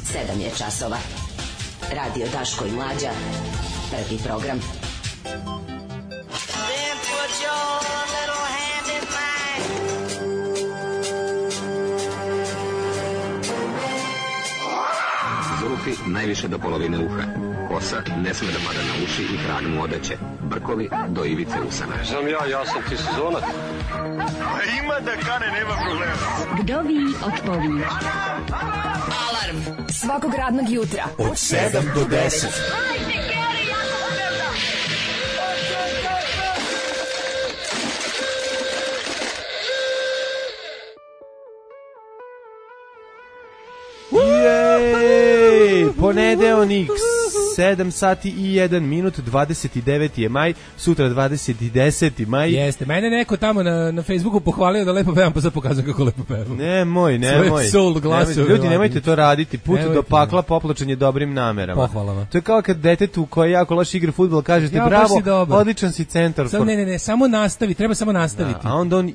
7 je časova. Radio Daško i Mlađa. Prvi program. Then put your little hand in mine. Zulufi najviše do polovine uha. Kosa ne sme da pada na uši i krag mu odeće. Brkovi do ivice usana. Znam ja sam ti sezonac. A ima da kane, nema problema. Vdovi odpovi. Alarm Svakog radnog jutra od 7 do 10. Jej, ponedeljnik, 7 sati i 1 minut, 29. je maj, sutra 20. maj. Jeste, mene neko tamo na Facebooku pohvalio da lepo pevam, pa sad pokazujem kako lepo pevam. Nemoj. Ljudi, nemojte to raditi. Put do pakla popločen je dobrim namerama. Pohvalama. To je kao kad detetu koji jako loše igra fudbal kažete bravo, odličan si centar. Ne, samo nastavi, treba samo nastaviti. A onda on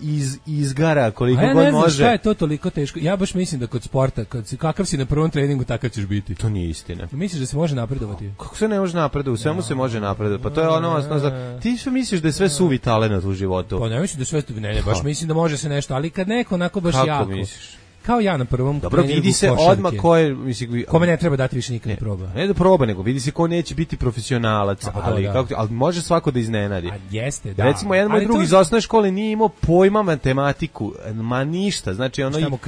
izgara koliko god može. A ja ne znam šta je to toliko teško. Ja baš mislim da kod sporta, kakav si na prvom treningu, takav ćeš biti. To nije istina. Misliš da se može napredovati? Kako se ne može napredovati? U svemu se može napredovati. Pa to je ono, ti sve misliš da je sve suvi talenat u životu. Pa ne mislim da sve ne, baš mislim da može se nešto, ali kad neko onako baš kako jako. Misliš? Kao ja na prvom. Dobro, vidi se odmah ko je, mislim, kome ne treba dati više nikad proba. Ne da proba, nego vidi se ko neće biti profesionalac, ali može svako da iznenadi. A jeste, da. Recimo, jedan moj drugi iz osnovne škole nije imao pojma matematiku, ma ništa. Znači, ono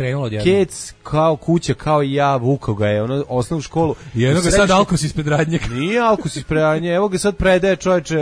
kec kao kuća, kao i ja, vukao ga je, ono, osnovnu školu. I jedno ga sad Alkos ispred radnjeg. Nije Alkos ispred radnjeg, evo ga sad predaje čoveče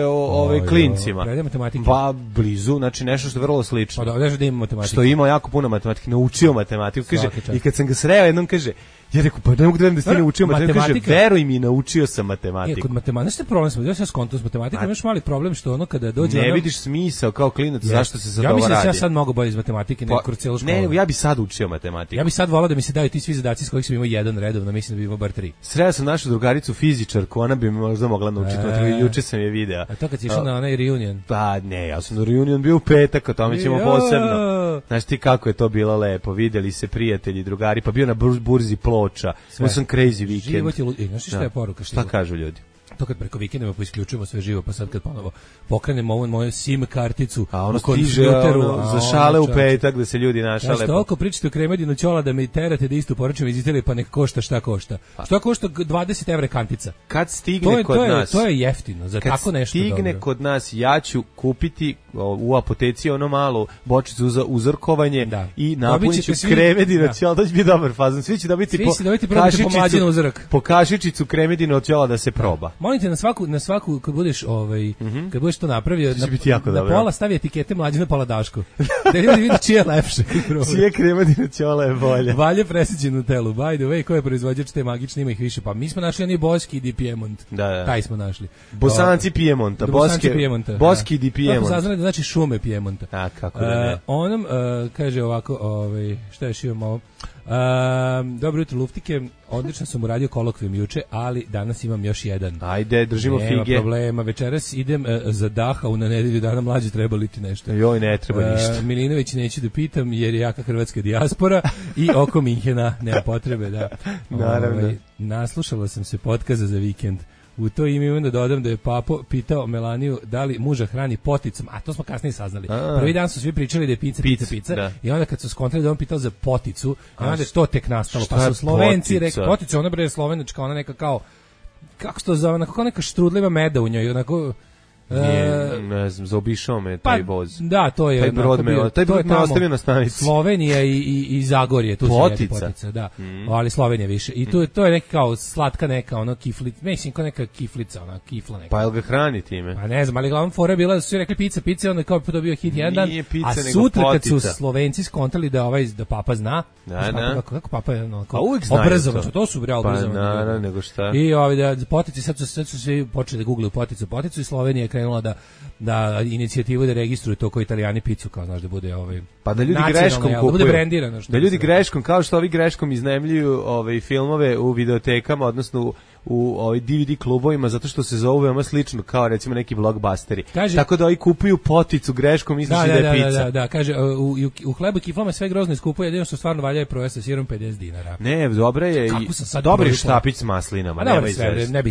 klincima. Predaje matematiku. Pa blizu, znači nešto što je vrlo slično. Pa da ima matematiku. Što ima jako puno matematike, naučio matematiku. Kaže, i kad sam ga sreo jednom kaže, ja rekao, pa ne mogu da verujem da si ti naučio matematiku. Kaže, veruj mi, naučio sam matematiku. Kod matematike, što je problem sam, ja sam skonto s matematikom, imaš mali problem što ono kada dođe... Ne vidiš smisao kao klinac, zašto se sad ovo radi. Ja mislim da sam ja sad mnogo bolje iz matematike nego kroz cijelu školu. Ne, ja bi sad učio matematiku. Ja bi sad volao da mi se daju ti svi zadaci s kojih sam imao jedan redovno, mislim da bi imao bar 3. Sreo sam našu drugaricu fizičarku, ona bi mi možda mogla naučiti matematiku, juče sam je video. A to kad si išao na onaj reunion? Pa ne, ja sam na reunion bio u petak, o tome ćemo posebno. Znaš ti kako je to bilo lepo, videli se prijatelji, drugari, pa bio na burzi Ploča. Sam crazy weekend. Život je ludi. Znaš šta je poruka? Šta kažu ljudi? To kad preko vikenda pa isključujemo sve živo, pa sad kad ponovo pokrenemo ovu moju SIM karticu u kompjuteru za šale u petak da se ljudi našale. Ja toliko pričate o Kremedinu Ćola da mi terate da isto poručujem iz Italije, pa nek košta šta košta. Šta košta 20 € kantica? Kad stigne kod nas. To je jeftino, za tako nešto dobro. Kad stigne kod nas, ja ću kupiti u apoteci ono malu bočicu za uzorkovanje i napunit ću Kremedina Ćola, to će biti dobar fazon. Svi će dobiti po kašičicu Kremedina Ćola da se proba. Molim te na svaku kad budeš kad budeš to napravio na pola stavi etikete Mlađe, na pola Daško. Da ljudi vide čije je lepše. Čije Kremedina Ćola je bolje. Valje presađen u telu. By the way, ko je proizvođač te magične, ima ih više. Pa mi smo našli oni Boski di Piemont. Da. Taj smo našli. Bosanci Piemonta, Boski di Piemont. Kako saznali da znači šume Piemonta. A kako da ne. Onom kaže ovako, šta još imamo ovo? Dobro jutro luftike, odlično sam uradio kolokvijum juče, ali danas imam još jedan. Ajde, držimo fige. Nema problema, večeras idem za Dachau na nedelju dana, Mlađe, treba li ti nešto? Joj, ne treba ništa. Milinović neću da pitam jer je jaka hrvatska dijaspora i oko Minhena nema potrebe, da. Naravno. Naslušala sam se podkaza za vikend. U to ime imam da dodam da je Papo pitao Melaniju da li muža hrani poticom, a to smo kasnije saznali. Prvi dan su svi pričali da je pizza. Da. I onda kad su skontrali da on pitao za poticu, i onda je to tek nastalo. Pa su Slovenci rekli, potica, ona bre je slovenačka, ona neka kao, kako se to zove, kako neka štrudljiva meda u njoj, onako... ne znam, zaobišao me taj voz. Da, to je... Taj brod me ostavio na stanici. Slovenija i Zagorje, tu potica, da. Ali Slovenija više. I to je neka kao slatka neka, ono kiflica, mislim kao neka kiflica, ona kifla neka. Pa jel ga hrani time? Pa ne znam, ali glavnom fora je bila da su rekli pizza, onda kao dobio hit jedan dan, a sutra kad su Slovenci skontali da Papa zna, kako Papa je obrazovan, to su realno obrazovani. Pa naravno, nego šta. I da potici, sad su svi počeli da googlaju poticu i Slovenija krenula da inicijativu da registruju to kao Italijani picu, kao znaš da bude pa da ljudi greškom kupuju, da bude brendirano, da ljudi greškom, kao što ovi greškom iznajmljuju filmove u videotekama, odnosno u DVD klubovima zato što se zovu veoma slično kao recimo neki blockbusteri. Tako da oni kupuju poticu greškom, misliš da je pizza. Da, kaže u hlebu i kiflama sve grozno iskupuje, jedino što stvarno valja je proja sa sirom 50 dinara. Ne, dobra je i dobri štapić s maslinama, nema izvesti. Ne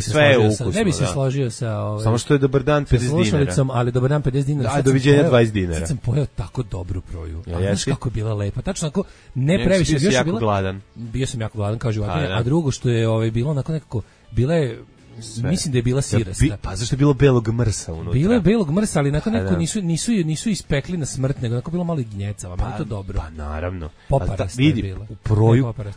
bi se složio sa samo što je dobar dan 50 dinara. Ali dobar dan 50 dinara. A doviđenja 20 dinara. Sad sam pojeo tako dobru proju. Znaš kako je bila lepa. Tačno onako, ne previše. Bio sam jako gladan. Bio sam jako gladan kao životinja, a drugo što je bilo onako nekako, bila je, mislim da je bila sirasta. Pa zašto je bilo belog mrsa unutra? Bilo je belog mrsa, ali nakon neko nisu ispekli na smrt, nego onako bilo malo i gnjecava, meni to dobro. Pa naravno. Poparasta je bila. U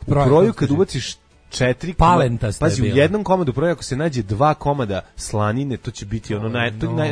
proju kad ubaciš 4 palenta ste pazi, u jednom komadu proja ako se nađe 2 komada slanine, to će biti ono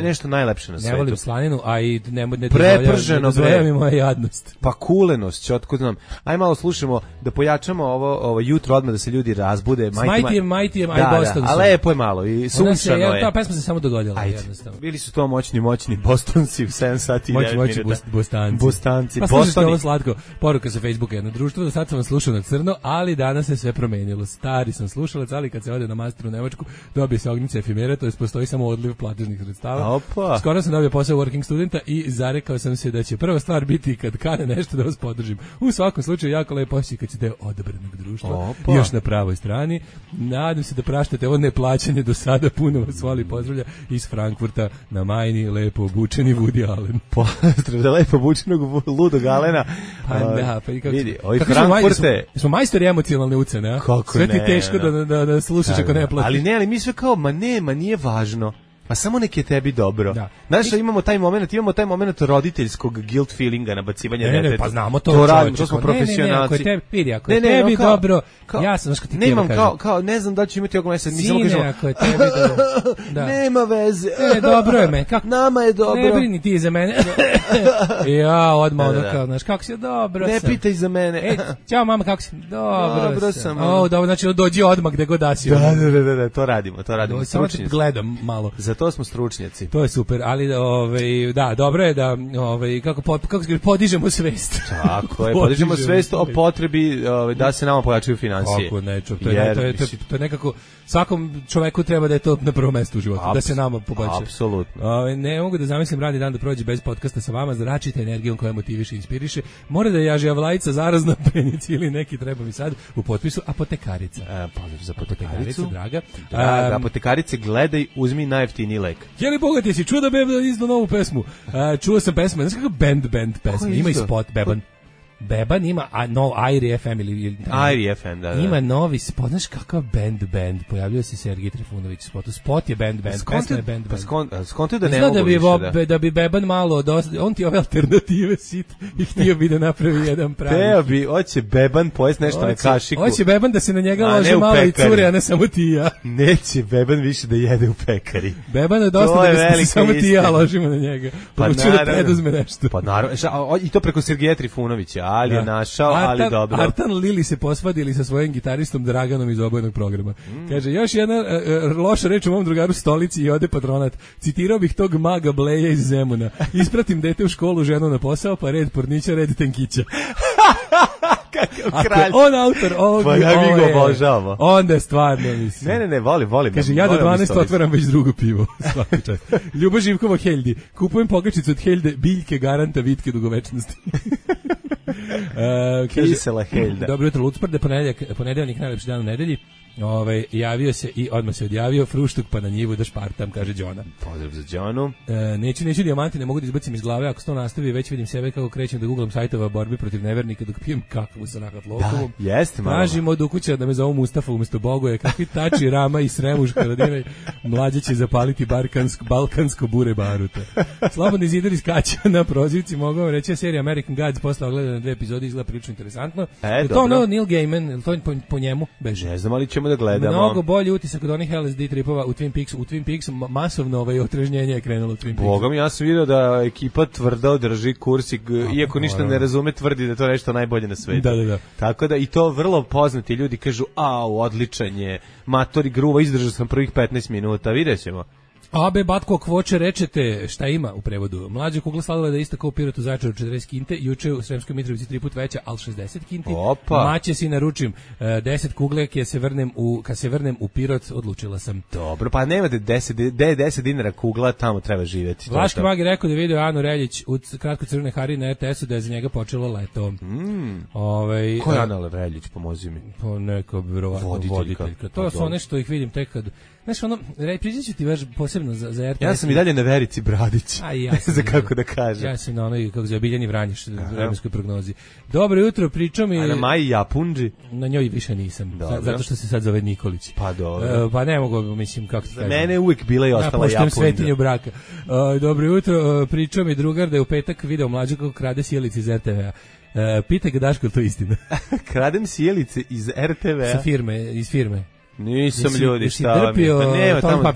nešto najlepše na svetu. Ne volim slaninu, a i ne preprženo mi moja jadnost. Pa kulenost, će otkud znam. Aj malo slušamo da pojačamo ovo jutro odmah da se ljudi razbude. Mighty aj Boston. A lepo je malo i sunčano je. Ta pesma se samo dogodila jednostavno. Bili su to moćni Bostonci u 7 sati i 9 minuta. Bostanci. Pa slušajte ovo slatko. Poruka sa Facebooka, jedno društvo, da sad sam vas slušao na crno, ali danas se sve promenilo. Stari sam slušalac, ali kad se ode na master u Nemačku, dobije se ognjica efimera, to jest postoji samo odliv platežnih sredstava. Opa. Skoro sam dobio posao working studenta i zarekao sam se da će prva stvar biti kad kane nešto da vas podržim. U svakom slučaju jako lepo osjećaj kad ćete odabranog društva. Još na pravoj strani. Nadam se da praštate ovo neplaćanje do sada, puno vas voli pozdravlja iz Frankfurta na Majni, lepo obučeni Woody Allen. Pozdrav da lepo obučenog ludog Alena. Pa da, pa i kako vidi, ovi Frankfurte. Smo majstori emocionalne ucene, a? Sve ti teško da slušaš ako ne platiš. Ali mi sve kao, nije važno. Pa samo nek je tebi dobro. Znaš, imamo taj moment roditeljskog guilt feelinga, nabacivanja deteta. Ne, pa znamo to radimo, to smo profesionalci. Ako je tebi dobro, ja sam, znaš kad ti nemam kao, ne znam da ću imati ovog mjeseca, mi samo kažemo, ako je tebi dobro. Nema veze. Dobro je me. Nama je dobro. Ne brini ti za mene. Ja, odmah ono kao, znaš, kako si, dobro sam. Ne pitaj za mene. Ćao mama, kako si, dobro sam. Dobro, znači dođi odmah gde god da si. Da, to radimo. Samo te gledam malo. To smo stručnjaci. To je super, ali da, dobro je da kako se podižemo svest. Tako je, podižemo svest o potrebi da se nama pojačaju finansije. Kako nečo, to je nekako svakom čoveku treba da je to na prvom mestu u životu, da se nama poboljša. Apsolutno. Ne mogu da zamislim radni dan da prođe bez podcasta sa vama, zračite energijom koja motiviše i inspiriše. Mora da je jažijavlajica zarazna penici ili neki treba mi sad u potpisu apotekarica. Pozdrav za apotekaricu, draga. Apotekarice, gledaj, uzmi najjeftiniji lek. Jeli bogati si, čuo da Beban izdao novu pesmu. Čuo sam pesmu, znaš kako band pesma, ima i spot Beban. Beban ima Airi FM ili Airi FM, da. Ima novi spot, znaš kakav band, pojavljuje se Sergij Trifunović u spotu. Spot je band, pesma je band. Skonto da ne mogu više. Da bi Beban malo, on ti ove alternative sit i htio bi da napravi jedan pravi. Teo bi, hoće Beban pojest nešto na kašiku. Hoće Beban da se na njega lože malo i cure, a ne samo ti i ja. Neće Beban više da jede u pekari. Beban je dosta da se samo ti i ja ložimo na njega. Pa da preduzme nešto. Pa naravno, i to preko Sergeja Trifunovića. Ali je našao, ali dobro. Artan Lili se posvadili sa svojim gitaristom Draganom iz obojenog programa. Kaže, još jedna loša reč u mom drugaru Stolici i ode patronat. Citirao bih tog maga Bleja iz Zemuna. Ispratim dete u školu, ženu na posao, pa red pornića, red tenkića. Kakav kralj. On autor ovog. Pa ja mi ga obožavamo. Onda je stvarno, mislim. Ne, volim. Kaže, ja do 12 otvaram već drugo pivo. Svaki čas. Ljubo Živkova Heldi. Kupujem pokačicu od Helde, biljke garanta vitke dugovečnosti. Kisela Helda. Dobro jutro, Lucprde, ponedeljnik najlepši dan u nedelji. Javio se i odmah se odjavio fruštuk pa na njivu da špartam, kaže Đona. Pozdrav za Đonu. Neću dijamanti, ne mogu da izbacim iz glave, ako se to nastavi, već vidim sebe kako krećem da googlam sajtova borbi protiv nevernika dok pijem kakvu sa nakatlokovom. Da, jeste malo. Tražim od ukuća da me zovu Mustafa umjesto Bogoje, kakvi tači Rama i Sremuška rodine, mlađe će zapaliti balkansko bure baruta. Slobodni zidar iskače na prozivci, mogu vam reći, serija American Gods posle ogledane 2 epizode izgleda prilično interesantno. To ono Neil Gaiman, to po njemu? Beže. Ne znam, ali ćemo da gledamo. Mnogo bolji utisak od onih LSD tripova u Twin Peaksu. U Twin Peaksu masovno otrežnjenje je krenulo u Twin Peaksu. Bogom, ja sam vidio da ekipa tvrdo drži kurs i iako ništa ne razume, tvrdi da to nešto najbolje na svetu. Da. Tako da i to vrlo poznati ljudi kažu, odličan je, matori gruva, izdržao sam prvih 15 minuta, vidjet ćemo. Abe Batko Kvoče rečete šta ima u prevodu. Mlađa kugla sladila da je ista kao u Pirotu Zaječaru 40 kinte, juče u Sremskoj Mitrovici 3 put veća, al 60 kinti. Opa. Maće si naručim 10 kugle kad se vrnem u Pirot, odlučila sam. Dobro, pa nemate 10 dinara kugla, tamo treba živjeti. Vlaški Magi rekao da je video Anu Reljić u kratko crvene Hari na RTS-u da je za njega počelo leto. Ko je Ana Reljić, pomozi mi? Pa neka voditeljka. To su one što ih vidim tek kad... Znaš, priđit ću ti baš posebno za RTS. Ja sam i dalje na Verici Bradić. Ja sam za kako da kažem. Ja sam na onoj, kako za Biljani Vranješ, vremenskoj prognozi. Dobro jutro, pričao mi... A na Maji Japunđi? Na njoj više nisam, zato što se sad zove Nikolić. Pa dobro. Pa ne mogu, mislim, kako ti kažem. Mene je uvijek bila i ostala Japunđa. Ja poštujem svetinju braka. Dobro jutro, pričao mi drugar da je u petak video mlađu kako krade sjelice iz RTV-a. Pitaj ga Daško, je to istina? Kradem sjelice iz RTV-a? Iz firme. Nisam ljudi, šta vam je? Pa nema,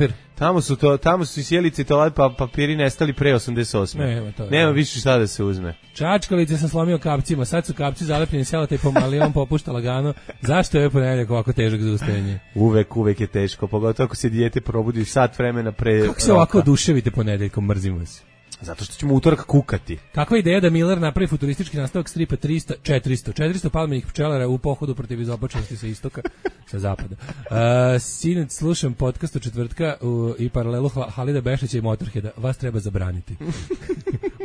tamo su i sjelice i toalet papiri nestali pre 88. Nema više šta da se uzme. Čačkalice sam slomio kapcima, sad su kapci zalepljeni selata i pomali, on popušta lagano. Zašto je ponedjeljak ovako težak za ustajanje? Uvek je teško, pogotovo ako se dijete probudi sat vremena pre Kako se ovako oduševite ponedjeljkom, mrzim vas? Zato što ćemo utorak kukati. Kakva ideja da Miller napravi futuristički nastavak stripa 400 palmenih pčelara u pohodu protiv izopačenosti sa istoka, sa zapada. Sinoć slušam podcast od četvrtka i paralelu Halida Bešića i Motorheada. Vas treba zabraniti.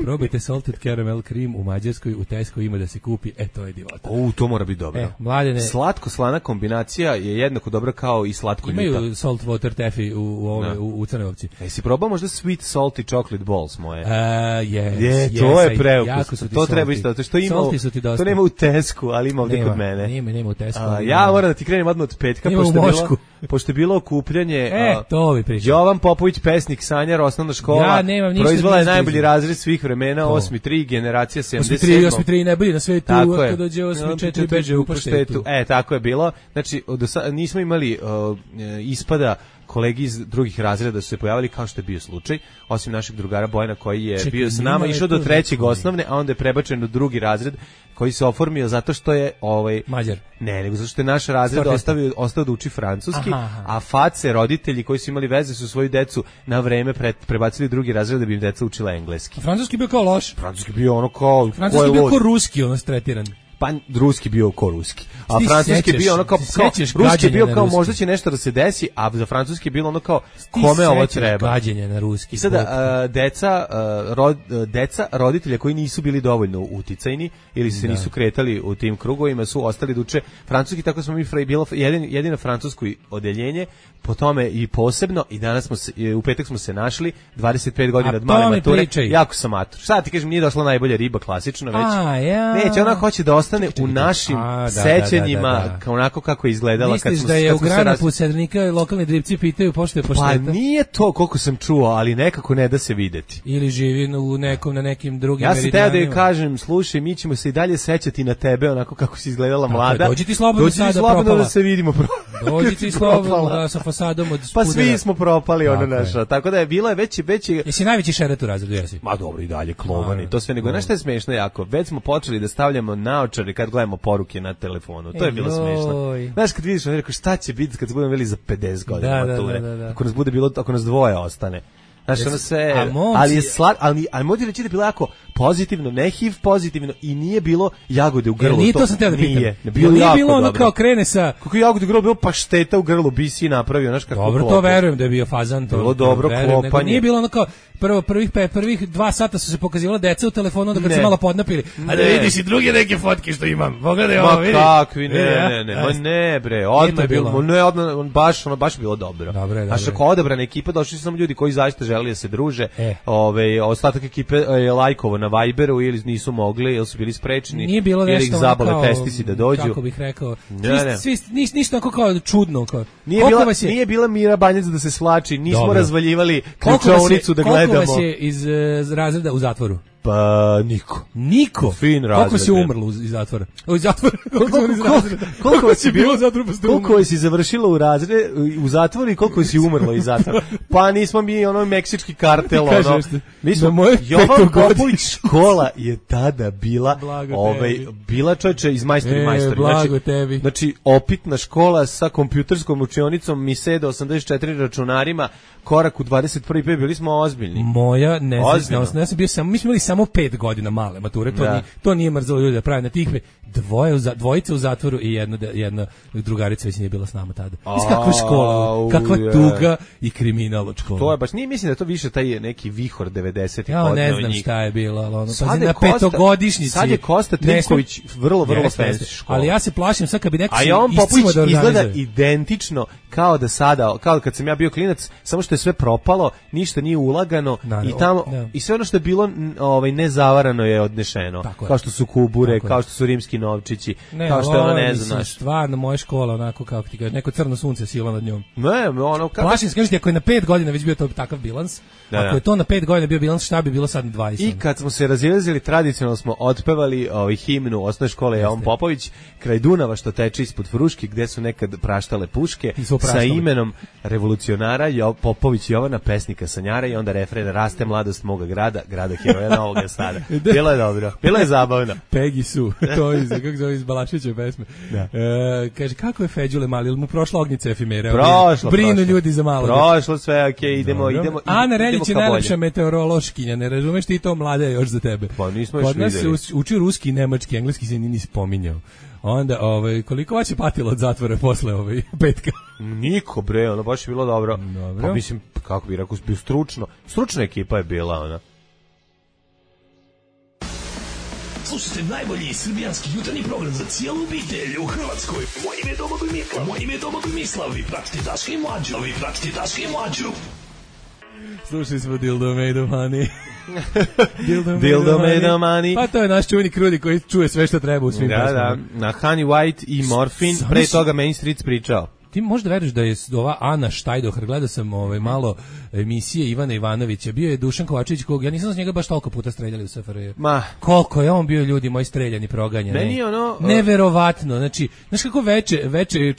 Probajte salted caramel cream u Mađarskoj, u Tesco ima da se kupi. To je divota. To mora biti dobro. Mladene, slatko-slana kombinacija je jednako dobra kao i slatko-ljuta. Imaju salt water taffy u Crnogorci. Si probao možda sweet salty chocolate balls moje? To je preukusno. To treba isto, što ima. To nema u Tesku, ali ima ovdje kod mene. Nema u Tesku. Ja moram da ti krenem odmah od petka, pošto je bilo okupljanje. To vi pričam. Jovan Popović, pesnik, sanjar, osnovna škola. Proizvala je najbolji razred svih vremena, 8.3, generacija 77. 8.3 najbolji na svetu, ako dođe 8.4 beže u paštetu. Tako je bilo. Znači, nismo imali ispada kolegi iz drugih razreda su se pojavili kao što je bio slučaj, osim našeg drugara Bojana koji je bio sa nama, išao do 3. osnovne, a onda je prebačen u 2. razred koji se oformio zato što je Mađar. Ne, nego zato što je naš razred ostao da uči francuski, a face roditelji koji su imali veze su svoju decu na vreme prebacili u 2. razred da bi im deca učila engleski. Francuski bio kao loš. Francuski bio ono kao... Francuski bio kao ruski, ono stretiran. Pa ruski bio ko ruski. A francuski bio ono kao ruski bio kao možda će nešto da se desi, a za francuski je bilo ono kao kome ovo treba. Gađenje na ruski. I sada deca roditelja koji nisu bili dovoljno uticajni ili se nisu kretali u tim krugovima su ostali da uče francuski, tako smo mi bilo jedino francusko odeljenje, po tome i posebno i danas u petak smo se našli 25 godina od male mature. Jako sam matur. Šta ti kažem, nije došla najbolja riba klasično već. Neće, ona hoće da ostane u našim sećanjima kao onako kako je izgledala. Misliš da je u Granapu Sedrnika lokalni dripci pitaju pošto je pošteta? Pa nije to koliko sam čuo, ali nekako ne da se videti. Ili živi na nekim drugim meridijanima. Ja sam teo da joj kažem, slušaj, mi ćemo se i dalje sećati na tebe onako kako si izgledala mlada. Dođi ti slobodno da se vidimo. Dođi ti slobodno sa fasadom od Spudera. Pa svi smo propali ono naša. Tako da je bila već. Jesi najveći šeret u razredu, jesi? Ma dobro, i dalje klovani. To sve nego. Znaš šta je smešno jako? Već smo počeli da stavljamo naočare kad gledamo poruke na telefonu. To je bilo smešno. Znaš kad vidiš, rekao šta će biti kad se budemo veli za 50 godina mature. Ako nas bude bilo, ako nas dvoje ostane. Znaš, ono sve, ali je ali moći reći da je bilo jako pozitivno, ne HIV pozitivno i nije bilo jagode u grlu. Nije to sam teo da pitam. Nije bilo ono kao krene sa... Kako je jagode u grlu, bilo pašteta u grlu, bi si napravio, znaš kako dobro, to verujem da je bio fazan. Bilo dobro klopanje. Nije bilo ono kao, prvih 2 sata su se pokazivala deca u telefonu, onda kad se malo podnapili. A da vidiš i druge neke fotke što imam. Pogledaj ovo, vidi. Ma kakvi, ne bre, odmah je bilo. Baš bilo dobro. Znaš, ako odabrana ekipa, došli su samo ljudi koji zaista želi da se druže. Ostatak ekipe je lajkovo na Viberu ili nisu mogli, ili su bili sprečeni, ili ih zabole testisi da dođu. Kako bih rekao, ništa tako kao čudno. Nije bila Mira Banjac da se svlači, nismo razvaljivali ključaonicu da gledamo. Koliko vas je iz razreda u zatvoru? Pa niko. Fin razred. Koliko si umrlo iz zatvora? Iz zatvora. Koliko si bilo zatvora? Koliko si završilo u zatvoru i koliko si umrlo iz zatvora? Pa nismo mi meksički kartel, mi smo Jovan Popović škola je tada bila bila čoveče iz majstori. Znači opitna škola sa kompjuterskom učionicom Miseda 84 računarima, korak u 21. bili smo ozbiljni. Moja nesrećna, ja sam bio mi smo imali samo 5 godina male mature, to nije mrzelo ljudi da pravi na tih dvojice u zatvoru i jedna drugarica već nije bila s nama tada. Kakva škola, kakva tuga i kriminal od škola. To je baš, nije mislim da to više taj neki vihor 90-ih godina. Ja ne znam šta je bilo, ali na petogodišnjici. Sad je Kosta Trivković vrlo fancy škola. Ali ja se plašim sad kad bi neko Jovan Popović izgleda identično kao da sada, kao kad sam ja bio klinac, samo što je sve propalo, ništa nije ulagano i tamo i sve ono što je bilo nezavarano je odnešeno. Kao što su kubure, kao što su rimski novčići, kao što je ono ne znam. Stvarno moja škola onako kako ti kažeš, neko crno sunce sila nad njom. Plašim se, kažete, ako je na 5 godina već bio to takav bilans, ako je to na 5 godina bio bilans, šta bi bilo sad na 20? I kad smo se razilazili, tradicionalno smo otpevali himnu osnovne škole Jovan Popović kraj Dunava što teče ispod Fruške, gde su nekad praštale puške sa imenom revolucionara Popović Jovana, pesnika sanjara, i onda refren raste mladost moga grada heroja Novog Sada. Bilo je dobro, bilo je zabavno. Pegi su, to je kako zove iz Balaševićeve pesme. Kaže, kako je Feđule mali, ili mu prošla ognjica efimera? Brinu ljudi za malo. Prošlo sve, okej, idemo. Ana Reljić je najlepša meteorološkinja, ne razumeš ti to, mlada je još za tebe. Pa nismo još videli. Kod nas se uči ruski i nemački, engleski se ni spominjao. Onda, koliko vas je patilo od zatvora posle petka? Niko, bre, ono baš je bilo dobro. Pa mislim, kako bi rekao, bio stručna ekipa je bila, ona. Slušajte najbolji srbijanski jutarnji program za cijelu obitelj u Hrvatskoj. Moje ime je Domagoj Mikla, moje ime je Domagoj Mislav, vi pratite Daška i Mlađu, Slušali smo Dildo Made of Honey. Dildo Made of Honey. Pa to je naš čuveni Krudi koji čuje sve što treba u svim pesmama. Da, na Honey White i Morfin, pre toga Main Street pričao. Ti možda veruješ da je ova Ana Štajdohar, gledao sam malo emisije Ivana Ivanovića, bio je Dušan Kovačević, kog ja nisam s njega baš toliko puta streljali u SFRJ. Koliko je on bio ljudi moji streljani, proganjani. Meni je ono... Neverovatno, znači, znaš kako veče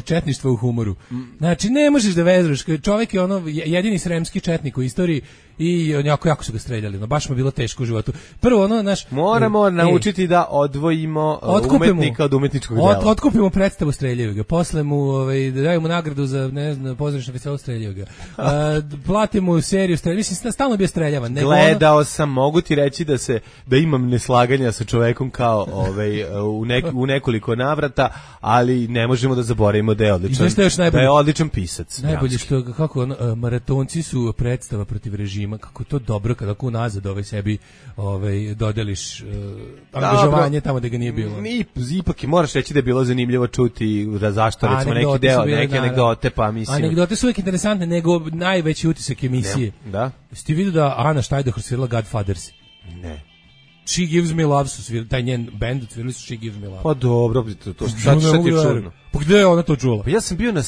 četništvo u humoru. Znači, ne možeš da vezuješ, čovjek je ono jedini sremski četnik u istoriji i jako su ga streljali, baš mu je bilo teško u životu. Prvo moramo naučiti da odvojimo umetnika od umetničkog dela. Otkupimo predstavu, streljaju ga. Posle mu daju mu nagradu za, ne znam, pozorišno festival, streljaju ga. Platimo mu seriju, mislim, stalno bio streljavan. Gledao sam, mogu ti reći da imam neslaganja sa čovekom kao u nekoliko navrata, ali ne možemo da zaboravimo da je odličan pisac. Najbolje što, kako maratonci su predstava protiv režima, kako to dobro kada unazad sebi dodeliš angažovanje tamo da ga nije bilo. Ipak moraš reći da je bilo zanimljivo čuti zašto recimo neki deo, neke anegdote, pa mislim. Anegdote su uvijek interesantne, nego najveći utisak emisije. Da. Jesi ti vidio da Ana Štajdohar svirala Godfathers? Ne. She Gives Me Love su svirali, taj njen band svirali su She Gives Me Love. Pa dobro, to šta ti je čudno. Pa gde je ona to čula? Pa ja sam bio na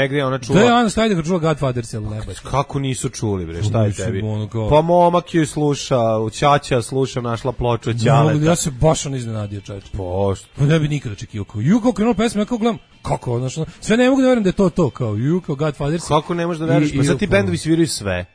gde je ona čula? Gde je Ana Štajdohar čula Godfathers, ili ne baš? Kako nisu čuli, bre, šta je tebi? Pa momak ju sluša, Ćaća sluša, našla ploču od Ćaleta. Ja se baš iznenadio, čovječ. Pa ne bi nikada očekivao, kao kako krenula pesma, ja kao gledam, kako, sve ne mogu da verujem da je to, kao kao Godfathers. Kako ne možeš da veruješ, pa sad ti bendovi sviraju sve.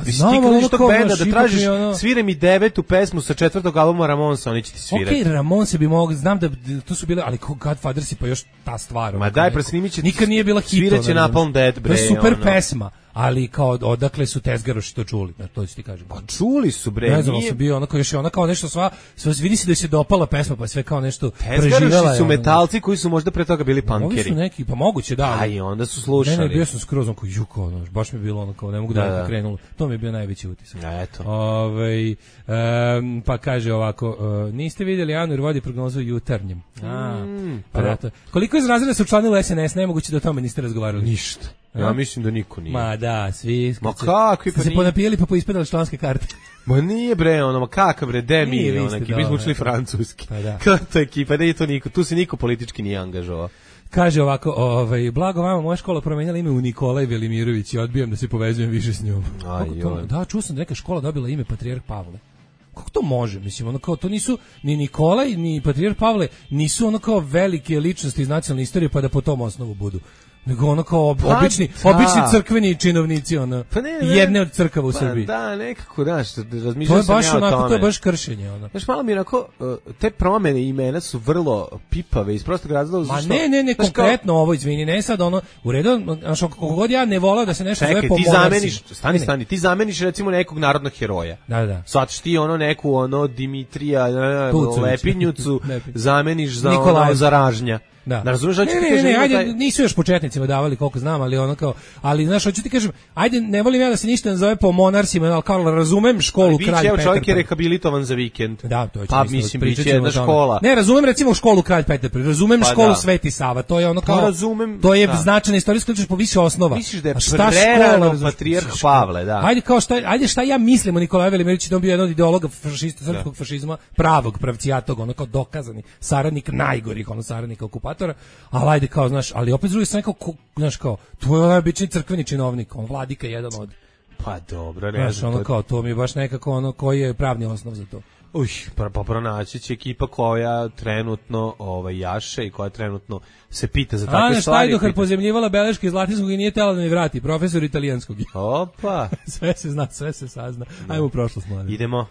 Mislim, ti kada tog benda da tražiš, svire mi 9. pesmu sa 4. albuma Ramonsa, oni će ti svirati. Okej, Ramonse bi mogli, znam da to su bile, ali Godfathers pa još ta stvar. Ma daj, presnimit će, nikad nije bila hit. Sviraće Napalm Death, bre. To je super pesma, ali kao odakle su tezgaroši to čuli, to ću ti kažem. Pa čuli su, bre. Ne znam, sam bio onako još je ona kao nešto sva vidi se da se dopala pesma, pa sve kao nešto preživela. Tezgaroši su metalci koji su možda pre toga bili punkeri. Ovi su neki, pa moguće da. Aj, onda su slušali. Ne, bio sam skroz onako juko, baš mi je bilo onako, ne mogu da krenulo. To mi je bio najveći utisak. Eto. Pa kaže ovako, niste vidjeli Anu jer vodi prognozu Jutarnjem. Koliko iz razreda su učlanili SNS, nemoguće da o tome niste razgovarali? Ništa. Ja mislim da niko nije. Ma da, svi. Ma kakvi pa se ponapijeli pa poispadali članske karte. Ma nije bre, ma kakav bre, demi, mi smo učili francuski. Kako to ekipa, da je to niko, tu se niko politički nije angažovao. Kaže ovako, blago vama, moja škola promenjala ime u Nikolaj Velimirović i odbijam da se povezujem više s njom. Da, čuo sam da neka škola dobila ime Patrijarh Pavle. kako to može? Mislim, ono kao, to nisu ni Nikolaj, ni Patrijarh Pavle, nisu ono kao velike ličnosti iz nacionalne istorije, pa da po tom osnovu budu. Nego ono kao obični crkveni činovnici, ono, jedne od crkava u Srbiji. Da, nekako, znaš, razmišljao sam ja o tome. To je baš kršenje, ono. Znaš, malo mi onako, te promene imena su vrlo pipave, iz prostog razloga. Ma ne, konkretno ovo, izvini, ne sad, ono, u redu, znaš, kako god ja ne volao da se nešto zove po monarhiji. Stani, ti zameniš recimo nekog narodnog heroja. Da. Sad ti neku, Dimitrija Lepinjucu zameniš za za Ražnja. Da razumeš, ajde, nisu još početnicima davali koliko znam, ali ono kao, ali znaš, hoću ti kažem, ajde, ne volim ja da se ništa ne zove po monarsima, ali kao razumem školu Kralj Petar. Čovjek je rehabilitovan za vikend. Da, to je pa mislim biće jedna škola. Ne, razumem recimo školu Kralj Petar, razumem školu Sveti Sava, to je ono kao, to je značajna istorijska ličnost po više osnova. Misliš da je prerano Patrijarh Pavle, da. Ajde šta ja mislim o Nikolaju Velimiroviću, da on bio jedan od ideologa srpskog fašizma, pravog pravcijatog, ono kao dokazani saradnik najgorih saradnika okupatora. Ali ajde kao, znaš, ali opet s druge strane kao, znaš, kao, to je obični crkveni činovnik, on vladika jedan od. Pa dobro, ne znam. Ono kao, to mi je baš nekako ono, koji je pravni osnov za to. Pa pronaći će ekipa koja trenutno jaše i koja trenutno se pita za takve stvari. Ana Štajdohar pozemljivala beleške iz latinskog i nije tela da mi vrati, profesor italijanskog. Opa! Sve se zna, sve se sazna. Ajmo u prošlost, mladen. Idemo.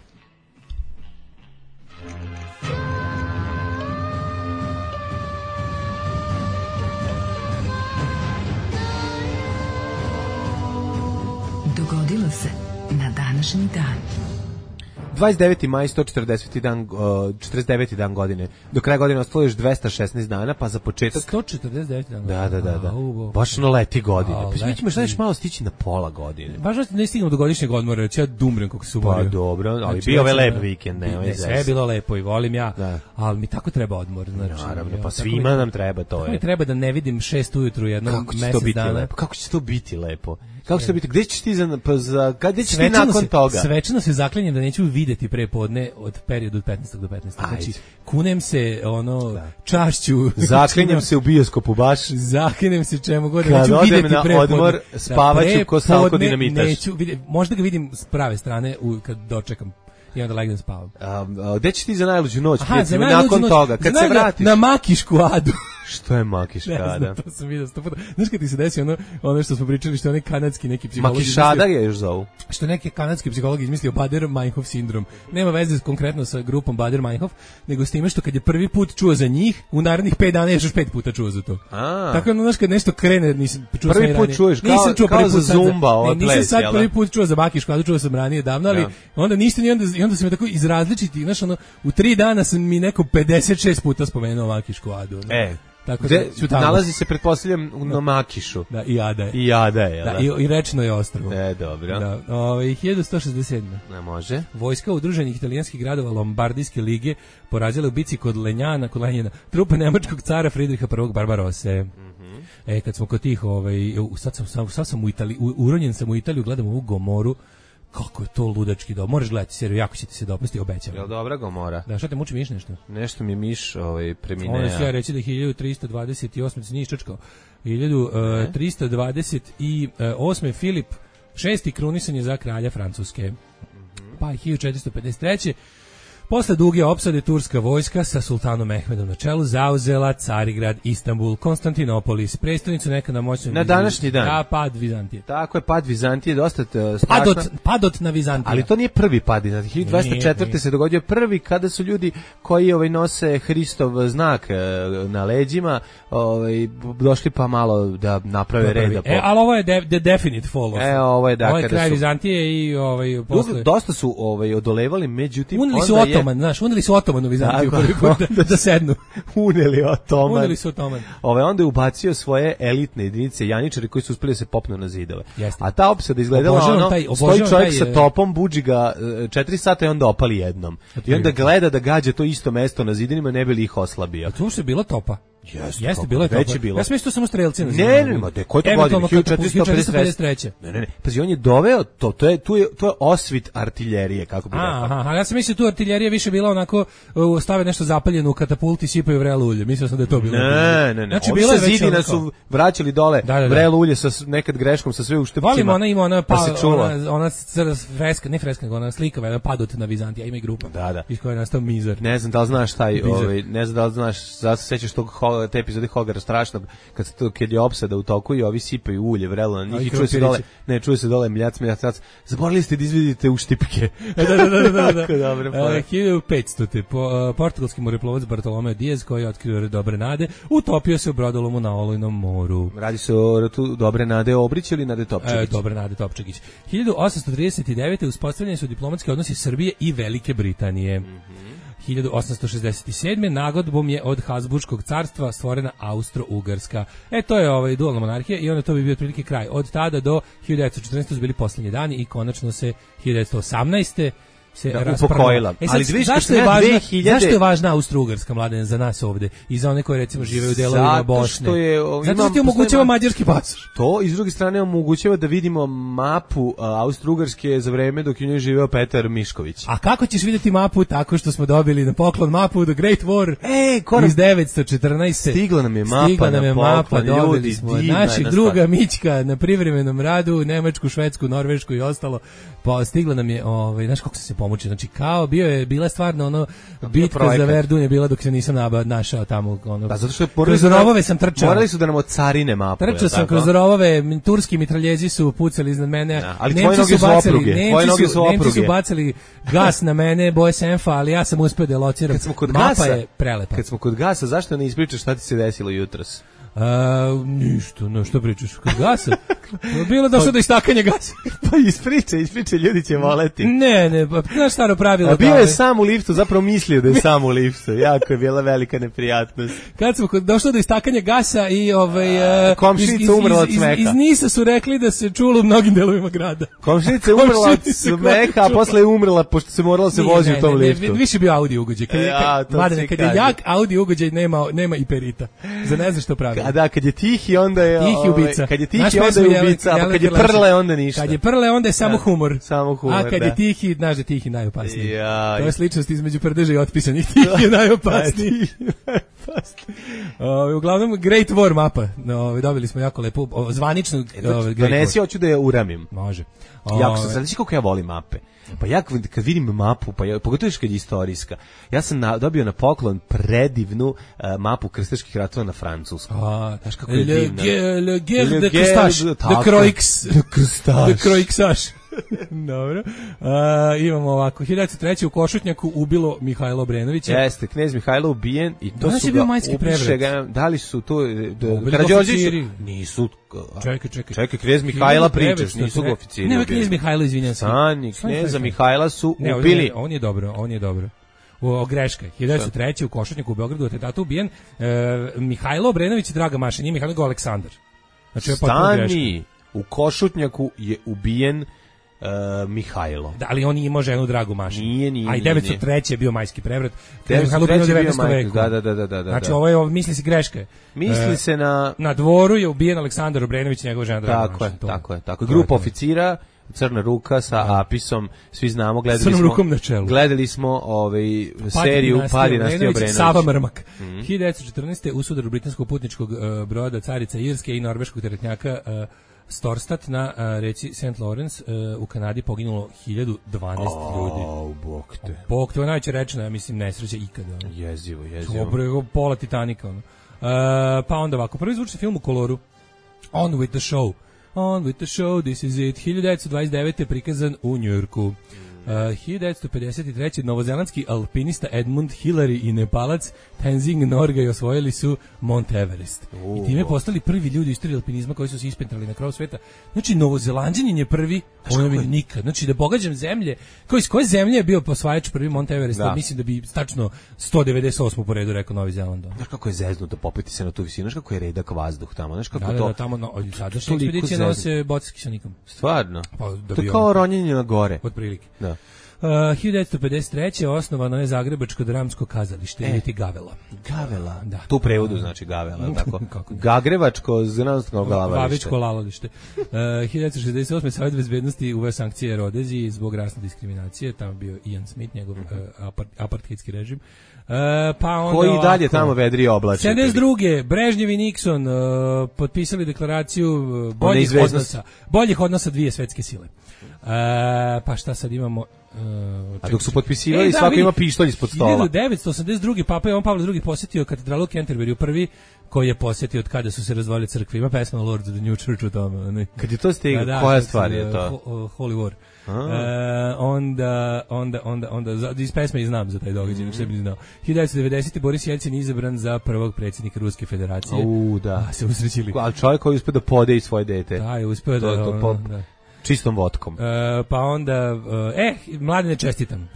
Dogodilo se na današnji dan. 29. maj, 49. dan godine. Do kraja godine ostalo još 216 dana, pa za početak... 149 dana? Da. Baš no leti godine. Pa mi ćemo šta još malo stići na pola godine. Baš ne stignem do godišnjeg odmora, reći ja dumrem kako se umorio. Pa dobro, ali bio je lep vikend. Sve je bilo lepo i volim ja, ali mi tako treba odmor. Naravno, pa svima nam treba to. Tako mi treba da ne vidim 6 ujutru jednom mesec dana. Kako će to biti lepo? Kako će to biti? Gde ćeš ti gde ćeš ti nakon toga? Svečano se zaklinjem da neću videti prepodne od periodu od 15. do 15. Znači, kunem se čašću. Zaklinjem se u bioskopu baš. Zaklinjem se čemu god. Neću videti prepodne. Kad odem na odmor, spavaću ko Salko Dinamitaš. Neću vidjeti, možda ga vidim s prave strane kad dočekam. I onda legnem spavam. Gde ćeš ti za najluđu noć? Nakon toga, kad se vratiš? Na Makišku Adu. Što je Makiškada? Ne znam, to sam vidio 100 puta. Znaš kad ti se desi ono što smo pričali, što je onaj kanadski neki psiholog... Makišada je još zovu. Što neki kanadski psiholog izmislio Bader-Meinhof sindrom. Nema veze konkretno sa grupom Bader-Meinhof, nego s time što kad je prvi put čuo za njih, u narednih 5 dana još 5 puta čuo za to. Tako ono, znaš, kad nešto krene, nisam čuo prvi put čuješ, kao za Zumba, ovo ples, nisam sad prvi put čuo za Makiškadu, čuo sam ranije davno, ali onda ništa ni onda se mi tako iz različitih, znaš, ono, u 3 dana sam mi neko 56 puta spomenuo Makišku Adu. Tako da nalazi se, pretpostavljam, na Makišu. Da, i Ada je. I Ada je, da, i rečno je ostrvo. Dobro. Da, 1167. Ne može. Vojska udruženih italijanskih gradova Lombardijske lige porazila u bici kod Lenjana, trupe nemačkog cara Fridriha I Barbarose. Kad smo kod tih, sad sam u Italiji, uronjen sam u Italiju, gledam ovu Gomoru. Kako je to ludački dobro. Moraš gledati seriju, jako će ti se dopasti, obećavam. Jel dobra Gomora? Da, šta te muči, miš nešto? Nešto mi miš premineo. Ono ću ja reći da 1328, se nije iščačkao. 1328. Filip VI krunisan je za kralja Francuske. Pa 1453. Posle duge opsade turska vojska sa sultanom Mehmedom na čelu zauzela Carigrad, Istanbul, Konstantinopolis, prestonicu nekada moćnog na današnji dan. Da, pad Vizantije. Tako je, pad Vizantije dosta strašno. Padot na Vizantiju. Ali to nije prvi pad Vizantije. 1204. se dogodio prvi kada su ljudi koji nose Hristov znak na leđima, došli pa malo da naprave reda. Ali ovo je the definite fall. Ovo je ovo je kraj Vizantije i posle. Dosta su odolevali, međutim uneli su Otoman u Vizantiju prvi put da sednu. Uneli su Otoman. Onda je ubacio svoje elitne jedinice janičari koji su uspeli da se popnu na zidove. A ta opsada izgledala stoji čovjek sa topom, buđi ga 4 sata i onda opali jednom. I onda gleda da gađa to isto mesto na zidinima, ne bi li ih oslabio. A tu što je bila topa? Jeste, bilo je to. Već je bilo. Ja sam mislio samo strelci. Ne, ko je to godin? 1453. Ne. Pazi, on je doveo to je osvit artiljerije, kako bi rekao. Aha, ja sam mislio tu artiljerija više bila onako stave nešto zapaljeno u katapult i sipaju vrelo ulje. Mislio sam da je to bilo. Ne. Znači bilo je zidina su vraćali dole vrelo ulje sa nekad greškom sa sve uštepcima. Volim ona ona freska, ne freska, nego ona slika, padot na Vizantija, ima i grupa. Da. Iz koje je nastao Mizar. Ne znam da li znaš ne znam da li znaš, zato se sećaš te epizode Hogara strašnog, kad je opsada u toku i ovi sipaju ulje, vrelo na njih i čuje se dole mljac. Zaboravili ste da izvidite uštipke. Da. Dobro, 1500. Portugalski moreplovac Bartolomeo Diaz, koji je otkrio Dobre Nade, utopio se u brodolomu na Olujnom moru. Radi se o ratu Dobre Nade Obrić ili Nade Topčagić? Dobre Nade Topčagić. 1839. uspostavljeni su diplomatski odnosi Srbije i Velike Britanije. 1867. nagodbom je od Habsburškog carstva stvorena Austro-Ugarska. To je dualna monarhija i onda to bi bio otprilike kraj. Od tada do 1914. su bili posljednji dani i konačno se 1918. se upokojila. Ali zašto je važna Austro-Ugarska, Mladen, za nas ovde i za one koji recimo žive u delovima Bosne? Zato što ti omogućava mađarski pasoš. To i s druge strane omogućava da vidimo mapu Austro-Ugarske za vreme dok je u njoj živeo Petar Mišković. A kako ćeš vidjeti mapu? Tako što smo dobili na poklon mapu The Great War iz 914. Stigla nam je mapa, dobili smo naših druga Mićka na privremenom radu, Nemačku, Švedsku, Norvešku i ostalo. Pa stigla nam je, znaš kako se pomoći, znači kao bila stvarno bitka za Verdun je bila dok se nisam našao tamo zato što kroz rovove sam trčao. Morali su da nam od carine mapu. Trčao sam kroz rovove, turski mitraljezi su pucali iznad mene. Ali tvoje noge su opruge. Nemci su bacali gas na mene, boje senfa, ali ja sam uspeo da lociram. Mapa je prelepa. Kad smo kod gasa, zašto ne ispričaš šta ti se desilo jutros? Ništa, što pričaš? Kod gasa? Bilo došlo do istakanja gasa. Pa ispričaj, ljudi će voleti. Ne, znaš staro pravilo. A bio je sam u liftu, zapravo mislio da je sam u liftu. Jako je bila velika neprijatnost. Kad smo došlo do istakanja gasa i komšinica umrla od smeha. Iz Nisa su rekli da se čulo u mnogim delovima grada. Komšinica umrla od smeha, a posle je umrla pošto se morala se vozi u tom liftu. Više bio audio ugođaj. Kad je jak audio ugođaj nema i perita. Za ne znaš što pravi. A da, kad je tihi, onda je ubica. Kad je tihi, onda je ubica, a kad je prle, onda ništa. Kad je prle, onda je samo humor. A kad je tihi, znaš da tihi najopasniji. To je sličnost između prdeža i otpisanih. Tihi je najopasniji. Uglavnom, Great War mapa. Dobili smo jako lepo, zvaničnu donesi, hoću da je uramim. Može. Jako sam, znači kako ja volim mape. Pa ja kad vidim mapu, pogotovo kad je istorijska, ja sam dobio na poklon predivnu mapu krstaških ratova na francuskom. Znaš kako je divna. Le guerre de Crustache, de Croixage. Dobro. Imamo ovako, 1903. u Košutnjaku ubilo Mihajlo Obrenovića. Jeste, knez Mihajlo ubijen i to su ga ubiše. Da li su to Karađorđević? Nisu. Čekaj, knez Mihajla pričaš, nisu ga oficiri. Nema knez Mihajlo, izvinjam se. Kneza Mihajla su ubili. On je dobro. Greška. 1903. u Košutnjaku u Beogradu atentatu ubijen Mihajlo Obrenović i Draga Maša, nije Mihajlo, nego Aleksandar. Znači, Stani, u Košutnjaku je ubijen Mihajlo. Da, ali on imao ženu Dragu Mašu. Nije. A i 903. je bio majski prevrat. 903. je bio 19. veku. Da. Znači, ovo je, misli se greška. Misli se na dvoru je ubijen Aleksandar Obrenović i njegova žena Draga Maša. Tako je. Grupa oficira, Crna ruka sa Apisom, svi znamo, gledali smo seriju Pa dinastija Obrenović. Sava Mrmak. 1914. u sudaru britanskog putničkog broda Carica Irske i norveškog teretnjaka Storstad na reci St. Lawrence u Kanadi poginulo 1012 ljudi. Bog te, najveća rečna, ja mislim, nesreća ikada. Jezivo. Dobro, pola Titanika. Pa onda ovako, prvi zvučni film u koloru, On with the show, this is it, 1929. prikazan u Njujorku. 1953. novozelandski alpinista Edmund Hillary i Nepalac Tenzing Norgay osvojili su Mount Everest. I time postali prvi ljudi u istoriji alpinizma koji su se ispentrali na kraju sveta. Znači, Novozelanđanin je prvi, ono mi nikad. Znači, da pogađam zemlje, koje zemlje je bio posvajač prvi Mount Everesta, mislim da bi tačno 198. po redu rekao Novi Zeland. Znaš kako je zeznuto popeti se na tu visinu, znaš kako je redak vazduh tamo, znaš kako to... Da, tamo sadašnje ekspedicije nose boce s kisonikom. Stvarno? To je kao ronjenje na gore. Otprilike. Da. 1953. osnovano je Zagrebačko dramsko kazalište, ili ti Gavela. Gavela, da. Tu prevodu znači Gavela, tako. Gagrevačko dramsko glavalište. Vavičko lalalište. 1968. Savjet bezbednosti uveo sankcije Rodeziji zbog rasne diskriminacije, tamo bio Ian Smith, njegov apartheidski režim. Pa onda koji dalje tamo vedri oblači. 72. Brežnjev i Nixon potpisali deklaraciju boljih odnosa dvije svetske sile. Pa šta sad imamo? A dok su potpisivali, svako ima pištolj ispod stola. 1982. Papa Jovan Pavle II posjetio katedralu u Canterbury, prvi koji je posjetio od kada su se razvojile crkve. Ima pesma Lord of the New Church u tome. Ne? Kad je to stiglo, koja stvar je to? Holy War. Onda iz pesme i znam za taj događaj, što bi znao. 1990. Boris Jelcin izabran za prvog predsjednika Ruske federacije. Da. Se usrećili. Ali čovjek koji uspio da podeji svoje dete. Da, je uspio da... Čistom vodkom. Pa onda, Mladene, čestitam.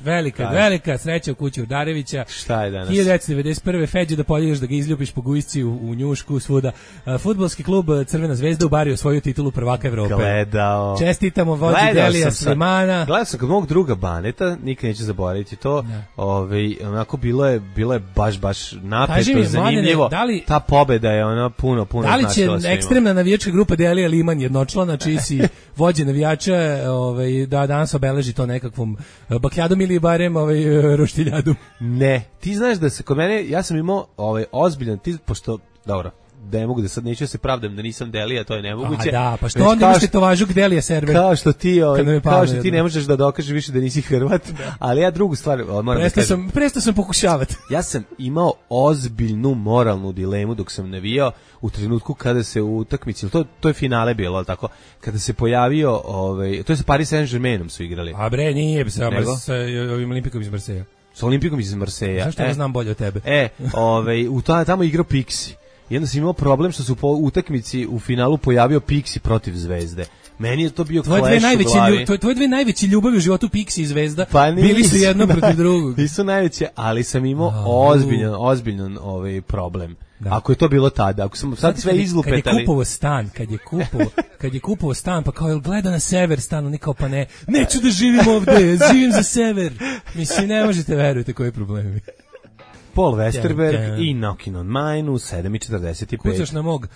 Velika sreća u kući Urdarevića. Šta je danas? 1991. Feđe da poljubiš, da ga izljubiš po gujsci u njušku, svuda. Fudbalski klub Crvena zvezda ubario svoju titulu prvaka Evrope. Gledao. Čestitamo vođi Delija Slimana. Gledao sam kod mog druga Baneta, nikad neću zaboraviti to. Onako bilo je baš napeto, zanimljivo. Ta pobeda je ona puno da li će ekstremna navijačka grupa Delija Liman jednočlana, čiji si vođe navijača, da danas obeleži to nekakvom bakljadom ili barem roštiljadom? Ne, ti znaš da se kod mene, ja sam imao ozbiljan, pošto, dobro, da ne mogu da sad neću da se pravdam da nisam Delija, to je nemoguće. Da, pa što onda imaš tetovažu Delija server? Kao što ti ne možeš da dokažeš više da nisi Hrvat, ali ja drugu stvar moram da kažem. Prestao sam pokušavati. Ja sam imao ozbiljnu moralnu dilemu dok sam navijao u trenutku kada se u utakmici, to je finale bilo, al tako, kada se pojavio, to je sa Paris Saint-Germainom su igrali. A bre, nije sa ovim Olimpikom iz Marseja. Sa Olimpikom iz Marseja. Zašto ja znam bolje od tebe? Tamo igrao Pixi. I onda sam imao problem što su po utakmici u finalu pojavio Pixi protiv Zvezde. Meni je to bio clash u glavi. Tvoje dve najveće ljubavi u životu, Pixi i Zvezda, bili su jedno protiv drugog. Nisu najveće, ali sam imao ozbiljan problem. Da. Ako je to bilo tada, ako sam sad sve izlupetali. Kad je kupovao stan, pa kao je gleda na sever stan, oni kao pa neću da živim ovde, živim za sever. Mislim, ne možete verujete koji problemi. Paul Westerberg i Knockin' on Mine u 7:45. Kucaš na mog.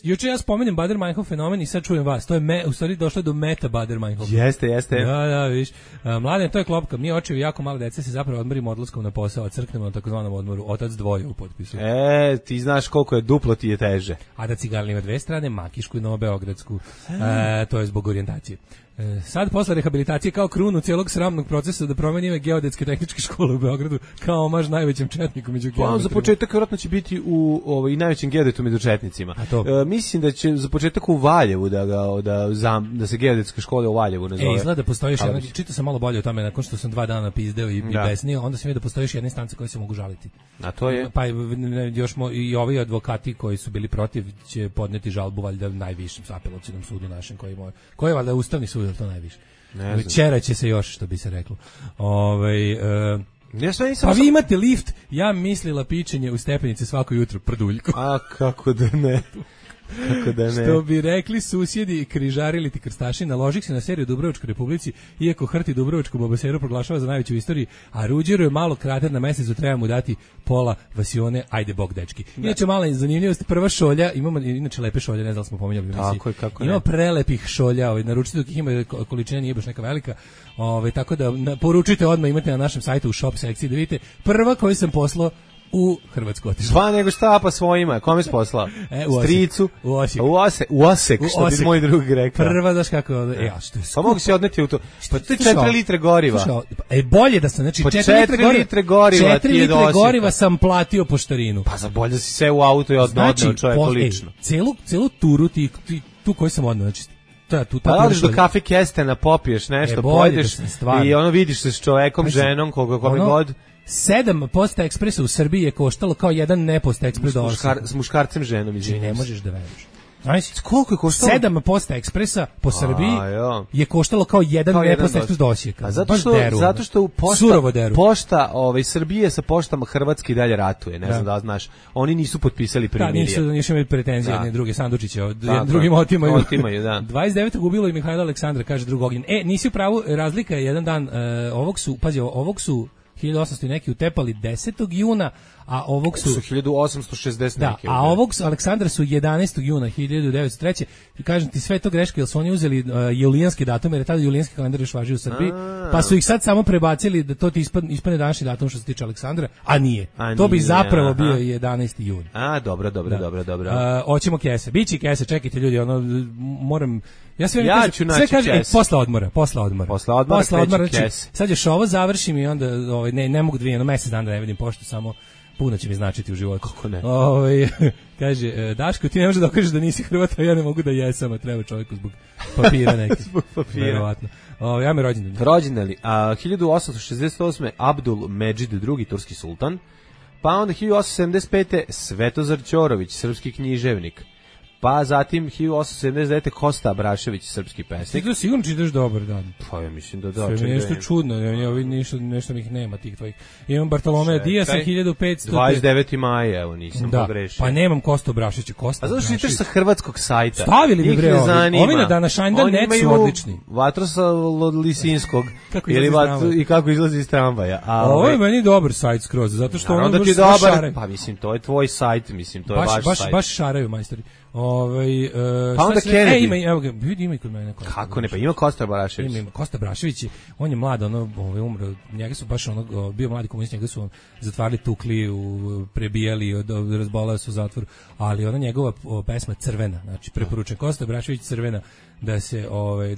Juče ja spomenem Bader-Meinhof fenomen i sad čujem vas. To je u stvari došlo do meta Bader-Meinhof. Jeste. Da, vidiš. Mladen, to je klopka. Mi očevi jako male dece se zapravo odmorimo odlaskom na posao, a crknemo na takozvanom odmoru. Otac dvoje u potpisu. Ti znaš koliko je duplo ti je teže. A da Cigalin ima dve strane, Makišku i Novobeogradsku. To je zbog orijentacije. Sad posle rehabilitacije kao krunu cijelog sramnog procesa da promeni ime geodetske tehničke škole u Beogradu kao omaž najvećem četniku među geometrima. Za početak vjerojatno će biti i najvećem geodetu među četnicima. Mislim da će za početak u Valjevu da se geodetska škola u Valjevu nazove. Izgleda postoji još jedna, čitao sam malo bolje o tome nakon što sam 2 dana pizdeo i besnio, onda sam vidio da postoji još jedna instanca koja se mogu žaliti. A to je? Pa još i ovi advokati koji su bili protiv će podneti žalbu valjda najvišem apelacionom sudu našem koji je valjda Ustavni sud, to najviše. Čera će se još, što bi se reklo. Pa vi imate lift, ja mislila pičenje u stepenice svako jutro, prduljko. A kako da ne. Što bi rekli susjedi, križarili ti krstaši, naložih se na seriju Dubrovačkoj Republici, iako Hrti Dubrovačku babaseru proglašava za najveću u istoriji, a Ruđeru je malo krater na mesecu, treba mu dati pola vasione, ajde bog dečki. Inače mala zanimljivost, prva šolja, imamo inače lepe šolje, ne znam smo pominjali u emisiji. Ima prelepih šolja, naručite dok ih ima, količina nije baš neka velika, tako da poručite odmah, imate na našem sajtu u shop sekciji da vidite. Prva koju sam poslao u Hrvatsku otišla. Sva nego šta pa svojima, kome si poslao? Stricu? U Osek, što bi moj drug rekao. Prva, znaš kako pa mogu si odneti u to. Pa to je 4 litre goriva. Bolje da sam, znači 4 litre goriva. 4 litre goriva sam platio poštarinu. Pa za bolje si se u auto i odneo čovjeku lično. Celu turu tu koju sam odneo, znači pa odeš do kafe Kestena, popiješ nešto, pojedeš i vidiš se s čovekom, ženom, kome god. 7 Posta Ekspresa u Srbiji je koštalo kao jedan ne Posta Ekspres do 8. S muškarcem ženom, izvinjam. Ne možeš da veruješ. Znaš, koliko je koštalo? 7 Posta Ekspresa po Srbiji je koštalo kao jedan Posta Ekspres do Osijeka. A zato što pošta Srbije sa poštama Hrvatske i dalje ratuje, ne znam da znaš. Oni nisu potpisali primirje. Da, nisu imali pretenzije jedne druge sandučiće, drugim otimaju. 29. ubilo i Mihajla Aleksandra, kaže drug Ognjen. Nisi u pravu, razlika je jedan dan, ovog su 1800 i neki utepali 10. juna, a ovog su 1860 neki. Da, a ovog Aleksandra su 11. juna 1903. I kažem ti, sve to greška, jer su oni uzeli julijanski datum, jer je tada julijanski kalendar još važio u Srbiji, pa su ih sad samo prebacili da to ti ispadne današnji datum što se tiče Aleksandra, a nije. To bi zapravo bio 11. jun. Dobro. Hoćemo kese. Biće kese, čekajte ljudi, moram... Ja ću naći kese. Posle odmora. Znači, sad još ovo završim i onda ne mogu mesec dana da ne vidim poštu, samo puno će mi značiti u životu. Kako ne? Kaže, Daško, ti ne možeš da okažeš da nisi Hrvat, a ja ne mogu da jesam, a treba čovjeku zbog papira neki. Zbog papira. Verovatno. Ja me rođendan. Rođendani. 1868. Abdul Medžid II, turski sultan. Pa onda 1875. Svetozar Ćorović, srpski književnik. Pa zatim 1879. Kosta Abrašević, srpski pesnik. Ti to sigurno čitaš dobar dan. Pa ja mislim da da. Sve mi nešto čudno, nešto mi ih nema tih tvojih. Imam Bartolomea Dijasa 1500. 29. maja, evo nisam pogrešio. Pa nemam Kostu Abraševića, A zato što čitaš sa hrvatskog sajta. Stavili mi bre ovi na današnjdan.net su odlični. Vatroslav Lisinskog i kako izlazi iz tramvaja. Ovo je meni dobar sajt skroz, zato što onda ti dobar. Pa mislim to je tvoj sajt, mislim to je vaš sajt. Baš šaraju majstori. Pa onda Kennedy. Ima i kod mene. Kako ne, pa ima Kosta Brašević. Ima Kosta Brašević, on je mlad, umro, njega su baš bio mladi komunist, njega su zatvarali, tukli, prebijali, razbolao se u zatvoru, ali ona njegova pesma Crvena, znači preporučujem, Kosta Brašević Crvena, da se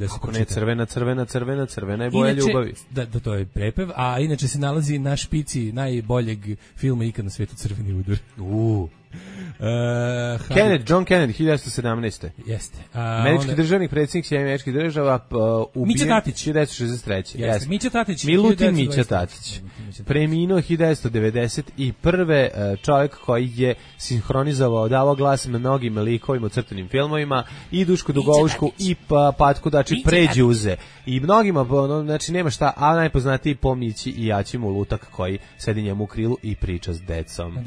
kako ne, crvena je boja ljubavi. Da, to je prepev, a inače se nalazi na špici najboljeg filma ikad na svetu, Crveni udar. John Kennedy 1917. Jeste. Američki državnik, predsjednik Sjedinjenih Američkih Država, ubijen 1963. Jeste. Mića Tatić. Milutin Mića Tatić. Preminuo 1991. Čovjek koji je sinhronizovao, davao glas mnogim likovima u crtanim filmovima, i Dušku Dugovušku i Patku Dači Pređuze. I mnogima, znači nema šta, a najpoznatiji po Mići i Jačimu Lutak koji sedi njemu u krilu i priča s decom.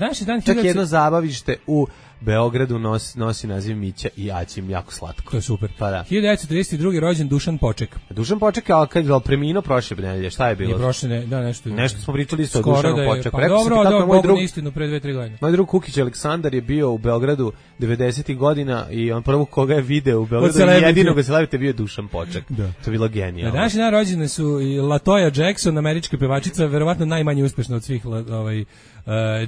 Čak jedno zabavište u Beogradu nosi naziv Mića i Aćim, jako slatko. To je super. Pa da. 1932. rođen Dušan Poček. Dušan Poček, ali kad je preminuo prošle nedelje, šta je bilo? Nije prošle, nešto smo pričali isto o Dušanu Počeku. Pa dobro, moj drug istinu pre 2-3 godine. Moj drug Kukić Aleksandar je bio u Beogradu 90-ih godina i on prvog koga je video u Beogradu jedinog celebrity bio Dušan Poček. Da. To je bilo genijalno. Današnji dan rođene su i Latoya Jackson, američka pevačica, verovatno najmanje uspešna od svih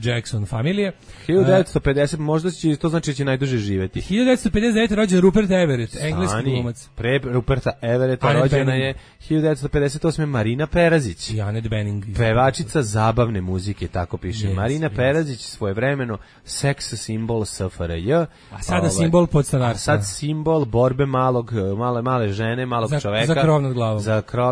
Jackson familije. 1950, možda će to znači da će najduže živjeti. 1959. rođen Rupert Everett, engleski glumac. Pre Ruperta Everetta rođena je 1958. Marina Perazić. I Annette Bening. Pevačica zabavne muzike, tako piše. Marina Perazić, svojevremeno seks simbol SFRJ. A sada simbol podstanarstva. A sad simbol borbe male žene, malog čoveka. Za krov nad glavom.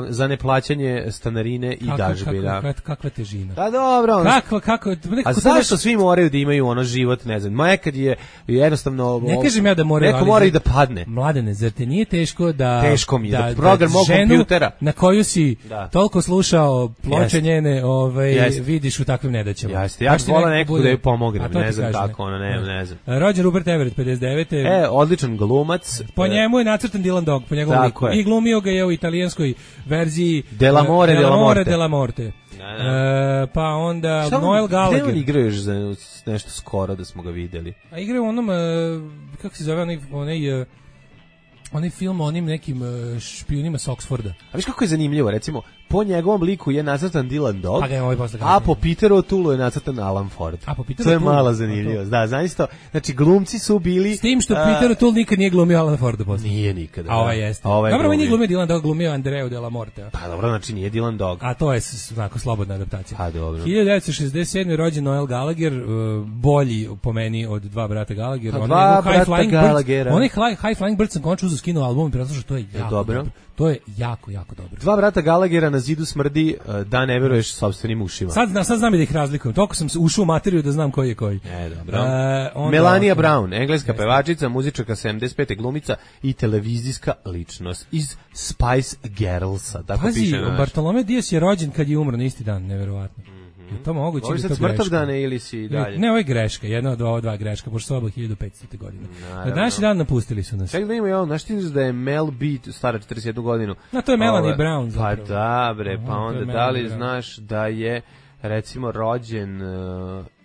Za neplaćanje stanarine i dažbina. Kakva težina. Da, dobro. Kako? A zašto svi moraju da imaju ono život, ne znam, nekad je jednostavno... Ne kažem ja da moraju, neko mora i da padne. Mladene, zar te nije teško da... Teško mi je, da program mog kompjutera... na koju si toliko slušao ploče njene, vidiš u takvim nedaćama. Jeste, ja vola nekog da joj pomognem, ne znam kako, ne znam. Rođen Rupert Everett, 59. Odličan glumac. Po njemu je nacrtan Dylan Dog, po njegovom liku. I glumio ga je u italijanskoj verziji Dell'amore della morte. Pa onda Noel Gallagher. Gde on igra još za nešto skoro da smo ga videli? A igra u onom, kako se zove, onaj film o onim nekim špijunima s Oxforda. A viš kako je zanimljivo, recimo, po njegovom liku je nacrtan Dylan Dog, a po Peteru O'Toole je nacrtan Alan Ford. To je malo zanimljivo. Da, zaista, znači glumci su bili... S tim što Peter O'Toole nikad nije glumio Alan Forda posle. Nije nikada. A ovaj jeste. Dobro, on nije glumio Dylan Dog, glumio Andreu de la Morte. Pa dobro, znači nije Dylan Dog. A to je onako slobodna adaptacija. A dobro. 1967. rođen Noel Gallagher, bolji po meni od dva brata Gallagher. Dva brata Gallaghera. Onaj High Flying Birds sam končno uzeo skinuo album i preslušao, to je jako dobro. To je jako, jako dobro. Dva brata Gallaghera na zidu smrdi da ne veruješ sopstvenim ušima. Sad znam da ih razlikujem. Toliko sam ušao u materiju da znam koji je koji. Dobro. Melania Brown, engleska pevačica, muzičarka 75. glumica i televizijska ličnost iz Spice Girlsa. Pazi, Bartolome Dias je rođen kad je umro na isti dan, neverovatno. Je to moguće? Ovo je sad smrtavdane ili si dalje? Ne, ovo je greška, jedna od ova dva greška, pošto su oba 1500. godine. Na današnji dan napustili su nas. Čekaj da imamo ovo, znaš ti da je Mel B stara 41 godinu? To je Melanie Brown zapravo. Pa da bre, pa onda da li znaš da je recimo rođen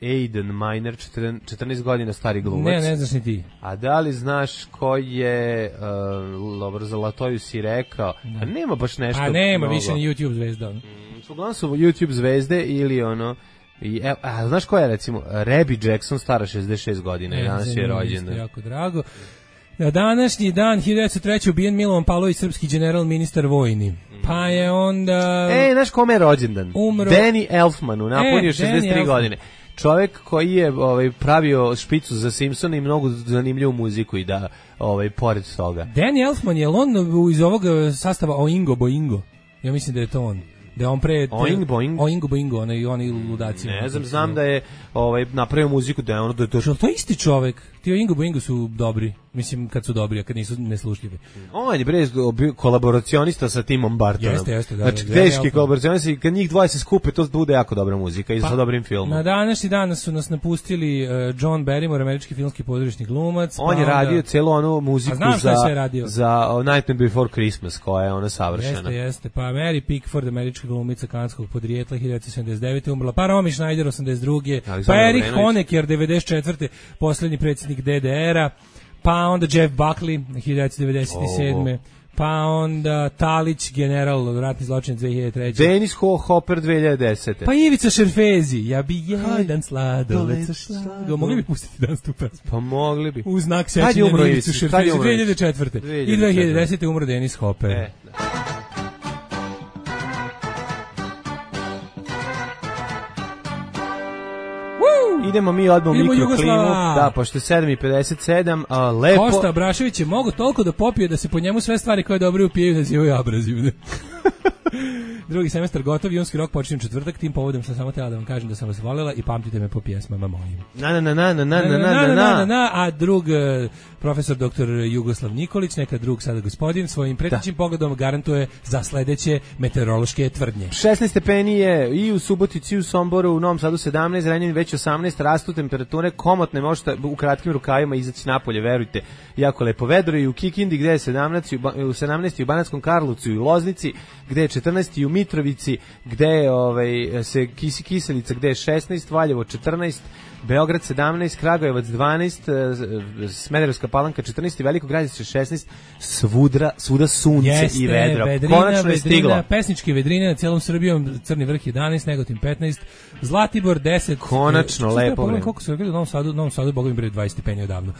Aiden Miner, 14 godina stari glumac. Ne znaš ni ti. A da li znaš ko je Zlatoju si rekao? A nema baš nešto. A nema mnogo. Više ni YouTube zvezda. Uglavnom su YouTube zvezde ili ono znaš ko je recimo Rebby Jackson stara 66 godina i danas je rođen. Jako drago. Na današnji dan 1903. ubijen Milovan Pavlović, srpski general, ministar vojni. Pa je onda... znaš kome je rođendan? Umro. Danny Elfmanu, napunio 63 godine. Čovjek koji je pravio špicu za Simpsona i mnogo zanimljivu muziku i da pored toga. Danny Elfman je on iz ovog sastava Oingo Boingo. Ja mislim da je to on. Da je on pre Oingo Boingo, oni ludaci. Ne znam da je napravio muziku da je ono da je to. To je isti čovjek. Ti Oingo Boingo su dobri. Mislim kad su dobri, a kad nisu neslušljivi. On je kolaboracionista sa Timom Burtonom. Jeste, da. Znači teški kolaboracionisti, kad njih dvoje se skupe, to bude jako dobra muzika i sa dobrim filmom. Na današnji dan su nas napustili John Barrymore, američki filmski pozorišni glumac. On je radio celu onu muziku za Nightmare Before Christmas, koja je ona savršena. Jeste. Pa Mary Pickford, američka glumica kanadskog podrijetla, 1979. umrla. Pa Romy Schneider, 82. Pa Erich Honecker, 94. poslednji predsjednik DDR-a. Pa onda Jeff Buckley, 1997. Pa onda Talić, general, ratni zločin 2003. Dennis Hopper, 2010. Pa Ivica Šerfezi, ja bi jedan sladoled sa šlagom. Mogli bi pustiti danas tu pesmu? Pa mogli bi. U znak sećanja na Ivicu Šerfezi, 2004. I 2010. umro Dennis Hopper. Idemo mi odmah u mikroklimu. Da, pošto je 7:57, lepo. Kosta Abrašević je mogo toliko da popije da se po njemu sve stvari koje dobro upijaju nazivaju abrazivne. Drugi semestar gotov, junski rok počinjem četvrtak, tim povodom sam samo htjela da vam kažem da sam vas voljela i pamtite me po pjesmama mojim. A drug profesor dr. Jugoslav Nikolić, neka drug sada gospodin, svojim pretećim pogledom garantuje za sledeće meteorološke tvrdnje. 16 stepeni je i u Subotici, i u Somboru, u Novom Sadu 17, Renjanin već 18, rastu temperature, komotne, možete u kratkim rukavima izaći napolje, verujte, jako lepo vedro i u Kikindi gde je 17, u Banatskom Karlovcu i u Loznici gde je 14, i u Mitrovici gde je se Kiselica gde je 16, Valjevo 14, Beograd 17, Kragujevac 12, Smederevska Palanka 14 i Veliko Gradište 16, svuda sunce i vedro. Konačno je stiglo. Pesničke vedrine na celom Srbijom, Crni vrh 11, Negotin 15, Zlatibor 10. Konačno lepo vreme. Koliko su rekli u Novom Sadu, boga mi bre 20 stepeni odavno.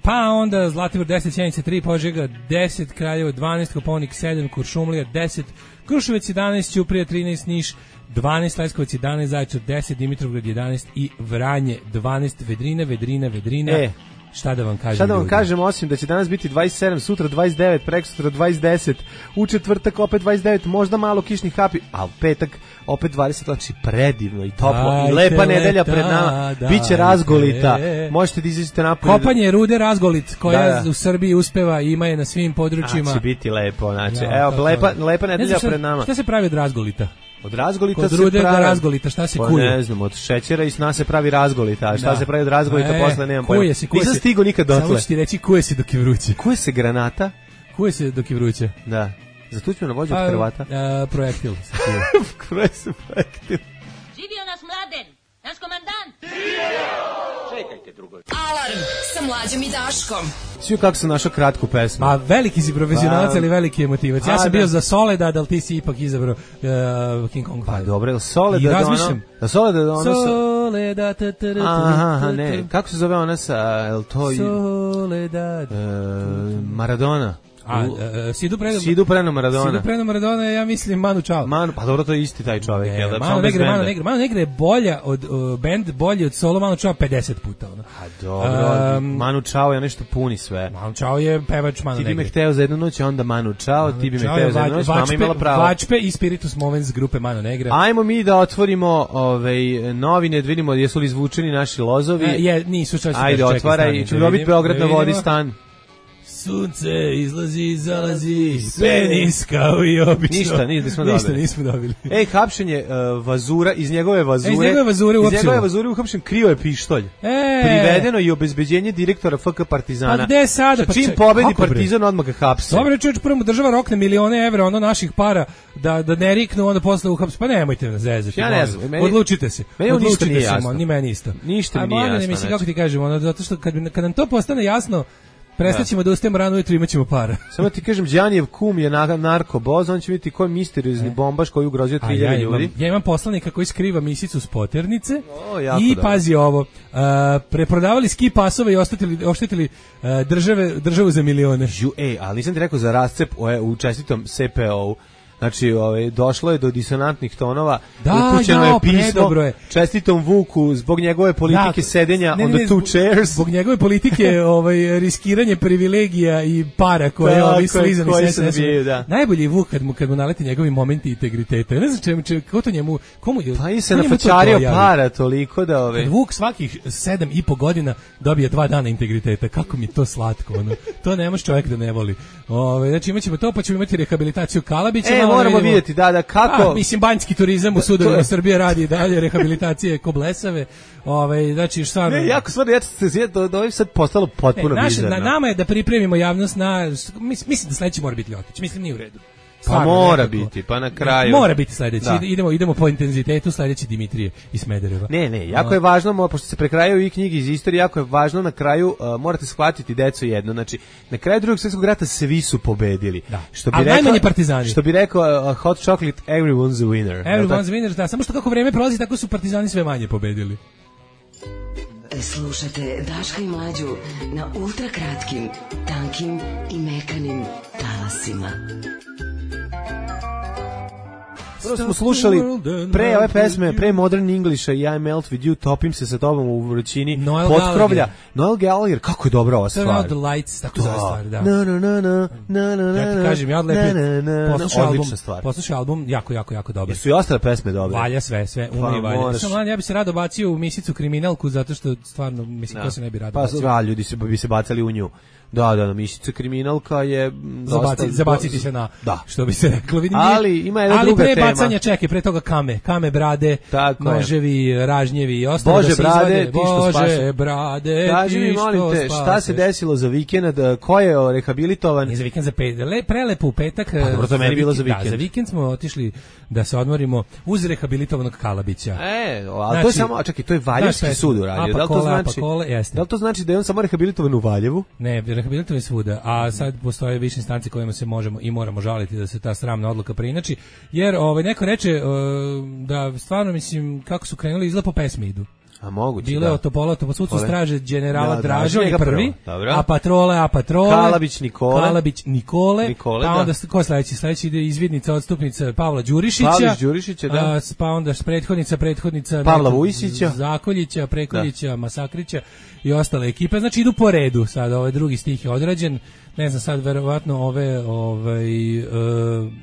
Pa onda Zlatibor 10, Sjenica 3, Požega 10, Kraljevo 12, Kopaonik 7, Kuršumlija 10, Kruševac 11, Ćuprija 13, Niš 12, Leskovac 11, Zaječar 10, Dimitrovgrad 11 i Vranje 12, Vedrina. Šta da vam kažem? Šta da vam kažem, osim da će danas biti 27, sutra 29, prekosutra 20, u četvrtak opet 29, možda malo kišnih kapi, a u petak opet 20, znači predivno i toplo i lepa nedelja pred nama, biće razgolita, možete da izađete napolje. Kopanje rude Razgolit, koja u Srbiji uspeva i ima je na svim područjima. Će biti lepo, znači, evo, lepa nedelja pred nama. Šta se pravi od Razgolita? Od razgolita kod se pravi... Kod razgolita, šta se kuje? Ne znam, od šećera i sna se pravi razgolita, a šta se pravi od razgolita posle nemam pojma. Nisam stigo nikad dotle. Samo ću ti reći kuje se dok je vruće. Kuje se granata? Kuje se dok je vruće. Da. Zatućemo na vođu od Hrvata? Projektil. Kuje se projektil. Živio nas Mladen, naš komandant. Čekajte, drugovi. Alarm sa Mlađom i Daškom. Svi kako sam našao kratku pesmu. Ma veliki si profesionalac, ali veliki emotivac. Ja sam bio za Soledad, ali ti si ipak izabrao King Kong. Pa dobro, Soledad. I razmišljam. Soledad. Aha, ne. Kako se zove ona sa... Soledad. Maradona. Sidu Preno Maradona. Sidu Preno Maradona, ja mislim Manu Chao. Pa dobro, to je isti taj čovjek. Manu Negre je bolja od band, bolji od solo Manu Chao 50 puta. Ono. A dobro, Manu Chao je nešto puni sve. Manu Chao je pevač Manu Negre. Ti bi me hteo za jednu noć, onda Manu Chao, ti bi me hteo za jednu noć, mama imala pravo. Vačpe i Spiritus Movens grupe Manu Negre. Ajmo mi da otvorimo novine, da vidimo jesu li izvučeni naši lozovi. Nisu, čas. Ajde, otvaraj, ću dobiti Beograd na vodi stan. Sunce izlazi, zalazi, penis kao i obično. Ništa nismo dobili. Ej, hapšenje Vazura, iz njegove Vazure uhapšen, krio je pištolj. Privedeno i obezbeđenje direktora FK Partizana. Pa gde sada? Čim pobedi Partizan, odmah ga hapse. Dobro, čovječ, prvo država rokne milione evra, ono naših para, da ne riknu, onda posle uhapse. Pa nemojte me zezati. Ja ne znam. Odlučite se. Meni ništa nije jasno. Ni meni isto. Ništa mi nije jasno. Mislim, kako ti kažem, zato što kad nam to postane jasno, prestaćemo da ustajemo rano ujutro, imat ćemo para. Samo ti kažem, Đanijev kum je narkoboz, on će vidjeti ko je misteriozni bombaš koji ugrozio 3000 ljudi. Ja imam poslanika koji skriva misicu s Poternice i pazi ovo, preprodavali ski pasove i oštetili državu za milione. Ali nisam ti rekao za rascep u čestitom CPO-u. Znači, došlo je do disonantnih tonova, upućeno je pismo čestitom Vuku zbog njegove politike sedenja on the two chairs. Zbog njegove politike riskiranje privilegija i para koje ovi slizani SNS. Najbolji je Vuk kad mu naleti njegovi momenti integriteta. Ne znam ko to njemu... Pa i se nafačario para toliko da... Kad Vuk svakih 7,5 godina dobije 2 dana integriteta, kako mi to slatko. To ne može čovjek da ne voli. Znači imat ćemo to, pa ćemo imati rehabilitaciju Kalabića. Moramo vidjeti, kako... Mislim, banjski turizam u sudovima Srbije radi dalje rehabilitacije ko blesave. Znači, stvarno... Ne, jako stvarno, da ovim sad postalo potpuno bizarno. Nama je da pripremimo javnost na... Mislim da sledeći mora biti Ljotić. Mislim, nije u redu. Pa mora biti, pa na kraju... Mora biti sledeći. Idemo po intenzitetu, sledeći Dimitrije iz Smedereva. Ne, jako je važno, pošto se prekrajaju i knjige iz istorije, jako je važno na kraju, morate shvatiti, deco, jedno, znači, na kraju Drugog svjetskog rata svi su pobedili. Ali najmanje partizani. Što bi rekao Hot Chocolate, everyone's a winner. Everyone's a winner, da, samo što kako vreme prolazi, tako su partizani sve manje pobedili. Slušate Daška i Mlađu na ultrakratkim, tankim i mekanim talasima. Prvo smo slušali pre ove pesme, pre Modern Englisha i I Melt With You, topim se sa tobom u vrućini potkrovlja. Noel Gallagher, kako je dobra ova stvar. Turn out the lights, tako zove stvar, da. Ja ti kažem, ja odlepim, poslušaj album, jako dobro. Jesu i ostale pesme dobre? Valja sve, umri valja. Ja bi se rado bacio u misicu kriminalku, zato što stvarno, mislim, ko se ne bi rado bacio. Pa ljudi bi se bacali u nju. Da, misica kriminalka je zabaciti se na, što bi se reklo, vidim. Ali ima jedna druga tema. Ali pre bacanja, čekaj, pre toga kame brade, noževi, ražnjevi i ostalo. Bože brade, kaži mi, molim te, šta se desilo za vikend, ko je rehabilitovan? Nije za vikend, za prelepo u petak. Pa dobro, to meni bilo za vikend. Da, za vikend smo otišli da se odmorimo uz rehabilitovanog Kalabića. Ali to je samo, čekaj, to je Valjevski sud uradio. Da li to znači da je on samo rehabilitovan u Valjevu? Ne, rehabilitovan je svuda, a sad postoje više instanci kojima se možemo i moramo žaliti da se ta sramna odluka preinači, jer neko reče da stvarno, mislim, kako su krenuli izgleda po pesmi idu. A moguće, bile od Topola, sudcu straže generala Draža je prvi, a patrole, Kalabić Nikole, pa onda ko sledeći ide izvidnica, odstupnica Pavla Đurišića, da. Pa onda prethodnica Pavla Vujsića, Zakoljića, Prekoljića, Masakrića i ostale ekipe, znači idu po redu, sad ovaj drugi stih je odrađen, ne znam sad, verovatno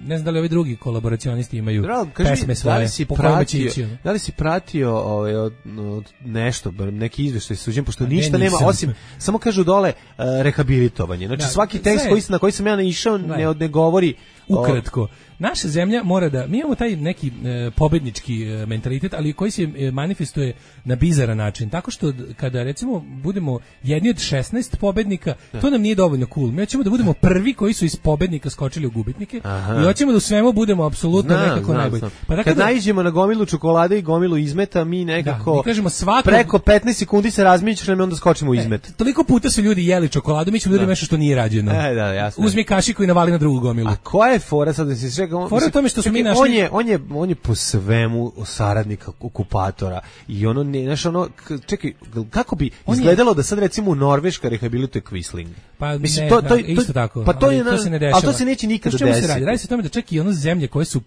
ne znam da li ovi drugi kolaboracionisti imaju pesme svoje. Da li si pratio nešto, neki izveštaj suđen, pošto ništa nema, osim, samo kažu dole rehabilitovanje. Znači svaki tekst na koji sam ja naišao ne govori... Ukratko, naša zemlja mora da, mi imamo taj neki pobednički mentalitet, ali koji se manifestuje na bizaran način, tako što kada recimo budemo jedni od 16 pobednika, to nam nije dovoljno cool. Mi hoćemo da budemo prvi koji su iz pobednika skočili u gubitnike i hoćemo da u svemu budemo apsolutno nekako najbolji. Pa kad naiđemo na gomilu čokolade i gomilu izmeta, mi nekako preko 15 sekundi se razmišljamo i onda skočimo u izmet. Toliko puta su ljudi jeli čokoladu, mi ćemo ljudima nešto što nije rađeno. Uzmi kašiku i navali na drugu gomilu. A koja je fora sad da se čeka? Fora je tome što su mi našli... On je po svemu saradnik okupatora i ono ne, znaš, ono, čekaj, kako bi izgledalo da sad recimo Norveška rehabilituje Quisling? Pa mislim, ne, to isto tako. Pa to je, to se ne dešava. Ali to se neće nikada desiti. Radi se o tome da čak i ono zemlje koje su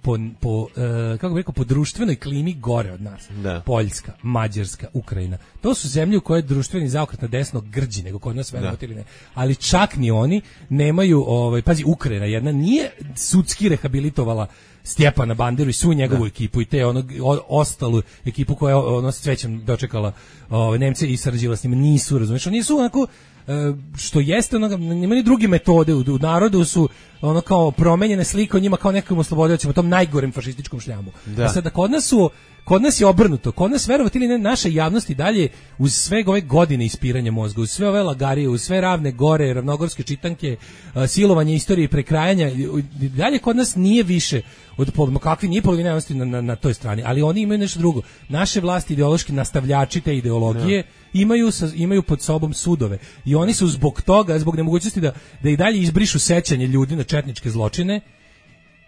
kako bih rekao, po društvenoj klimi gore od nas. Da. Poljska, Mađarska, Ukrajina. To su zemlje u koje je društveni zaokret na desno grđi nego kod nas, verovati ili ne. Ali čak ni oni nemaju, pazi, Ukrajina jedna nije sudski rehabilitovala Stjepana Banderu i svu njegovu ekipu i te ostalu ekipu koja je s cvećem dočekala Nemce i sarađivala s njima. Nisu, razumiješ, oni su onako što jeste, nema ni druge metode u narodu su ono kao promenjene slike o njima kao nekom oslobodioćima, tom najgorem fašističkom šljamu. A sada kod nas je obrnuto, kod nas, verovati ili ne, naša javnost i dalje uz sve ove godine ispiranja mozga, uz sve ove lagarije, uz sve Ravne gore, ravnogorske čitanke, silovanje istorije i prekrajanja, dalje kod nas nije više od kakvi nije polovina javnosti na toj strani, ali oni imaju nešto drugo. Naše vlasti ideološki nastavljači te ideologije imaju pod sobom sudove i oni su zbog toga, zbog nemogućnosti da i dalje izbrišu sećanje ljudi na četničke zločine,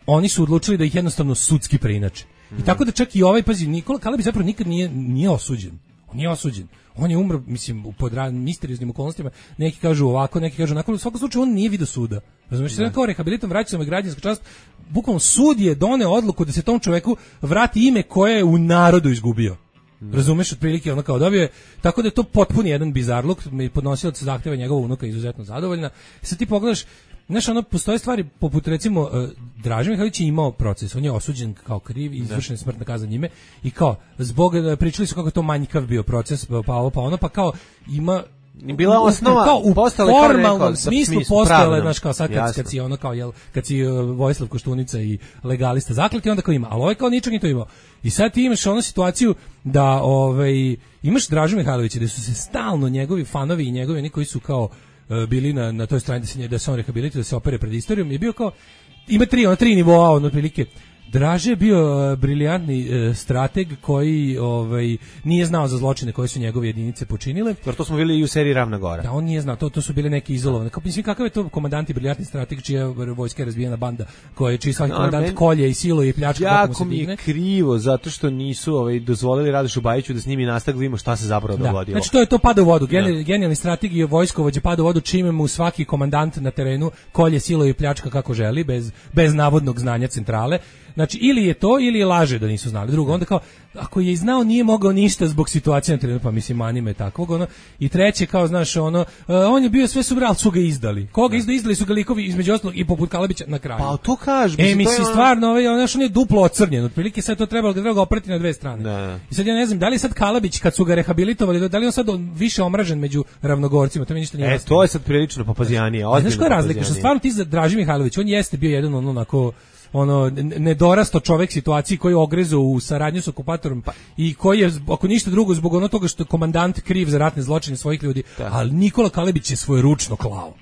oni su odlučili da ih jednostavno sudski preinače. I tako da čak i pazi, Nikola Kalebić zapravo nikad nije osuđen. On nije osuđen. On je umro, mislim, pod misterioznim okolnostima. Neki kažu ovako, neki kažu onako. U svakom slučaju on nije vidio suda. Razumiješ, se kao rehabilitom vraća i građanska čast. Bukvalno sud je doneo odluku da se tom čoveku vrati ime koje je u narodu izgubio. Razumeš, otprilike ono kao dobio je, tako da je to potpuni jedan bizarluk, podnosilac zahteva njegova unuka izuzetno zadovoljna. Sad ti pogledaš, znaš, ono, postoje stvari poput, recimo, Draža Mihajlović je imao proces, on je osuđen kao kriv i izvršena je smrtna kazna njime i kao, pričali su kako je to manjkav bio proces, pa ovo, pa ono, pa kao ima bila osnova kao u formalnom smislu postojala, znaš, kao sad kad si ono kao, kad si Vojislav Koštunica i legalista zakleti, onda kao ima, ali ovaj kao ničeg nije to imao. I sad ti imaš onu situaciju da imaš Dražu Mihajlovića gde su se stalno njegovi fanovi i njegovi oni koji su kao bili na toj strani da se on rehabilituje, da se opere pred istorijom, je bio kao, ima tri nivoa, otprilike. Draže je bio briljantni strateg koji nije znao za zločine koje su njegove jedinice počinile. Jer to smo bili i u seriji Ravna Gora. Da, on nije znao, to su bile neke izolovane. Mislim, kakav je to komandant i briljantni strateg čija vojska je razbijena banda, čiji svaki komandant kolje i siluje i pljačka. Jako mi je krivo, zato što nisu dozvolili Radošu Bajiću da s njimi nastavi, vidimo šta se zapravo dogodilo. Znači to pada u vodu. Genijalni strateg i vojskovođe pada u vodu čime mu svaki komandant na terenu kolje, siluje i pljačka kako želi, bez navodnog znanja centrale. Znači, ili je to, ili je laže da nisu znali. Drugo, onda kao, ako je znao, nije mogao ništa zbog situacije na terenu, pa mislim, anime takvog, ono. I treće, kao, znaš, ono, on je bio sve super, ali su ga izdali. Koga izdali su ga likovi, između ostalog, i poput Kalabića na kraju. Pa, to kažeš. Mislim, stvarno, on je duplo ocrnjen, otprilike sad to trebalo ga oprati na dve strane. Da. I sad ja ne znam, da li sad Kalabić, kad su ga rehabilitovali, da li on sad više omražen među ravnogorcima, to mi ništa nije jasno. To je sad prilično papazijanije. Znaš koja je razlika? Što stvarno ti za Draži Mihajlović, on jeste bio jedan onako nedorasto čovek situaciji koji je ogrezao u saradnju s okupatorom i koji je, ako ništa drugo, zbog ono toga što je komandant kriv za ratne zločine svojih ljudi, ali Nikola Kalebić je svoje ručno klao.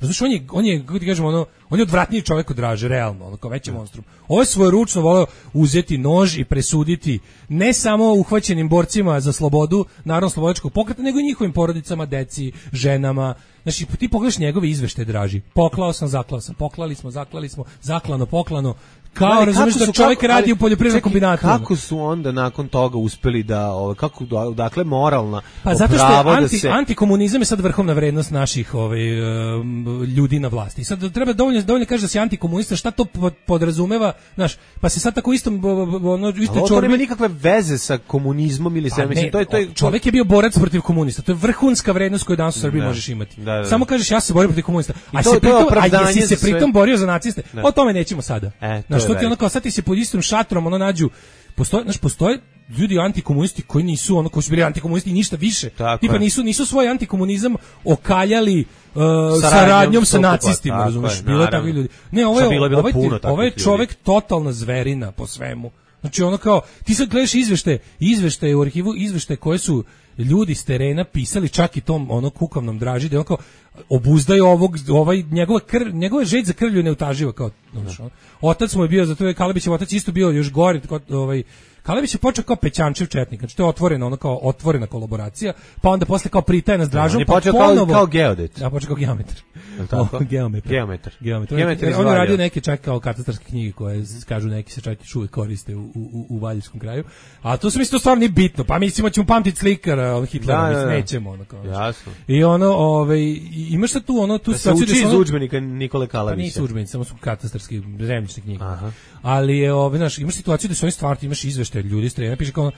Znaš, on je, kako ti kažemo, on je odvratniji čovjek od Draže, realno, kao veći monstrum. Ovo je svoje ručno voleo uzeti nož i presuditi ne samo uhvaćenim borcima za slobodu, narodno-slobodačkog pokreta, nego i njihovim porodicama, deci, ženama. Znači, ti pogledaš njegove izveštaje, Draži. Poklao sam, zaklao sam, poklali smo, zaklali smo, zaklano, poklano. Kao, razumiješ da čovjek radi u poljoprivrednom kombinatu. Kako su onda nakon toga uspeli dakle, moralna pa zato što je antikomunizam je sad vrhovna vrednost naših ljudi na vlasti. I sad treba dovoljno kaže da si antikomunista, šta to podrazumeva, znaš, pa se sad tako isto to nema nikakve veze sa komunizmom ili sve, mislim, to je čovjek je bio borac protiv komunista, to je vrhunska vrednost koju danas u Srbiji možeš imati. Da. Samo kažeš ja se borim protiv komunista, a jesi se pritom borio za naciste, o tome nećemo sada. Što ti ono kao sad ti se pod istom šatrom nađu, postoje ljudi antikomunisti koji nisu koji su bili antikomunisti i ništa više. Tipa nisu svoj antikomunizam okaljali saradnjom sa nacistima, razumiješ? Bilo je takvi ljudi. Ne, ovo je čovjek totalna zverina po svemu. Znači ono kao, ti sad gledaš izveštaje u arhivu, izveštaje koje su ljudi s terena pisali čak i tom kukavnom Draži, da je on kao obuzdaju njegova žeć za krvlju neutaživa kao, otac mu je bio, zato je Kalebićev otac isto bio još gori, Kalebić je počeo kao Pećančev četnik, znači to je otvoreno, ono kao otvorena kolaboracija, pa onda posle kao pritajna s Dražom, pa ponovo kao geodet. Ja počeo kao geometar. Tako? Geometar. On je radio neke čak kao katastarske knjige koje kažu neki se čak i uvijek koriste u Valjevskom kraju. A to se misli to stvarno nije bitno. Pa mislimo ćemo pamtiti slikara Hitlera, nećemo ono kao. Jasno. I ono, imaš šta tu ono tu situaciju da se uči iz udžbenika Nikole Kalabića. Pa nisu udžbenici, samo su katastarski zemljišne knjige. Ali je znaš, imaš situaciju da su oni stvarno imaš izveštaje ljudi s terena, piše kao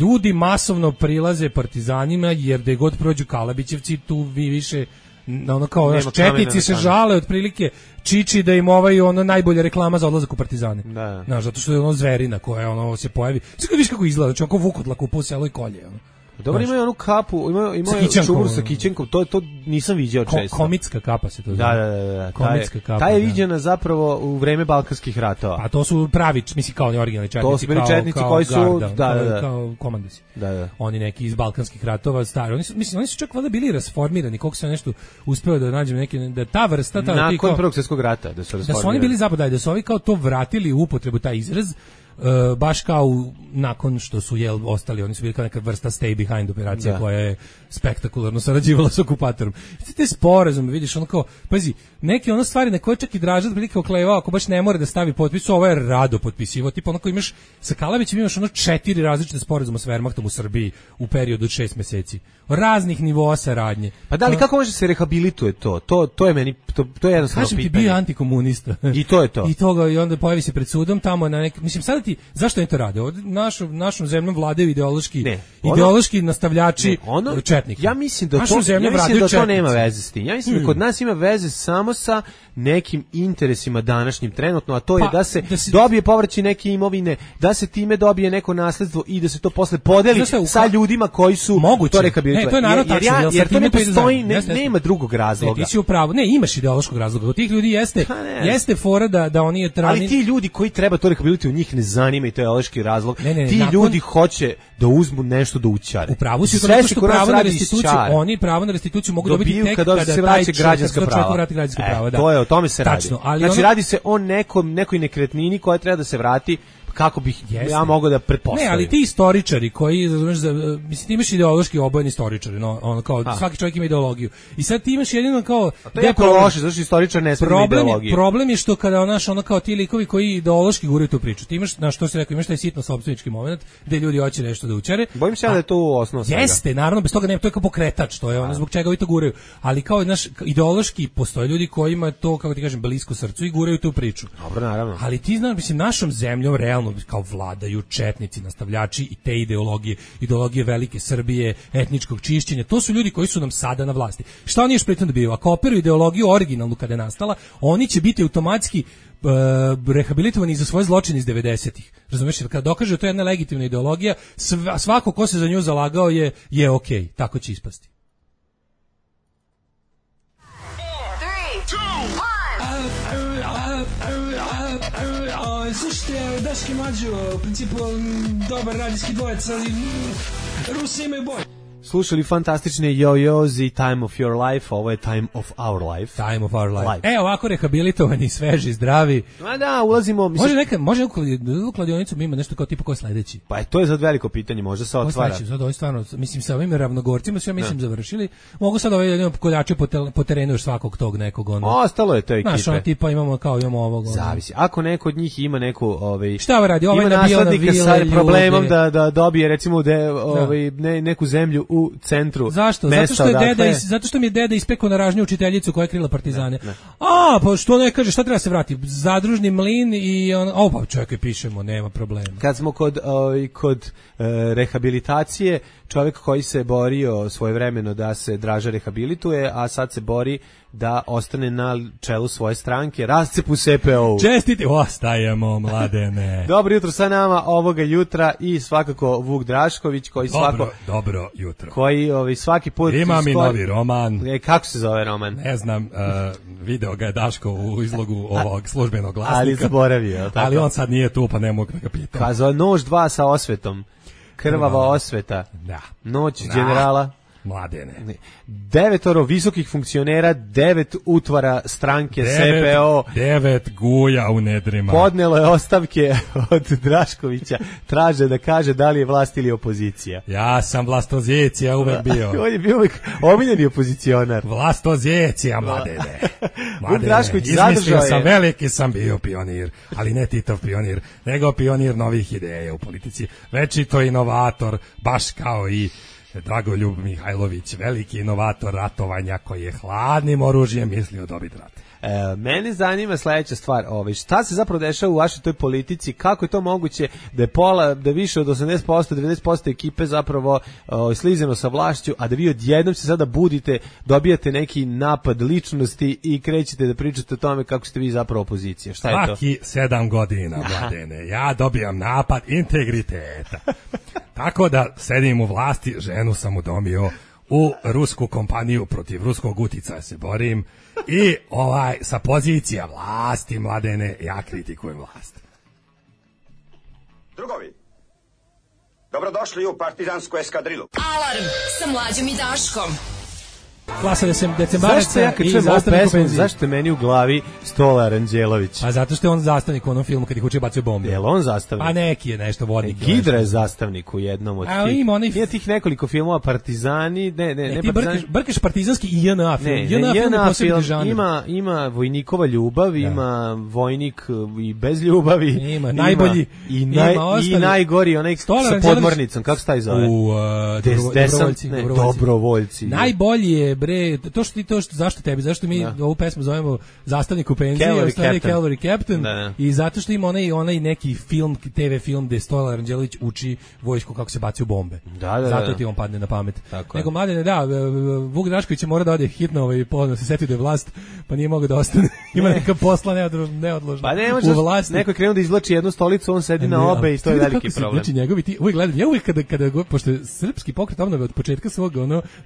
ljudi masovno prilaze partizanima jer da god prođu Kalabićevci tu vi više ono kao naš četnici se žale otprilike Čiči da im ono najbolja reklama za odlazak u partizane. Da. Znaš, zato što je ono zverina koja ono se pojavi. Sve vidiš kako izgleda, znači ako vukotlak u selo i kolje. Ono. Dobro, imaju onu kapu, imaju čubur sa kićenkom, to nisam viđao često. Komitska kapa se to zove. Da. Komitska kapa. Ta je viđena zapravo u vreme Balkanskih ratova. A to su pravi, mislim kao oni originalni četnici. To su bili četnici koji su, kao komandosi. Da. Oni neki iz Balkanskih ratova, stari. Oni su čak valjda bili rasformirani, koliko se nešto uspeo da nađem neki, da ta vrsta... Nakon Prvog svjetskog rata da su rasformirani. Da su oni bili zapadaj, da su ovi kao to vratili u upotrebu, taj izraz, baš kao nakon što su ostali, oni su bili kao neka vrsta stay behind operacija koja je spektakularno sarađivala s okupatorom. Te sporazume, vidiš, ono kao, pazi, neke ono stvari na koje čak i Draža prilike oklevao, ako baš ne mora da stavi potpis, ovo je rado potpisivo, tipa onako imaš, sa Kalabićem imaš 4 različite sporazuma s Wehrmachtom u Srbiji u periodu od 6 meseci. Raznih nivoa saradnje. Pa da li kako može se rehabilituje to? To je meni, to je jednostavno pitanje. Kažem ti, bio antikomunista. I to je to. I onda pojavi se pred sudom tamo na neki, mislim, sada zašto oni to rade? Našom zemljom vladaju ideološki nastavljači četnika. Ja mislim da to nema veze s tim. Ja mislim da kod nas ima veze samo sa nekim interesima današnjim trenutno, a to je da se dobije povraćaj neke imovine, da se time dobije neko nasledstvo i da se to posle podeli sa ljudima koji su to rehabilitovali. To je narod tačno, jer to ne postoji, nema drugog razloga. Ti si u pravu. Ne, imaš ideološkog razloga. Od tih ljudi jeste fora da oni je trani. Ali ti ljudi koji treba to rehabilitovati, u njih ne zanima i to je ideološki razlog. Ti ljudi hoće da uzmu nešto da učare. U pravu si to što pravo na restituciju, oni pravo na restituciju mogu dobiti tek kada se vraća građanska prava. To je, o tome se radi. Znači radi se o nekoj nekretnini koja treba da se vrati, kako bih ja mogao da pretpostavim. Ne, ali ti istoričari koji, mislim, ti imaš ideološki obojeni istoričari, ono kao svaki čovjek ima ideologiju. I sad ti imaš jedino kao... To je jako loše, zato što istoričar ne smije ideologiju. Problem je što kada ono kao ti likovi koji ideološki guraju tu priču, ti imaš, na što se rekao, imaš taj sitno sopstvenički moment gde ljudi hoće nešto da učare. Bojim se da je to osnov svega. Jeste, naravno, bez toga nema, to je kao pokretač, to je ono zbog čega vi to guraju. Ali kao ideološki postoje ljudi kojima to, kako ti kažem, blisko srcu i guraju tu priču. Dobro, naravno. Ali ti znaš, mislim, našom zemljom realno kao vladaju četnici, nastavljači i te ideologije velike Srbije, etničkog čišćenja. To su ljudi koji su nam sada na vlasti. Šta oni još pritom dobiju? Ako operuju ideologiju originalnu kada je nastala, oni će biti automatski rehabilitovani za svoje zločine iz 90-ih. Razumeš, kada dokaže to je jedna legitimna ideologija, svako ko se za nju zalagao je okej, tako će ispasti. Slušajte, Daški Mađo, u principu dobar radijski dvojec, ali Rusi imaju bolje. Slušali fantastične Yo-Yo's i Time of Your Life, ovo je Time of Our Life. Time of Our Life. Ovako rehabilitovani, sveži, zdravi. Da, ulazimo... Može u kladionicu ima nešto kao tipa ko je sledeći? Pa to je sad veliko pitanje, može se otvara. Sad ovo stvarno, mislim sa ovim ravnogorcima su završili. Mogu sad koljače po terenu još svakog tog nekog. Ostalo je to ekipe. Znaš, tipa imamo ovog. Zavisi. Ako neko od njih ima neku... Šta radi? Ima naslednika sa problemom da dobije recimo neku zemlju u centru. Zašto? Zato što mi je deda ispekao na ražnju učiteljicu koja je krila partizane. Ne. Pa što ne kaže, šta treba se vrati? Zadružni mlin i pa čovjek pišemo, nema problema. Kad smo kod rehabilitacije, čovjek koji se borio svojevremeno da se Draža rehabilituje, a sad se bori da ostane na čelu svoje stranke, rascepu SPO. Čestiti, ostajemo, Mladene. Dobro jutro sa nama ovoga jutra i svakako Vuk Drašković koji dobro jutro. Koji svaki put imam i novi roman. Kako se zove roman? Ne znam, video ga je Daško u izlogu ovog službenog glasnika. Ali zaboravio, tako? Ali on sad nije tu, pa ne mogu da ga pitam. Kazao Nož 2 sa osvetom. Krvava osveta. Da. Noć generala. Mladene. 9 visokih funkcionera, 9 utvara stranke CPO. 9 guja u nedrima. Podnelo je ostavke od Draškovića. Traže da kaže da li je vlast ili opozicija. Ja sam vlastozicija uvek bio. On je bio uvek omiljeni opozicionar. Vlastozicija, Mladene. Drašković zadržao je. Sam veliki sam bio pionir, ali ne Titov pionir, nego pionir novih ideja u politici. Večito inovator, baš kao i Dragoljub Mihajlović, veliki inovator ratovanja koji je hladnim oružjem mislio dobiti rat. Mene zanima sledeća stvar, šta se zapravo dešava u vašoj toj politici, kako je to moguće da je da više od 80%, 90% ekipe zapravo slizeno sa vlašću, a da vi odjednom se sada budite, dobijate neki napad ličnosti i krećete da pričate o tome kako ste vi zapravo opozicija. Šta je to? Svaki 7 godina, Mladene, ja dobijam napad integriteta. Tako da sedim u vlasti, ženu sam udomio, u rusku kompaniju protiv ruskog uticaja se borim i sa pozicija vlasti, Mladene, ja kritikujem vlast. Drugovi, dobrodošli u partizansku eskadrilu. Alarm sa Mlađom i Daškom. Klasa decembaraca i zastavnik u penziji. Zašto je meni u glavi Stola Aranđelović? A zato što je on zastavnik u onom filmu kad ih uče bacaju bombe. Jel on zastavnik? A neki je nešto vodnik. Gidra je zastavnik u jednom od tih. Ima tih nekoliko filmova, Partizani, ne ti Partizani. Brkaš partizanski i JNA film. JNA film ima vojnikova ljubav, ima vojnik i bez ljubavi. Ima najbolji. I najgori, onaj sa podmornicom, kako se taj zove? Dobrovoljci. Najbolji je zašto mi ovu pesmu zovemo Zastavnik u penziji, Cavalry Captain, i zato što ima onaj neki film, TV film gde Stola Aranđelović uči vojsku kako se bacaju bombe. Zato ti on padne na pamet. Nego Mladene, Vuk Drašković mora da ode hitno ponovno se seti da je vlast, pa nije mogao da ostane. Ima neka posla neodložna. Pa ne može, neko je krenuo da izvlači jednu stolicu, on sedi na obe i to je veliki problem. Znači njegovi ti, uvijek gledam, ja uvijek kada pošto je srpski pokret obnove od početka svog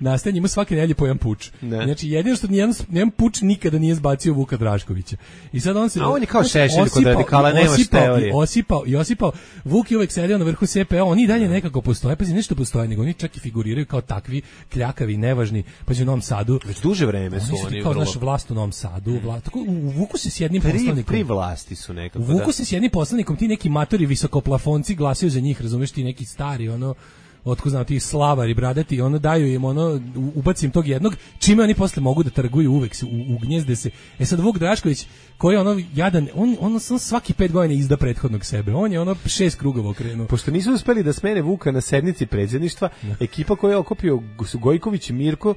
nastajanja ima svake nedelje po jedan puč. Znači jedino što nijedan puč nikada nije zbacio Vuka Draškovića. I sad on se on je kao Šešelj kod radikala, nemaš teorije. Osipao. Vuk je uvek sedio na vrhu CPO, oni dalje nekako postoje, pa nešto postoje, nego oni čak i figuriraju kao takvi kljakavi, nevažni, pa u Novom Sadu. Već duže vreme su oni kao naš vlast u Novom Sadu, tako u Vuku se s jednim poslanikom. Pri vlasti su nekako. U Vuku se s jednim poslanikom, ti neki matori visokoplafonci glasaju za njih, razumeš, ti neki stari otko znam ti slavari bradati, daju im ubacim tog jednog, čime oni posle mogu da trguju, uvek se ugnjezde se. Sad Vuk Drašković koji je jadan, on svaki 5 godina izda prethodnog sebe, on je 6 krugova okrenuo. Pošto nisu uspeli da smene Vuka na sednici predsjedništva, ekipa koja je okupio su Gojković, Mirko,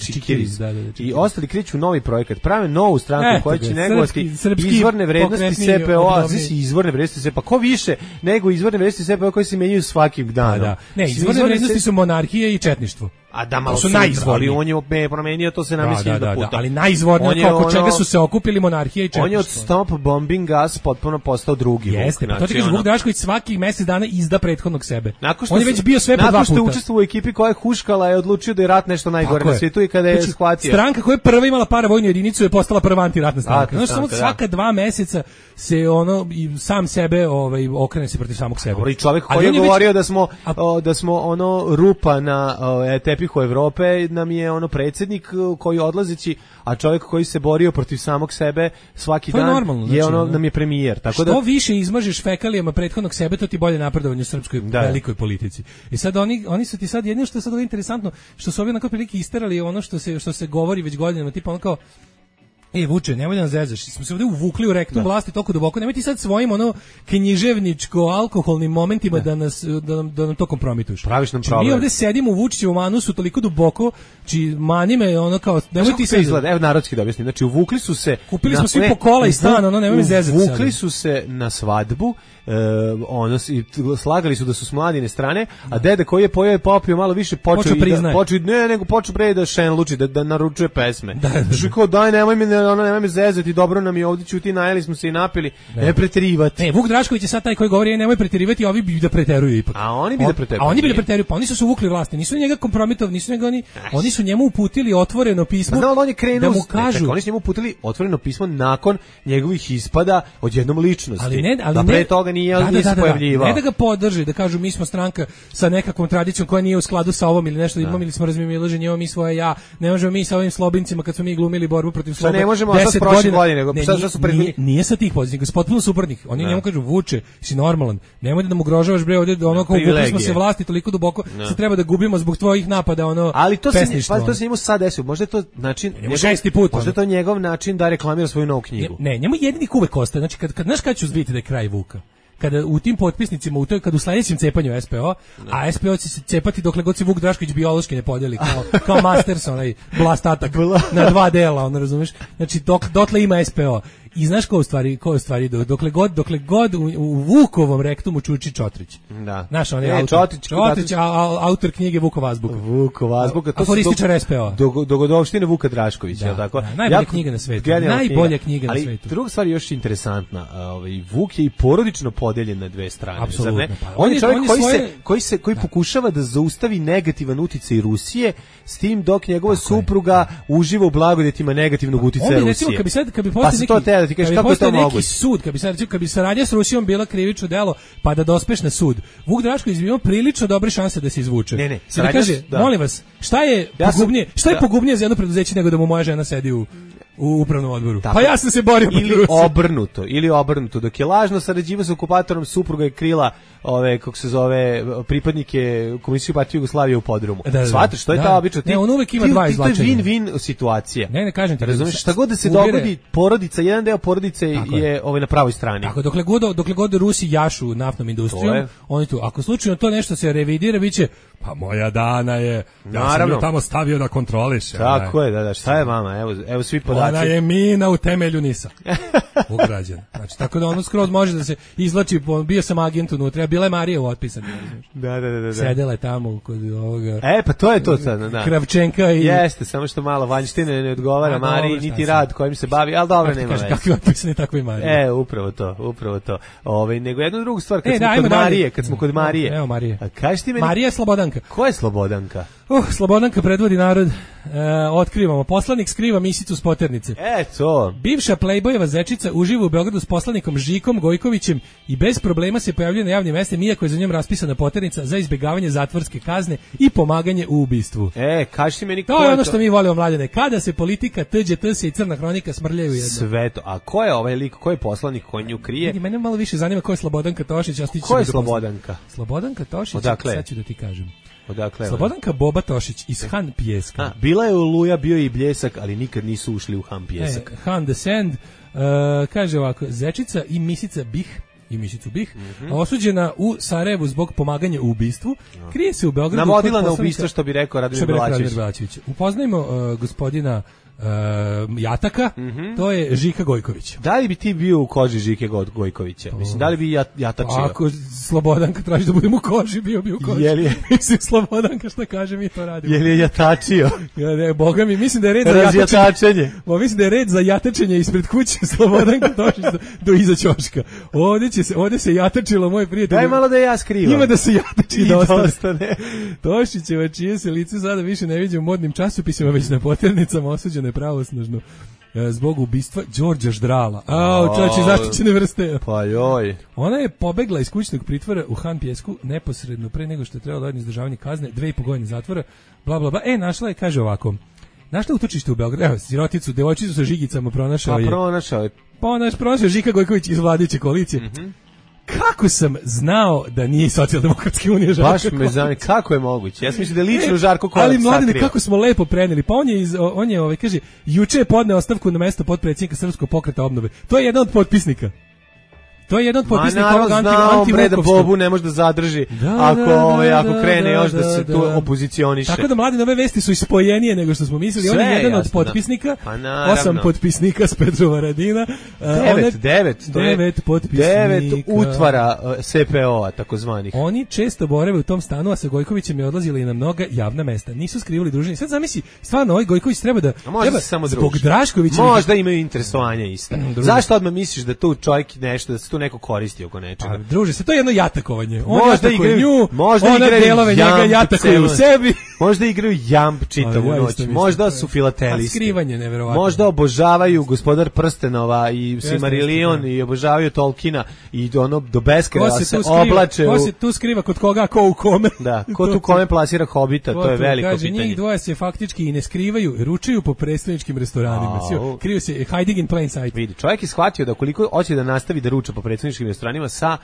Čikiriz, i ostali kreću novi projekat, prave novu stranku koja će negovati izvorne vrednosti CPO-a, izvorne vrednosti CPO-a, ko više nego izvorne vrednosti CPO-a koji se menjaju svakim danom. Ne, izvorne vrednosti su monarhija i četništvo. A da malo su najizvorniji. On je promenio, to se namesli da puta. Ali najizvornije, oko čega su se okupili monarhija i četništvo. On je od stop bombing gas potpuno postao drugi. Jeste, pa to ti kaže Vuk Drašković svaki mjesec dana izda prethodnog sebe. On je već bio sve po 2 puta. Nakon što je učestvovao u ekipi koja je huškala, je odlučio da je rat nešto najgore na svijetu i kada je shvatio. Stranka koja je prva imala paravojnu jedinicu je postala prva antiratna stranka. Znači samo svaka 2 mjeseca se sam sebe okrene se protiv samog sebe. I čovjek koji je govorio da smo rupa na tepihu Evrope, nam je predsjednik koji odlazeći, a čovjek koji se borio protiv samog sebe svaki dan je nam je premijer. Tako što više izmažeš fekalijama prethodnog sebe, to ti bolje napredovanje u srpskoj velikoj politici. I sad oni su ti sad jedino što je sad interesantno, što su ovi onako prilike isterali što se govori već godinama, tipa kao Vuče, nemoj da nas zezaš, smo se ovdje uvukli u rektum vlasti toliko duboko, nemoj ti sad svojim književničko-alkoholnim momentima da nam to kompromituješ. Praviš nam problem. Mi ovdje sedimo u Vučićevom anusu toliko duboko, mani me kao, nemoj ti sad... Izgleda, evo narodski da objasnim, znači uvukli su se... Kupili smo svi po kola i stan, nemoj me zezati. Uvukli su se na svadbu, slagali su da su s Mladine strane, a deda koji je pojeo i popio malo više počeo da šenluči, da naručuje pesme. Što kao daj nemoj me ono nema me zezati, dobro nam je ovdje, ćuti, najeli smo se i napili. Ne preterivati. Vuk Drašković je sad taj koji govori nemoj preterivati, a ovi bi da preteruju ipak. A oni bi da preteruju. A oni bi da preteruju, pa oni su uvukli vlasti, nisu njega kompromitovali, nisu njega oni su njemu uputili otvoreno pismo. Pa on je krenuo, da mu kažu, oni su njemu uputili otvoreno pismo nakon njegovih ispada odjednom ličnosti. Ali pre toga nije se pojavljivao. Ne da ga podrži, da kažu mi smo stranka sa nekakvom tradicijom koja nije u skladu sa ovom ili nešto, imali smo razmimoilaženje, mi svoje ja, ne možemo mi sa ovim slobincima kad smo mi glumili borbu protiv slobe. Ne možemo sad prošle godine, nego sad su prethodni. Nije sa tih pozicija, nego potpuno suprotnih. Oni njemu kažu Vuče, si normalan. Nemoj da nam ugrožavaš bre ovdje, ono kao vukli smo se vlasti toliko duboko, se treba da gubimo zbog tvojih napada, ono. Ali to se njemu sad desilo. Možda je to način, možda je to njegov način da reklamira svoju novu knjigu. Ne, njemu jedini uvek ostaje. Znači kad znaš kad ću vidjeti da je kraj Vuka. Kada u tim potpisnicima, kad u sledećem cepanju SPO, a SPO će se cepati dokle god se Vuk Drašković biološki ne podeli, kao Masters, onaj blast atak na 2 dela, ono razumeš? Znači dotle ima SPO. I znaš ko u stvari dokle god u Vukovom rektumu čuči Čotrić. Da. Znaš, on je Čotrić, autor knjige Vukov azbuka. Vukov azbuka, to aforističar SPO. Dogodovštine Vuka Draškovića, je tako? Najbolja knjiga na svetu. Najbolja knjiga na svetu. Ali druga stvar je još interesantna, Vuk je i porodično podeljen na dve strane. Apsolutno. On je čovjek koji pokušava da zaustavi negativan uticaj Rusije, s tim dok njegova supruga uživa u blagodetima negativnog uticaja Rusije. Kad bi postao da ti kažeš kako je to moguće. Sud, kad bi saradnja s Rusijom bila krivično delo, pa da dospeš na sud. Vuk Drašković ima prilično dobre šanse da se izvuče. Ne, da kaže, molim vas, šta je pogubnije za jedno preduzeće nego da mu moja žena sedi u upravnom odboru. Tako. Pa ja sam se borio ili obrnuto. Dok je lažno sarađivao s okupatorom, supruga je krila pripadnike Komunističke partije Jugoslavije u podrumu. Shvataš, što je ta obično? Ne, on uvek ima dva izvlačenja. To je win-win situacija. Ne kažem ti. Razumiješ, šta god da se dogodi, porodica, jedan deo porodice je na pravoj strani. Tako, dokle god Rusi jašu naftnom industrijom, oni tu, ako slučajno to nešto se revidira, biće, pa moja Dana je, ja sam ju tamo stavio da kontroliše. Tako je, da, šta je mama, evo svi podaci. Ona je mina u temelju NIS-a. Ugrađena. Znači, tako da ono skroz može da se izvlači, bio sam agent unutra, bila je Marija u otpisani. Da. Sedela je tamo kod ovoga. Pa to je to sad, da. Kravčenka i... Jeste, samo što malo vanjštine ne odgovara Mariji, niti rad kojim se bavi, ali dobro, nema veze. Kakvi otpisani, tako i Marija. Upravo to. Nego jednu drugu stvar, kad smo kod Marije. Evo Marije. Kaži ti meni... Marija je Slobodanka. Ko je Slobodanka? Slobodanka predvodi narod. Otkrivamo. Poslanik skriva misicu s poternice. To. Bivša plejbojeva zečica uživa u Beogradu s poslanikom Žikom Gojkovićem i bez problema se pojavljuje na javnim mestima, iako je za njom raspisana poternica za izbjegavanje zatvorske kazne i pomaganje u ubistvu. Kaži ti meni to je ono što mi volimo, mladene. Kada se politika, TđT i crna hronika smrljaju jedno. Sve to. A ko je ovaj lik, ko je poslanik koji nju krije? Mene malo više zanima ko je Slobodanka Tošić. Ko je Slobodanka? Slobodanka Tošić, sad ću da ti kažem. Odakle? Slobodanka Boba Tošić iz Han Pijeska. Bila je Oluja, bio je i Bljesak, ali nikad nisu ušli u Han Pijesak. Han the Sand, kaže ovako, zečica i misica Bih, osuđena u Sarajevu zbog pomaganja u ubistvu, krije se u Beogradu. Navodila na ubistvo, što bi rekao Radomir Belačević. Upoznajmo gospodina Jataka, to je Žika Gojković. Da li bi ti bio u koži Žike Gojkovića? Mislim, da li bi jatačio? Ako Slobodanka traži da budem u koži, bio bi u koži. Mislim, Slobodanka šta kaže, mi to radimo. Je li je jatačio? Boga mi, mislim da je red za jatačenje. Mislim da je red za jatačenje ispred kuće Slobodanka Tošić do iza ćoška. Ovdje se jatačilo, moj prijatelj. Daj malo da ja skrivam. Ima da se jatači da ostane. Tošićeva, čije se lice sada više ne viđe u modnim časopisima, već na poternicama, osuđena je pravosnažno zbog ubistva Đorđa Ždrala. Čovječe, zaštićene vrste. Pa joj. Ona je pobegla iz kućnog pritvora u Han Pijesku neposredno pre nego što je trebalo da izdržavanje kazne, 2,5 godine zatvora, bla bla bla. Našla je, kaže ovako. Našla utočište u Beogradu. Evo, siroticu, devojčicu sa žigicama pronašao je. Pronašao Žika Gojković iz vladajuće koalicije. Kako sam znao da nije Socijaldemokratske unije Žarko Baš me zanima, kako je moguće? Ja sam mislio da je lično Žarko Korać. Ali mladine, kako smo lepo preneli. Pa on je kaže, juče je podneo ostavku na mesto potpredsjednika Srpskog pokreta obnove. To je jedan od potpisnika. To je jedan od potpisnika ovog anti-Vukovskog. Bobu ne može da zadrži ako krene još da se tu opozicioniše. Tako da mladi nove vesti su ispojenije nego što smo mislili. On je jedan od potpisnika, 8 potpisnika s Petrova Radina. 9 potpisnika. 9 utvara SPO-a, takozvanih. Oni često borave u tom stanu, a sa Gojkovićem je odlazili i na mnoga javna mesta. Nisu skrivili druženje. Sad zamisli, stvarno, ovaj Gojković treba da... Zbog Draškovića... Možda imaju interesovanja ista. Zašto odmah misliš da tu čovjek nešto, da se tu neko koristi oko nečega? Druže, se to je jedno jatakovanje. Možda igraju jatakuju u sebi. Možda igraju jamp čitavu noć. Možda su filatelisti. Skrivanje, neverovatno. Možda obožavaju Gospodar prstenova i Silmarillion i obožavaju Tolkiena i ono do beskraja se oblače. Ko se tu skriva kod koga, ko u kome? Da, ko tu kome plasira Hobita, to je veliko pitanje. Kaže, njih dvoje se faktički i ne skrivaju, ručaju po predstavničkim restoranima. Kriju se, hiding in plain sight. Vidi, čovjek je shvatio da koliko hoće da nastavi da ruča po predstavničkim restoranima sa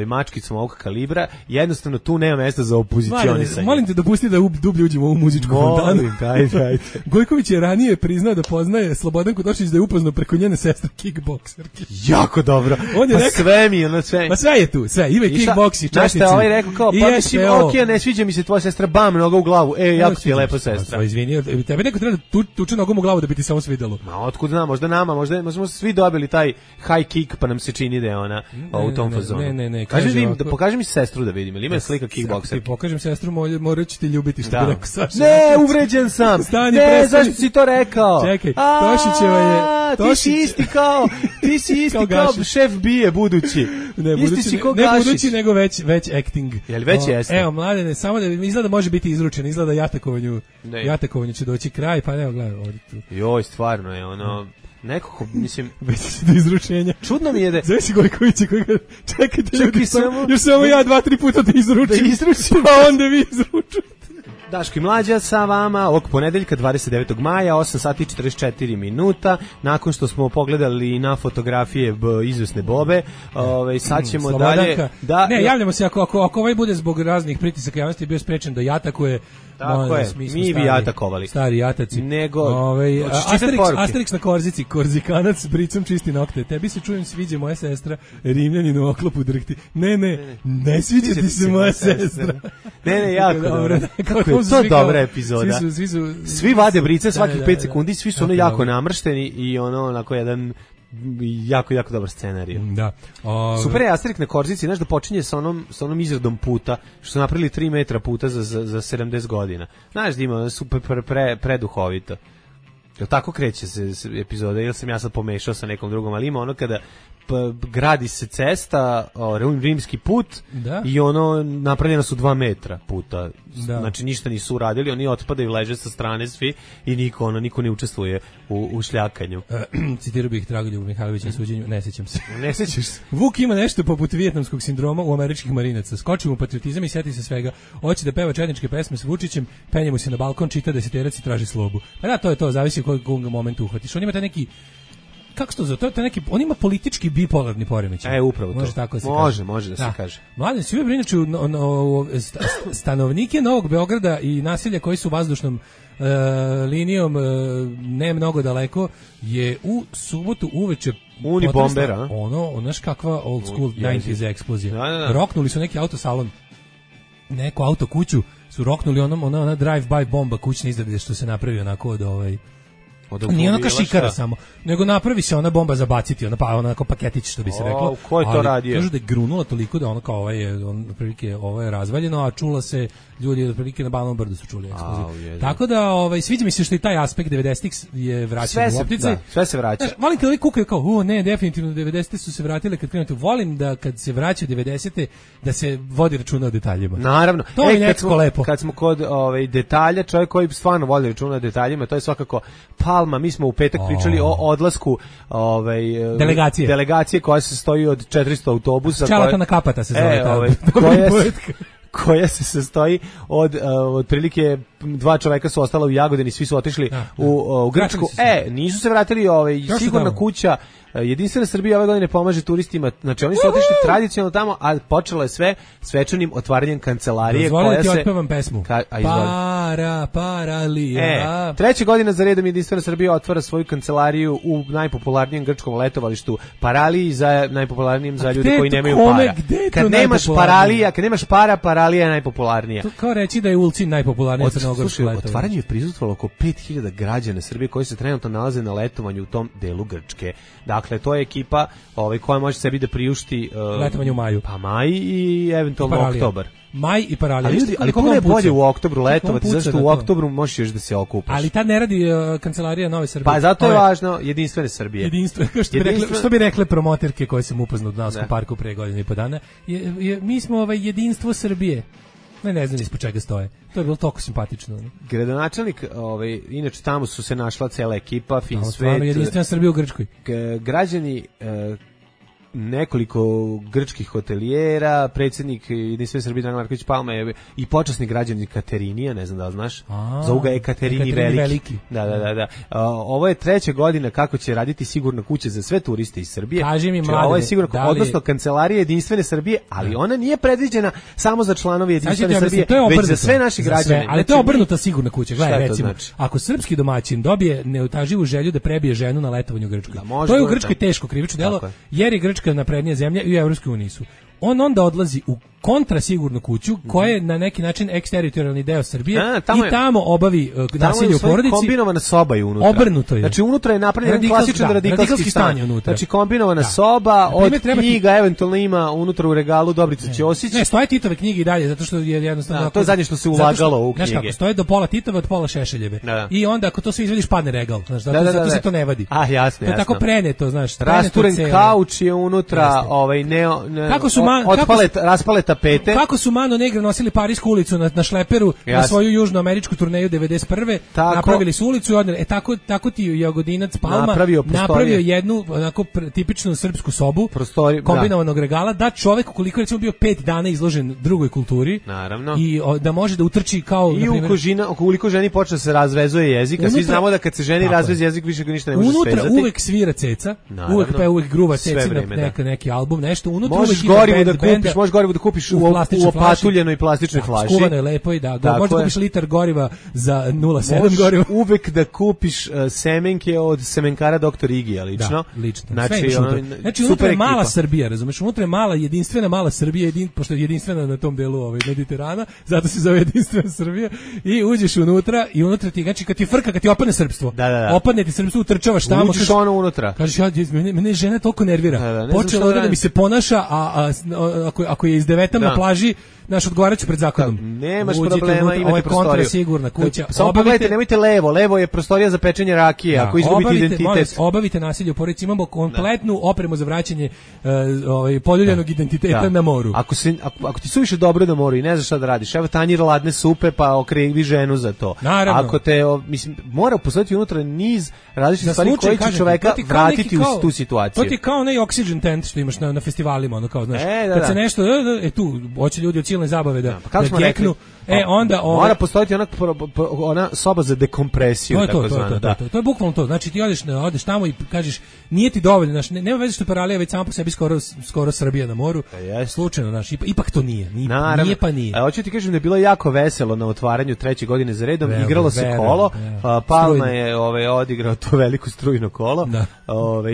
mačkicom ovog kalibra, jednostavno tu nema mesta za opozicionisanje. Molim te dopusti da dublje uđemo u ovu muzičku fontanu. Daj. Gojković je ranije priznao da poznaje Slobodanku Tošić, da je upoznao preko njene sestre kickbokserke. Jako dobro. On je rekao, sve mi, ono sve. Ma sve je tu, sve. Ima kickboksi, čašici. Znaš šta, rekao kao, pa mislim, okej, ne sviđa mi se tvoja sestra, bam, noga u glavu. Jako ti je lepa sestra. Izvini, tebe neko treba da tuče nogom u glavu da bi ti samo svidelo. Ma otkud znam, možda smo svi dobili taj high kick, pa nam se čini da je ona u tom fazonu. Ne. Pokaži mi sestru da vidim, ili ima slika kickbokserke. Ti pokažem sestru, morat ću ti ljubiti, što bi rekao Saša. Ne, uvređen sam. Ne, zašto si to rekao? Čekaj, Tošićeva je... Ti si isti kao šef bije budući. Ne budući, nego već acting. Jel već jeste? Evo, Mladene, samo da izgleda može biti izručen, izgleda jatakovanju će doći kraj, pa evo, gledaj, ovdje tu. Joj, stvarno je ono... Nekako, mislim... Već se do izručenja. Čudno mi je da... Zove si Gojkovića koji ga... Čekajte, još samo ja 2-3 puta da izručim. Pa onda vi izručujete. Daško i Mlađa sa vama ovog ponedeljka 29. maja 8 sati 44 minuta. Nakon što smo pogledali na fotografije izvesne Bobe, sad ćemo dalje... javljamo se ako ovaj bude zbog raznih pritisaka javnosti bio sprečen da jatakuje. Tako je, mi bi jatakovali. Stari jataci. Asterix na korzici, korzikanac s bricom čisti nokte. Tebi se čujem sviđa moja sestra, Rimljanin u oklopu drhti. Ne sviđa ti se moja sestra. Ne, jako dobro. Kako je to dobra epizoda. Svi vade brice svakih 5 sekundi, svi su ono jako namršteni i ono onako jedan... jako dobar scenarij. Da. Super je Asterix na korzici, znaš da počinje sa onom izradom puta, što su napravili 3 metra puta za 70 godina. Znaš da ima super preduhovito. Jel tako kreće se epizoda, ili sam ja sad pomešao sa nekom drugom, ali ima ono kada gradi se cesta, rimski put, i ono napravljena su 2 metra puta. Znači ništa nisu uradili, oni otpadaju, leže sa strane svi i niko ne učestvuje u šljakanju. Citirao bih Dragoljuba Mihajlovića na suđenju, ne sećam se. Ne sećaš se? Vuk ima nešto poput vijetnamskog sindroma u američkih marinaca. Skoči mu patriotizam i sjeti se svega. Hoće da peva četničke pesme s Vučićem, penje mu se na balkon, čita deseterac i traži slobu. Pa da, to je to, zavisi u kojeg momentu uhvatiš. On ima taj neki, kako se to zove? To je neki, on ima politički bipolarni poremećaj. Upravo to. Može tako da se kaže. Može da se kaže. Mladen, svi inače stanovnike Novog Beograda i naselja koji su vazdušnom linijom ne mnogo daleko je u subotu uveče Unibombera. Znaš kakva old school 90s eksplozija. Roknuli su neki autosalon, neku auto kuću su roknuli ona drive-by bomba kućne izrade što se napravi onako nije onaka šikara samo, nego napravi se ona bomba za baciti, onako paketić što bi se reklo. Ko je to radio? Kažu da je grunula toliko da ono kao ovo je razvaljeno, a čula se ljudi otprilike na Banovom brdu su čuli eksploziju. Tako da sviđa mi se što i taj aspekt 90-ih je vraćan u optice. Sve se vraća. Volim kad ovi kukaju kao, ne, definitivno 90-te su se vratile kad krenuti. Volim da kad se vraća 90-te da se vodi računa o detaljima. Naravno. To mi je nekako lepo. Kad smo kod detalja, čovjek koji stvarno vodi računa o detaljima, to je svakako Palma. Mi smo u petak pričali o odlasku delegacije koja se stoji od 400 autobusa. Čalatana Kapata se zove. koja se sastoji od otprilike 2 čoveka su ostala u Jagodini, svi su otišli u Grčku. Nisu se vratili, sigurna kuća Jedinstvena Srbija ove godine pomaže turistima, znači oni su otišli tradicionalno tamo, a počelo je sve svečanim otvaranjem kancelarije koja se... Otpevam pesmu. Paralija. 3. godina za redom Jedinstvena Srbija otvara svoju kancelariju u najpopularnijem grčkom letovalištu Paraliji, za najpopularnijem za ljude koji nemaju para. Kad nemaš paralija, kad nemaš para, Paralija je najpopularnija. To kao reći da je Ulcin najpopularnija crnogorska letovališta. Otvaranju je prisustvovalo oko 5000 građana Srbije koji se trenutno nalaze na letovanju u tom delu Grčke. Dakle, to je ekipa koja može sebi da priušti letovanje u maju. Pa maj i eventualno oktobar. Maj i Paralija. Ali kako je bolje u oktobru letovati, zašto u oktobru možeš još da se okupaš. Ali tad ne radi kancelarija Nove Srbije. Pa zato je važno Jedinstvene Srbije. Što bi rekle promoterke koje sam upoznao u Dunavskom parku pre godinu i po dana, mi smo jedinstvo Srbije. Ne znam ispod čega stoje. To je bilo toliko simpatično. Gradonačelnik, inače tamo su se našla cela ekipa, fin svet. Stvarno Jedinstvena Srbija u Grčkoj. Građani, nekoliko grčkih hotelijera, predsjednik Jedinstvene Srbije Dragan Marković Palma je i počasni građanin Katerinija, ne znam da li znaš, zovu ga Ekaterini Veliki. Da. Ovo je 3. godina kako će raditi sigurna kuća za sve turiste iz Srbije. Kaži mi, mladine, ovo je sigurno, odnosno kancelarija Jedinstvene Srbije, ali ona nije predviđena samo za članove Jedinstvene Srbije, već za sve naše građane. Ali to je obrnuta sigurna kuća. Gledaj, recimo, ako srpski domaćin dobije neutaživu želju da prebije ženu na letovanju u Grčkoj, to je u Grčkoj teško krivično delo, jer je Grčka naprednija zemlja i u Evropskoj uniji su. On onda odlazi u kontrasigurnu kuću koja je na neki način eksteritorijalni deo Srbije i tamo obavi nasilje u porodici. Kombinovana soba je unutra. Obrnuto je. Znači unutra je napravljen klasičan radikalski stan. Znači kombinovana soba, od knjiga eventualno ima unutra u regalu Dobrica Ćosić. Ne, stoje Titove knjige i dalje, zato što je jednostavno... to je zadnje što se ulagalo u knjige. Znaš kako, stoje do pola Titove, od pola Šešeljeve. I onda ako to sve izvediš padne regal. Zato se to ne vadi. Jasno. To je tako preneto, znaš. Rasturen kauč je unutra, raspale tapete. Kako su Mano Negre nosili Parisku ulicu na šleperu na svoju južnoameričku turneju 91. Napravili su ulicu i odneli. Tako ti Jagodinac Palma napravio jednu onako tipičnu srpsku sobu kombinovanog regala, da čovek ukoliko recimo bio 5 dana izložen drugoj kulturi, naravno, i da može da utrči kao i ukoliko ženi počne se razvezuje jezik, a svi znamo da kad se ženi razveze jezik više ga ništa ne može svezati. Unutra uvek svira ceca, uvek gruva ceca na neki album, nešto unutra. Možeš gorivo da kupiš u opatuljenoj plastičnoj flaši. Skuvano je lepo i da. Možeš da kupiš litar goriva za 0,7 goriva. Uvek da kupiš semenke od semenkara Dr. Igija, lično. Da, lično. Znači unutra je mala Srbija, razumeš? Unutra je mala, jedinstvena mala Srbija, pošto je jedinstvena na tom delu Mediterana, zato se zove Jedinstvena Srbija, i uđeš unutra i unutra ti, znači kad ti opadne srpstvo, opadne ti srpstvo, utrčavaš tamo. Uđeš ono unutra. Kažeš, mene žena toliko nervira. Počela da mi se ponaša, a ako je izdevetam na plaži, naš odgovaraću pred zakonom. Nemaš problema, imate prostoriju. Sigurna kuća. Samo pogledajte, nemojte levo je prostorija za pečenje rakije, ako izgubite identitet. Obavite nasilje u porodici, imamo kompletnu opremu za vraćanje poljuljanog identiteta na moru. Ako ti suviše dobro na moru i ne znaš šta da radiš, evo tanjir ladne supe, pa okrivi ženu za to. Naravno. Ako te, mora postojati unutra niz različitih stvari koji će čoveka vratiti u tu situaciju. To ti kao onaj oxygen tent što imaš na festivalima, ono kao, znaš, kad se nešto, tu, hoće ljudi od silne zabave da geknu, onda... Mora postojati ona soba za dekompresiju, tako zvana. To je bukvalno to, znači ti odeš tamo i kažeš, nije ti dovoljno, znaš, nema veze što je Paralija već sama po sebi skoro Srbija na moru, slučajno, znaš, ipak to nije, nije pa nije. Hoću ti kažem da je bilo jako veselo na otvaranju 3. godine za redom, igralo se kolo, Palma je odigrao to veliko strujno kolo,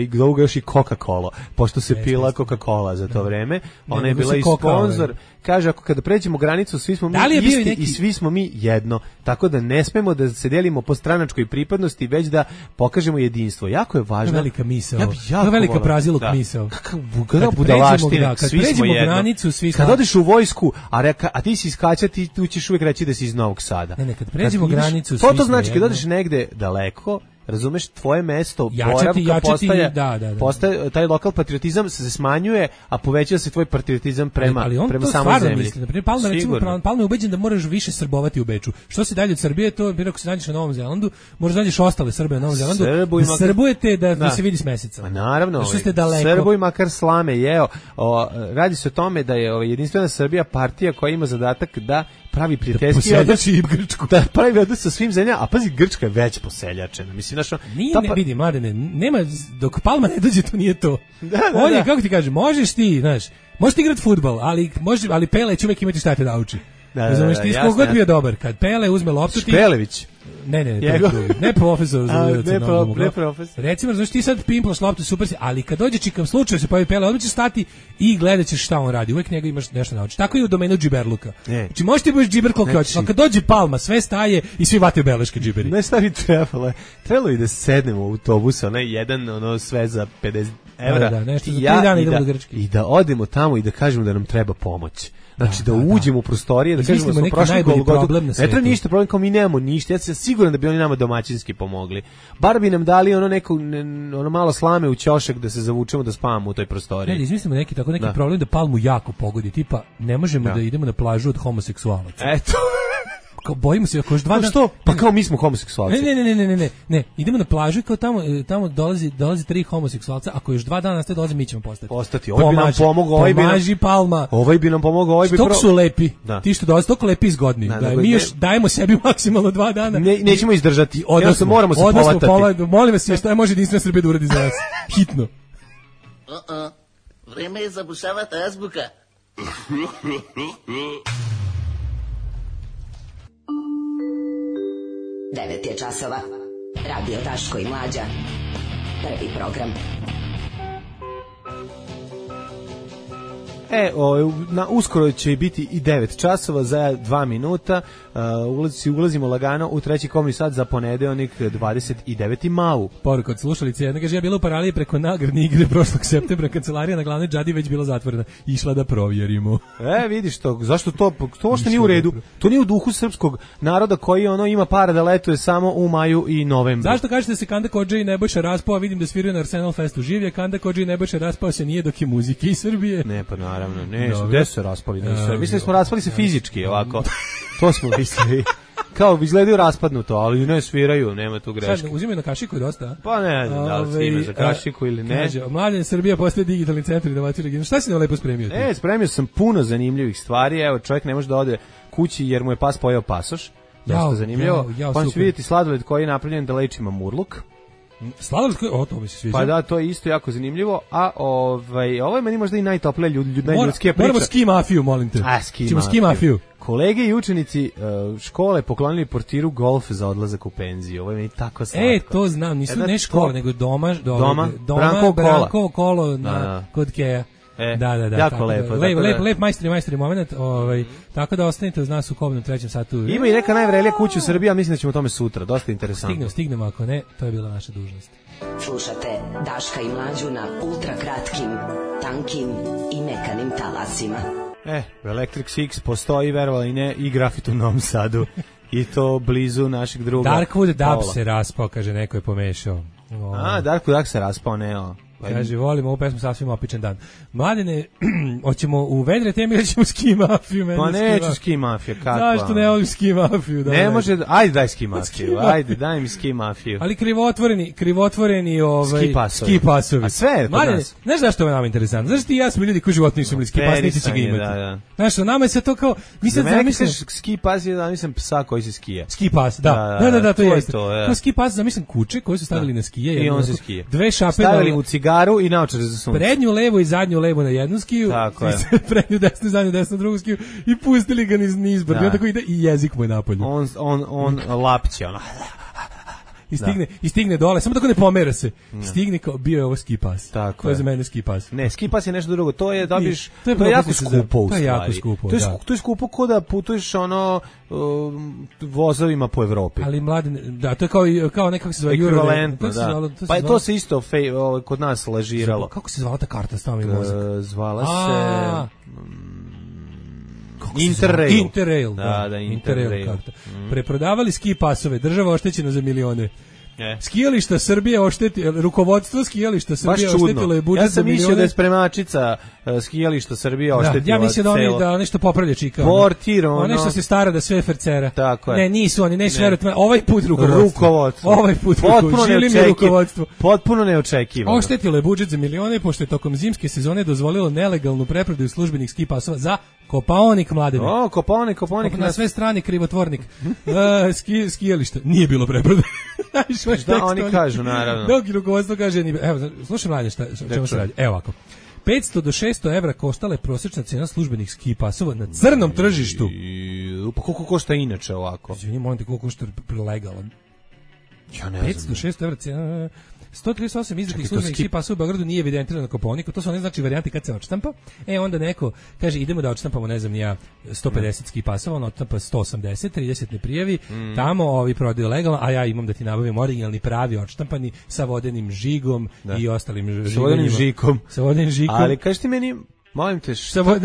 i Glouga još i Coca-Cola, pošto se pila Coca-Cola za to vreme, ona je bila i sponsor. Kaže, ako kada pređemo granicu, svi smo mi isti i svi smo mi jedno. Tako da ne smemo da se delimo po stranačkoj pripadnosti, već da pokažemo jedinstvo. Jako je važno. To je velika misao. To je velika praziluk misao. Kakva budalaština, svi smo jedno. Granicu, svi smo... Kad odeš u vojsku, a ti si iskača, tu ćeš uvijek reći da si iz Novog Sada. Ne, kad pređemo granicu, svi smo jedno. To znači, kad odeš negde daleko, razumeš, tvoje mesto boravka postaje, taj lokal patriotizam se smanjuje, a povećava se tvoj patriotizam prema samoj zemlji. Misli. Naprimjer, Palma je ubeđen da moraš više srbovati u Beču. Što se dalje od Srbije, to bi ako se nađeš na Novom Zelandu, možda nađeš ostale Srbe na Novom Zelandu, srbujete da se vidi s meseca. Ma naravno, Srbuj makar slame jeo. Radi se o tome da je Jedinstvena Srbija partija koja ima zadatak da pravi prijateljski odnos i Grčku. Da pravi odnos sa svim zemljama, a pazi, Grčka je već poseljačena. Mislim, ne vidi, Mladene, nema, dok Palma ne dođe, to nije to. On je, kako ti kažem, možeš ti igrati fudbal, ali Pele će uvek imati šta te nauči. Razumeš, ti skogod bio dobar, kad Pele uzme loptu ti... Špelević. Ne profesor. Ne profesor. Recimo, znaš, ti sad pimplaš loptu, super si, ali kad dođe čikav slučaj se pojavi Pele, odmah ćeš stati i gledat ćeš šta on radi. Uvek njega imaš nešto naučiti. Tako je u domenu džiberluka. Znači, možeš ti budeš džiber koliko hoćeš, ali kad dođe Palma, sve staje i svi vataju beleške džiberi. Ne, šta bi trebalo i da sednemo u autobus, jedan, sve za 50 evra. Da, nešto za 3 dana idemo do Grčke. I da odemo tamo i da kažemo da nam treba pomoć. Znači da uđemo u prostorije, da kažemo da smo prošli Golgotu. Ne treba ništa, problem kao mi nemamo ništa. Ja sam siguran da bi oni nama domaćinski pomogli. Bar bi nam dali ono malo slame u ćošak da se zavučemo da spavamo u toj prostoriji. Ne, izmislimo neki problem da Palmu jako pogodi, tipa ne možemo da idemo na plažu od homoseksualaca. Eto. Bojimo se ako još 2 dana. Što? Pa kao mi smo homoseksualci. Ne, idemo na plažu i kao tamo dolazi 3 homoseksualca, ako još 2 dana dolazi, mi ćemo postati. Ovaj bi nam pomogao, pomaži Palma. Ovaj bi nam pomogao, ovaj bi su lepi. Ti što dolazi toliko lepi i zgodni. Mi još dajemo sebi maksimalno 2 dana. Nećemo izdržati. Odnosno moramo se polatati. Molim vas, šta može Jedinstvena Srbija da uradi za nas? Hitno. Vreme je zabušavati azbuka. 9 je časova. Radio Daško i Mlađa. Prvi program. Uskoro će biti i 9 časova za 2 minuta. Ulazimo lagano u treći komni sat za ponedeljnik 29. mau. Poruka od slušalice jedna kaže, ja bila u Paraliji preko nagradne igre prošlog septembra, kancelarija na glavnoj džadi već bila zatvorena. Išla da provjerimo. Vidiš to, zašto to što nije u redu? To nije u duhu srpskog naroda koji ima para da letuje samo u maju i novembru. Zašto kažete da se Kanda Kodža i Nebojša raspao, a vidim da sviraju na Arsenal Festu življe, Kanda Kodža i Nebojša raspao se nije dok je muzike iz Srbije. Ne, pa naravno, gde su se raspali? Mislim smo raspali se fizički, ovako. To smo mislili. Kao izgledaju raspadnuto, ali ne sviraju, nema tu greške. Sad uzimaju na kašiku dosta? Pa ne znam da li se ima za kašiku ili ne. Kaže, Mladen Srbija postaje digitalni centar inovacije regiona. Šta si nam lepo spremio? Spremio sam puno zanimljivih stvari. Evo, čovjek ne može da ode kući jer mu je pas pojeo pasoš. Dosta zanimljivo. Pa ću vidjeti sladoled koji je napravljen da leči mamurluk. Sladoled koji, to mi se sviđa. Pa da, to je isto jako zanimljivo, a ovo je meni možda i najtoplija najljudskija priča. Moramo ski mafiju, molim te. Ćemo ski mafiju. Kolege i učenici škole poklonili portiru golf za odlazak u penziju. Ovo je meni tako slatko. To znam, nisu ne škole, nego doma Brankovo kolo kod Keja. Da. Jako lepo. Lep majstori moment, tako da ostanite uz nas u Kobnom 3. satu. Ima i neka najvrelija kuća u Srbiji, a mislim da ćemo o tome sutra, dosta interesantno. Stignemo, ako ne, to je bila naša dužnost. Slušate Daška i Mlađu na ultra kratkim, tankim i mekanim talasima. Electric Six postoji, verovali ne, i grafit u Novom Sadu. I to blizu našeg druga. Darkwood Dub se raspao, kaže, neko je pomešao. Darkwood Dub se raspao, ne, Kaže, volimo ovu pesmu, sasvim opičan dan. Mladene, hoćemo u vedre teme ili ćemo ski mafiju? Pa neću ski mafiju, kako? Zašto ne volim ski mafiju? Ne može, ajde daj ski mafiju, daj mi ski mafiju. Ali krivotvoreni ski pasovi. A sve je kod nas. Znaš zašto je nama interesantno? Znaš ti i ja smo ljudi koji život nisu imali ski pas, niti će ga imati. Znaš, nama je sve to kao... Za mene misliš ski pas je da mislim psa koji se skija. Ski pas, da, to jeste. Kao ski pas, zamislim kuće koje su stavili na skije. I on se skije. Dve šape stavili u cigaru i naočare za sunce. Prednju levu i zadnju levu na jednu skiju. Tako je. Prednju desnu, zadnju desnu, drugu skiju i pustili ga niz brdo. I on tako ide i jezik mu je napolju. On lapće, ono. I stigne dole, samo tako ne pomera se. Stigne kao, bio je ovo ski pas. Tako to je za mene ski pas. Ne, ski pas je nešto drugo. To je dobiš, to je jako skupo u stvari. To je jako skupo, to je skupo ko da putuješ vozovima po Evropi. Ali Mladen, da, to je kao nekako se zove ekvivalentno, da. Pa to se isto kod nas lažiralo. Kako se zvala ta karta stavami mozak? Zvala se... Interrail. Da, Interrail karta. Preprodavali ski pasove, država oštećena za milione. Skijališta Srbije rukovodstvo skijališta Srbije oštetilo je budžet. Ja sam mislio da je spremačica skijališta Srbije oštetila. Ja mislim da oni da nešto popravlja čika. Portir, ono što se stara da sve fercera. Tako je. Ne, nisu oni, ne verujem. Ovaj put rukovodstvo. Ovaj put rukovodstvo. Potpuno neočekivano. Oštetilo je budžet za milione pošto je tokom zimske sezone dozvolilo nelegalnu preprodaju službenih ski pasova za Kopaonik, Mladene. Kopaonik na sve strane krivotvornik. Skijališta nije bilo preprodaje. Šta oni kažu, naravno. Dok rukovodstvo kaže, evo, slušaj Mladen, čemu se radi. Evo ovako. 500 do 600 evra koštala je prosječna cena službenih ski pasova na crnom tržištu. Pa koliko košta inače ovako? Izvini, molim te, koliko košta legalan? Ja ne znam. 500 do 600 evra cena... 138 izdatih službenih ski pasova u Beogradu nije evidentirano na Kopaoniku, to su one znači varijante kad se odštampa. Onda neko kaže idemo da odštampamo, ne znam ni ja, 150 ski pasova, on odštampa 180, 30 ne prijavi, tamo ovi prodaju legalno, a ja imam da ti nabavim originalni pravi odštampani sa vodenim žigom i ostalim žigovima. Sa vodenim žikom. Ali kaži ti meni, molim te,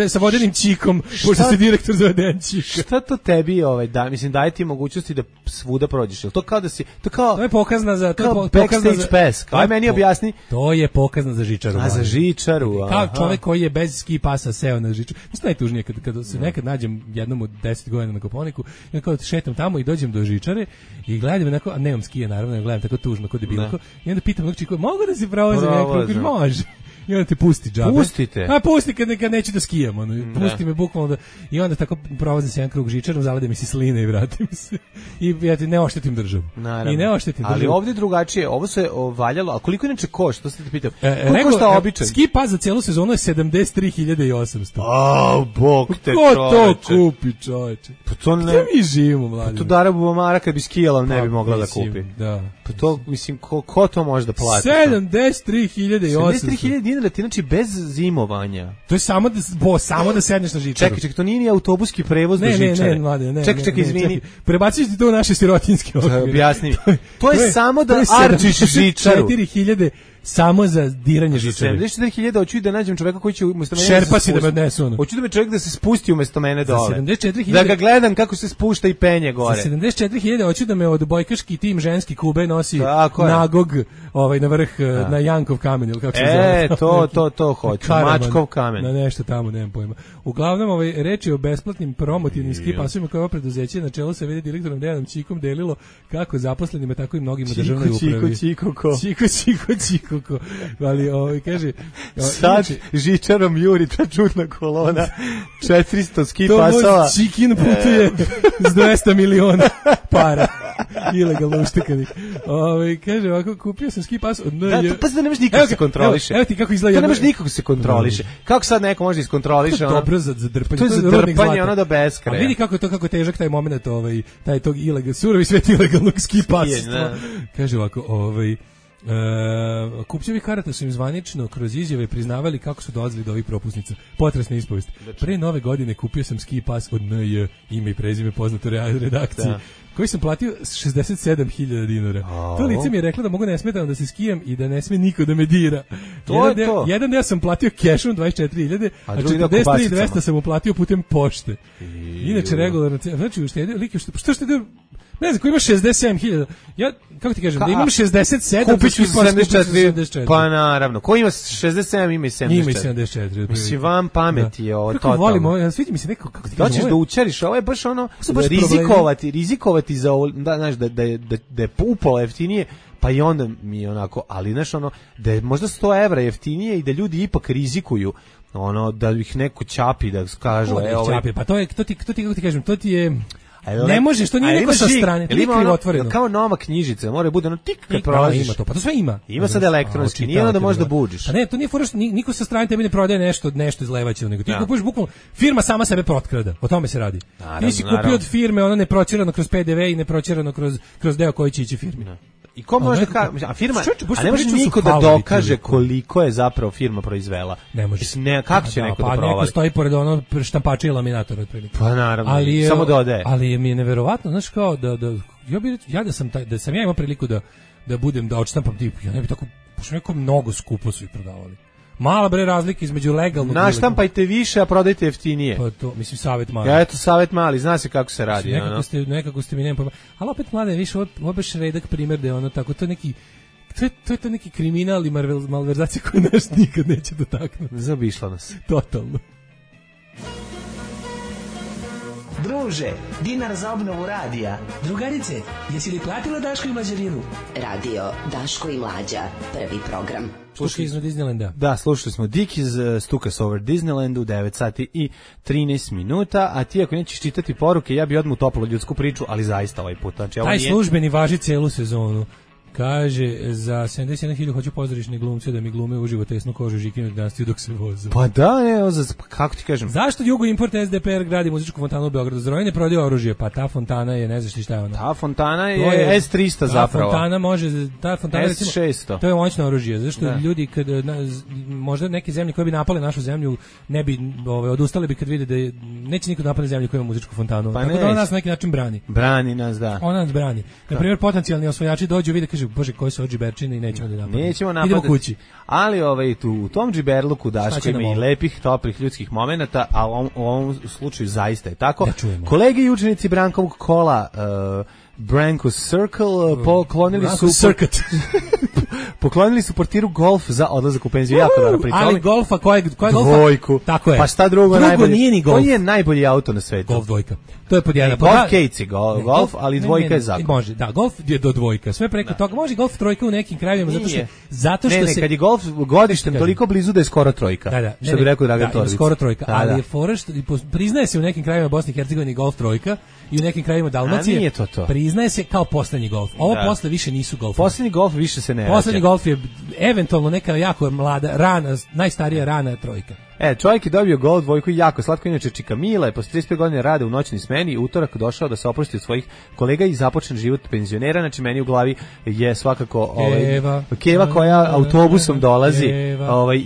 sa vodenim čikom, pošto si direktor za voden čika. Šta to tebi daje ti mogućnosti da svuda prođeš? Jel to kao da si to je pokazna za backstage pass. Aj meni objasni. To je pokazna za žičaru. A za žičaru. Kao čovjek koji je bez ski pasa seo na žičaru. Mislim najtužnije kad se nekad nađem jednom od 10 godina na Kopaoniku, ja kao šetam tamo i dođem do žičare i gledam onako, a nemam skije naravno, gledam tako tužno kod debilko. I onda pitam nekog čika, mogu da se provozim nekako? Može. I onda te pusti džabe. Pustite. A pusti kad neću da skijam. Pusti me bukvalno da... I onda tako provozim se jedan krug žičarom, zalede mi se sline i vratim se. I ja ti ne oštetim državu. Naravno. I ne oštetim državu. Ali ovdje drugačije. Ovo se valjalo. A koliko inače košta? To ste te pitao. Koliko košta običan? Ski pas za cijelu sezonu je 73.800. A, bog te čoveče. Ko to kupi, čoveče? Pa to ne... Gde mi živimo, mladim? Pa to Dara Bubamara kad bi skijala ne bi mogla da kupi. Da. Pa to, mislim, ko to može da plati? 73.800. 73.000 dinara ti znači bez zimovanja. To je samo da sedneš na žičaru. Čekaj, to nije ni autobuski prevoz do žičare. Ne, čekaj, izvini. Prebaciš ti to u naše sirotinske okvire. Objasni mi. To je samo da arčiš žičaru. 4.000 samo za diranje žičare. 74.000 hoću da nađem čoveka koji će umesto mene šerpa si da me odnesu ono. Hoću da me čovjek da se spusti umesto mene dole. 74.000 da ga gledam kako se spušta i penje gore. Za 74.000 hoću da me odbojkaški tim ženski Kube nosi nagog na vrh na Jankov kamen ili kako se zove. To hoću. Mačkov kamen. Na nešto tamo, nemam pojma. Uglavnom reč je o besplatnim promotivnim ski pasovima koje ovo preduzeće na čelu sa vede direktorom Dejanom Čikom delilo kako zaposlenima tako i mnogim u državnoj upravi. Čiko. Ali kaže sad žičarom juri ta čudna kolona 400 ski pasova. To Čikin putuje s 200 miliona para ilegalno uštekanih. Kaže ovako, kupio sam ski pas od NJ. Pa da nemaš nikako se kontroliše. Evo ti kako izgleda. To nemaš nikako se kontroliše. Kako sad neko može iskontroliše? To je dobro za drpanje. To je za drpanje ono do beskraja. A vidi kako težak taj moment, taj tog ilegalnog surovi svet ilegalnog ski pasa. Kaže ovako, kupcevi karata su im zvanično kroz izjave priznavali kako su dolazili do ovih propusnica. Potresna ispovest. Pre nove godine kupio sam ski pas od NJ, ime i prezime poznato redakciji, koji sam platio 67.000 dinara. To lice mi je rekla da mogu nesmetano da se skijem i da ne sme niko da me dira. Jedan deo sam platio kešom 24.000, a 43.200 sam uplatio putem pošte. Inače regularno, znači uštedio, što štedio? Ne znam, ko ima 67.000, ja, kako ti kažem, da imam 67, kupit ću 74, pa naravno, ko ima 67, ima i 74. Ima i 74. Mislim, vam pameti je ovo totalno. Kako volimo, svidi mi se neko, kako ti kažem. Doćeš da učariš, ovo je baš ono, rizikovati za ovo, znaš, da je upola jeftinije, pa i onda mi je onako, ali znaš ono, da je možda 100 evra jeftinije i da ljudi ipak rizikuju, ono, da ih neko ćapi, da kažu, pa to ti, kako ti kažem, to ti je... Ne možeš, to nije neko sa strane, to nije krivotvoreno. Kao nova knjižica, mora bude ono tik kad prolaziš. Ima to, pa to sve ima. Ima sad elektronski, nije ono da možeš da buđiš. Pa ne, to nije fora što niko sa strane tebi ne prodaje nešto izlevaće, nego ti kupuješ bukvalno, firma sama sebe protkrada, o tome se radi. Ti si kupio od firme, ono ne proćerano kroz PDV i ne proćerano kroz deo koji će ići firmi. I ko može a firma, a ne može niko da dokaže koliko je zapravo firma proizvela. Ne može. Kako će neko da provali? Pa neko stoji pored ono štampača i laminatora otprilike. Pa naravno, samo dodaje. Ali mi je neverovatno, znaš kao ja da sam ja imao priliku da budem da odštampam tip, ja ne bi tako, pošto neko mnogo skupo su ih prodavali. Mala bre razlika između legalnog. Naštampajte više, a prodajte jeftinije. Pa to, mislim, savjet mali. Ja, eto, savjet mali, zna se kako se radi. Nekako ste mi nema pojma. Ali opet, mlade, više, ovo baš redak primjer da je ono tako, to je neki... To je to neki kriminal i malverzacija koju naš nikad neće dotaknuti. Zaobišla nas. Totalno. Druže, dinar za obnovu radija. Drugarice, jesi li platila Daško i Mlađarinu? Radio Daško i Mlađa, prvi program. Slušali smo Disneylanda. Da, slušali smo Dick iz Stukas Over Disneylandu u 9 sati i 13 minuta, a ti ako nećeš čitati poruke, ja bi odmah utopilo ljudsku priču, ali zaista ovaj put. Znači, taj službeni važi celu sezonu. Kaže, za 71.000 hoću pozorišne glumce da mi glume uživo tesnu kožu žikinu dinastiju dok se voze. Pa da, ne, kako ti kažem? Zašto Jugo Import SDPR gradi muzičku fontanu u Beogradu? Zroj ne prodaje oružje, pa ta fontana je, ne znaš šta je ona. Ta fontana je S300 zapravo. Ta fontana S600. To je moćno oružje, zašto ljudi kad možda neke zemlje koje bi napale našu zemlju ne bi odustale bi kad vide da neće niko napadne zemlju koja ima muzičku fontanu. Pa tako da ona nas na neki način brani. Brani nas, da. Ona nas brani. Na primjer, potencijalni osvajači dođu vide kaže bože koji su džiberčine i nećemo da napadamo. Nećemo napadati. Idemo kući. Ali u tom džiberluku Daško ima i lepih, toplih ljudskih momenata, a u ovom slučaju zaista je tako. Kolege i učenici Brankovog kola Branko Circle poklonili su portiru Golf za odlazak u penziju. Jako dobro pričali. Ali Golfa, koja Golfa? Dvojku. Tako je. Pa šta drugo najbolje? Nije ni Golf. Koji je najbolji auto na svetu? Golf dvojka. To je pod jedan. Golf Case Golf, ali dvojka je zakon. Može, da, Golf je do dvojka. Sve preko toga. Može Golf trojka u nekim krajevima, zato što se... kad je Golf godištem toliko blizu da je skoro trojka. Da. Što bi rekao Dragan Torbić. Skoro trojka, ali je fora što priznaje se u nekim krajevima Bosne i Hercegovine Golf trojka i u nekim krajevima Dalmacije. Nije to. Priznaje se kao poslednji Golf. Ovo posle više nisu Golf. Poslednji Golf više se ne vraća. Poslednji Golf je eventualno neka jako mlada, najstarija rana trojka. Čovjek je dobio Golf dvojku i jako slatko, inače Čika Mila je posle 35 godina rada u noćnoj smeni utorak došao da se oprosti od svojih kolega i započne život penzionera. Znači meni u glavi je svakako Keva koja autobusom dolazi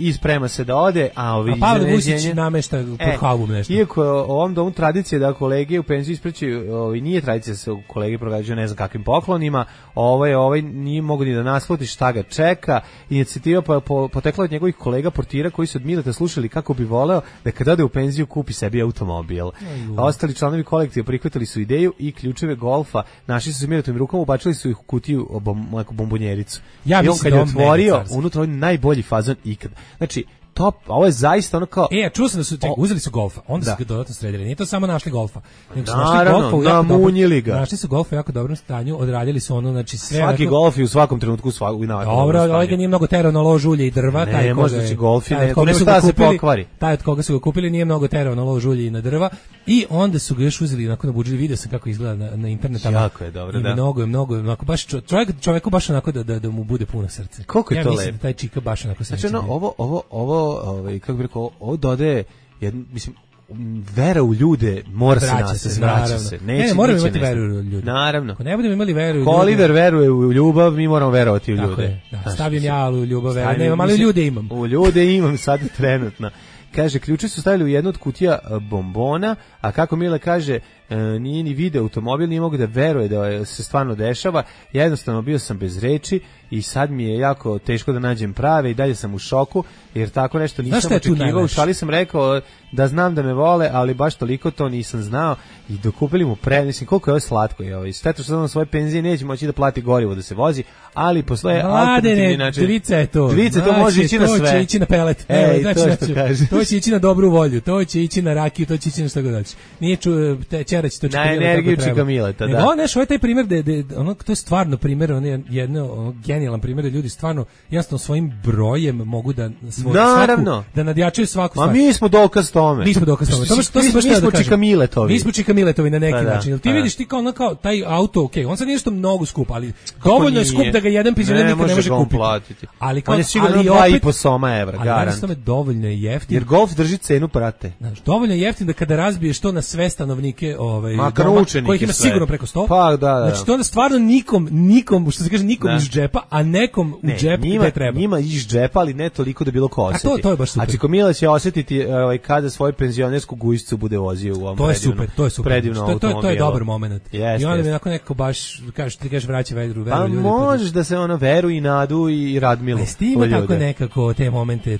i sprema se da ode, a Pavle Vusić namešta pod halvom nešto. Iako u ovom domu tradicije da kolege u penziju ispraćaju, nije tradicija da se kolege progađaju ne znam kakvim poklonima, nije mogu ni da nasluti šta ga čeka. Inicijativa potekla od njegovih kolega portira koji su od Mileta slušali kako bi voleo da kad ode u penziju kupi sebi automobil. A ostali članovi kolektiva prihvatili su ideju i ključeve Golfa našli su se Miletovim rukama, ubačili su ih u kutiju bombonjericu. I on kad je otvorio, unutra je najbolji fazon ikad. Znači, top, ovo je zaista ono kao... čuo sam da su uzeli su Golfa, onda su ga dodatno sredili. Nije to samo našli Golfa. Naravno, namunjili ga. Našli su Golfa u jako dobrom stanju, odradili su ono, znači sve... Svaki Golf i u svakom trenutku dobro, ovaj ga nije mnogo terao na lož ulje i drva. Ne, možda će Golf i ne, to nema šta se pokvari. Taj od koga su ga kupili nije mnogo terao na lož ulje i na drva. I onda su ga još uzeli onako nabuđili, vidio sam kako izgleda na internetu. Jako je dobro, da. Mnogo, onako baš čovjeku baš onako da mu bude puno srce. Koliko je to lepo. Ja mislim da taj Čika baš onako se. Znači ovo kako bih rekao, ovo dodaje mislim vera u ljude mora se nas vraća se. Ne, moramo imati veru u ljude. Naravno. Ako ne budemo imali veru u ljude. Oliver veruje u ljubav, mi moramo verovati u ljude. Da, stavim ja u ljubav, nemam, ali ljude imam. U ljude imam sad trenutno. Kaže, ključe su stavili u jednu od kutija bombona, a kako Mila kaže, nije ni video automobil, nije mogu da veruje da se stvarno dešava. Ja jednostavno bio sam bez reči i sad mi je jako teško da nađem prave i dalje sam u šoku, jer tako nešto nisam očekivao. U šali sam rekao da znam da me vole, ali baš toliko to nisam znao i dokupili mu mislim, koliko je ovo slatko. Šteta što na svoje penzije neće moći da plati gorivo da se vozi, ali postoje alternativni način. Dvica je to. Dvica to može ići na sve. To će ići na pelet. To će ići na dobru volju, to će ići na rakiju, to će ići na šta god daći. Nije Čerać to na energiju Čika Mileta, da. Ovo je taj primjer to je stvarno primjer, on je jedno genijalan primjer da ljudi stvarno jasno svojim brojem mogu da da nadjačaju svaku stvar. A mi smo dokaz tome. Mi smo dokaz tome. Mi smo Čika Miletovi. Mi smo Čika Miletovi na neki način. Ti vidiš ti kao taj auto, on sad nije što mnogo skup, ali dovoljno je skup da ga jedan penzioner nikad ne može kupiti. Ali on je sigurno 2,5 soma evra, garant. Ali dovoljno je jeftin. Jer Golf drži cenu prate. Dovoljno je jeftin da kada razbiješ to na sve stanovnike kojih ima sigurno preko 100. Pa da. Znači to onda stvarno nikom, što se kaže, nikom iz džepa, a nekom u džep gde treba. Njima iz džepa, ali ne toliko da bilo ko osjeti. A to je baš super. A Čiko Mila će osjetiti kada svoju penzionersku gujscu bude vozio u ovom to je super. Predivnom automobilu. To je dobar moment. I onda mi onako nekako baš, ti kažeš vraća veru ljudi. Pa možeš da se veru i nadu i Radmilu. Ima tako nekako te momente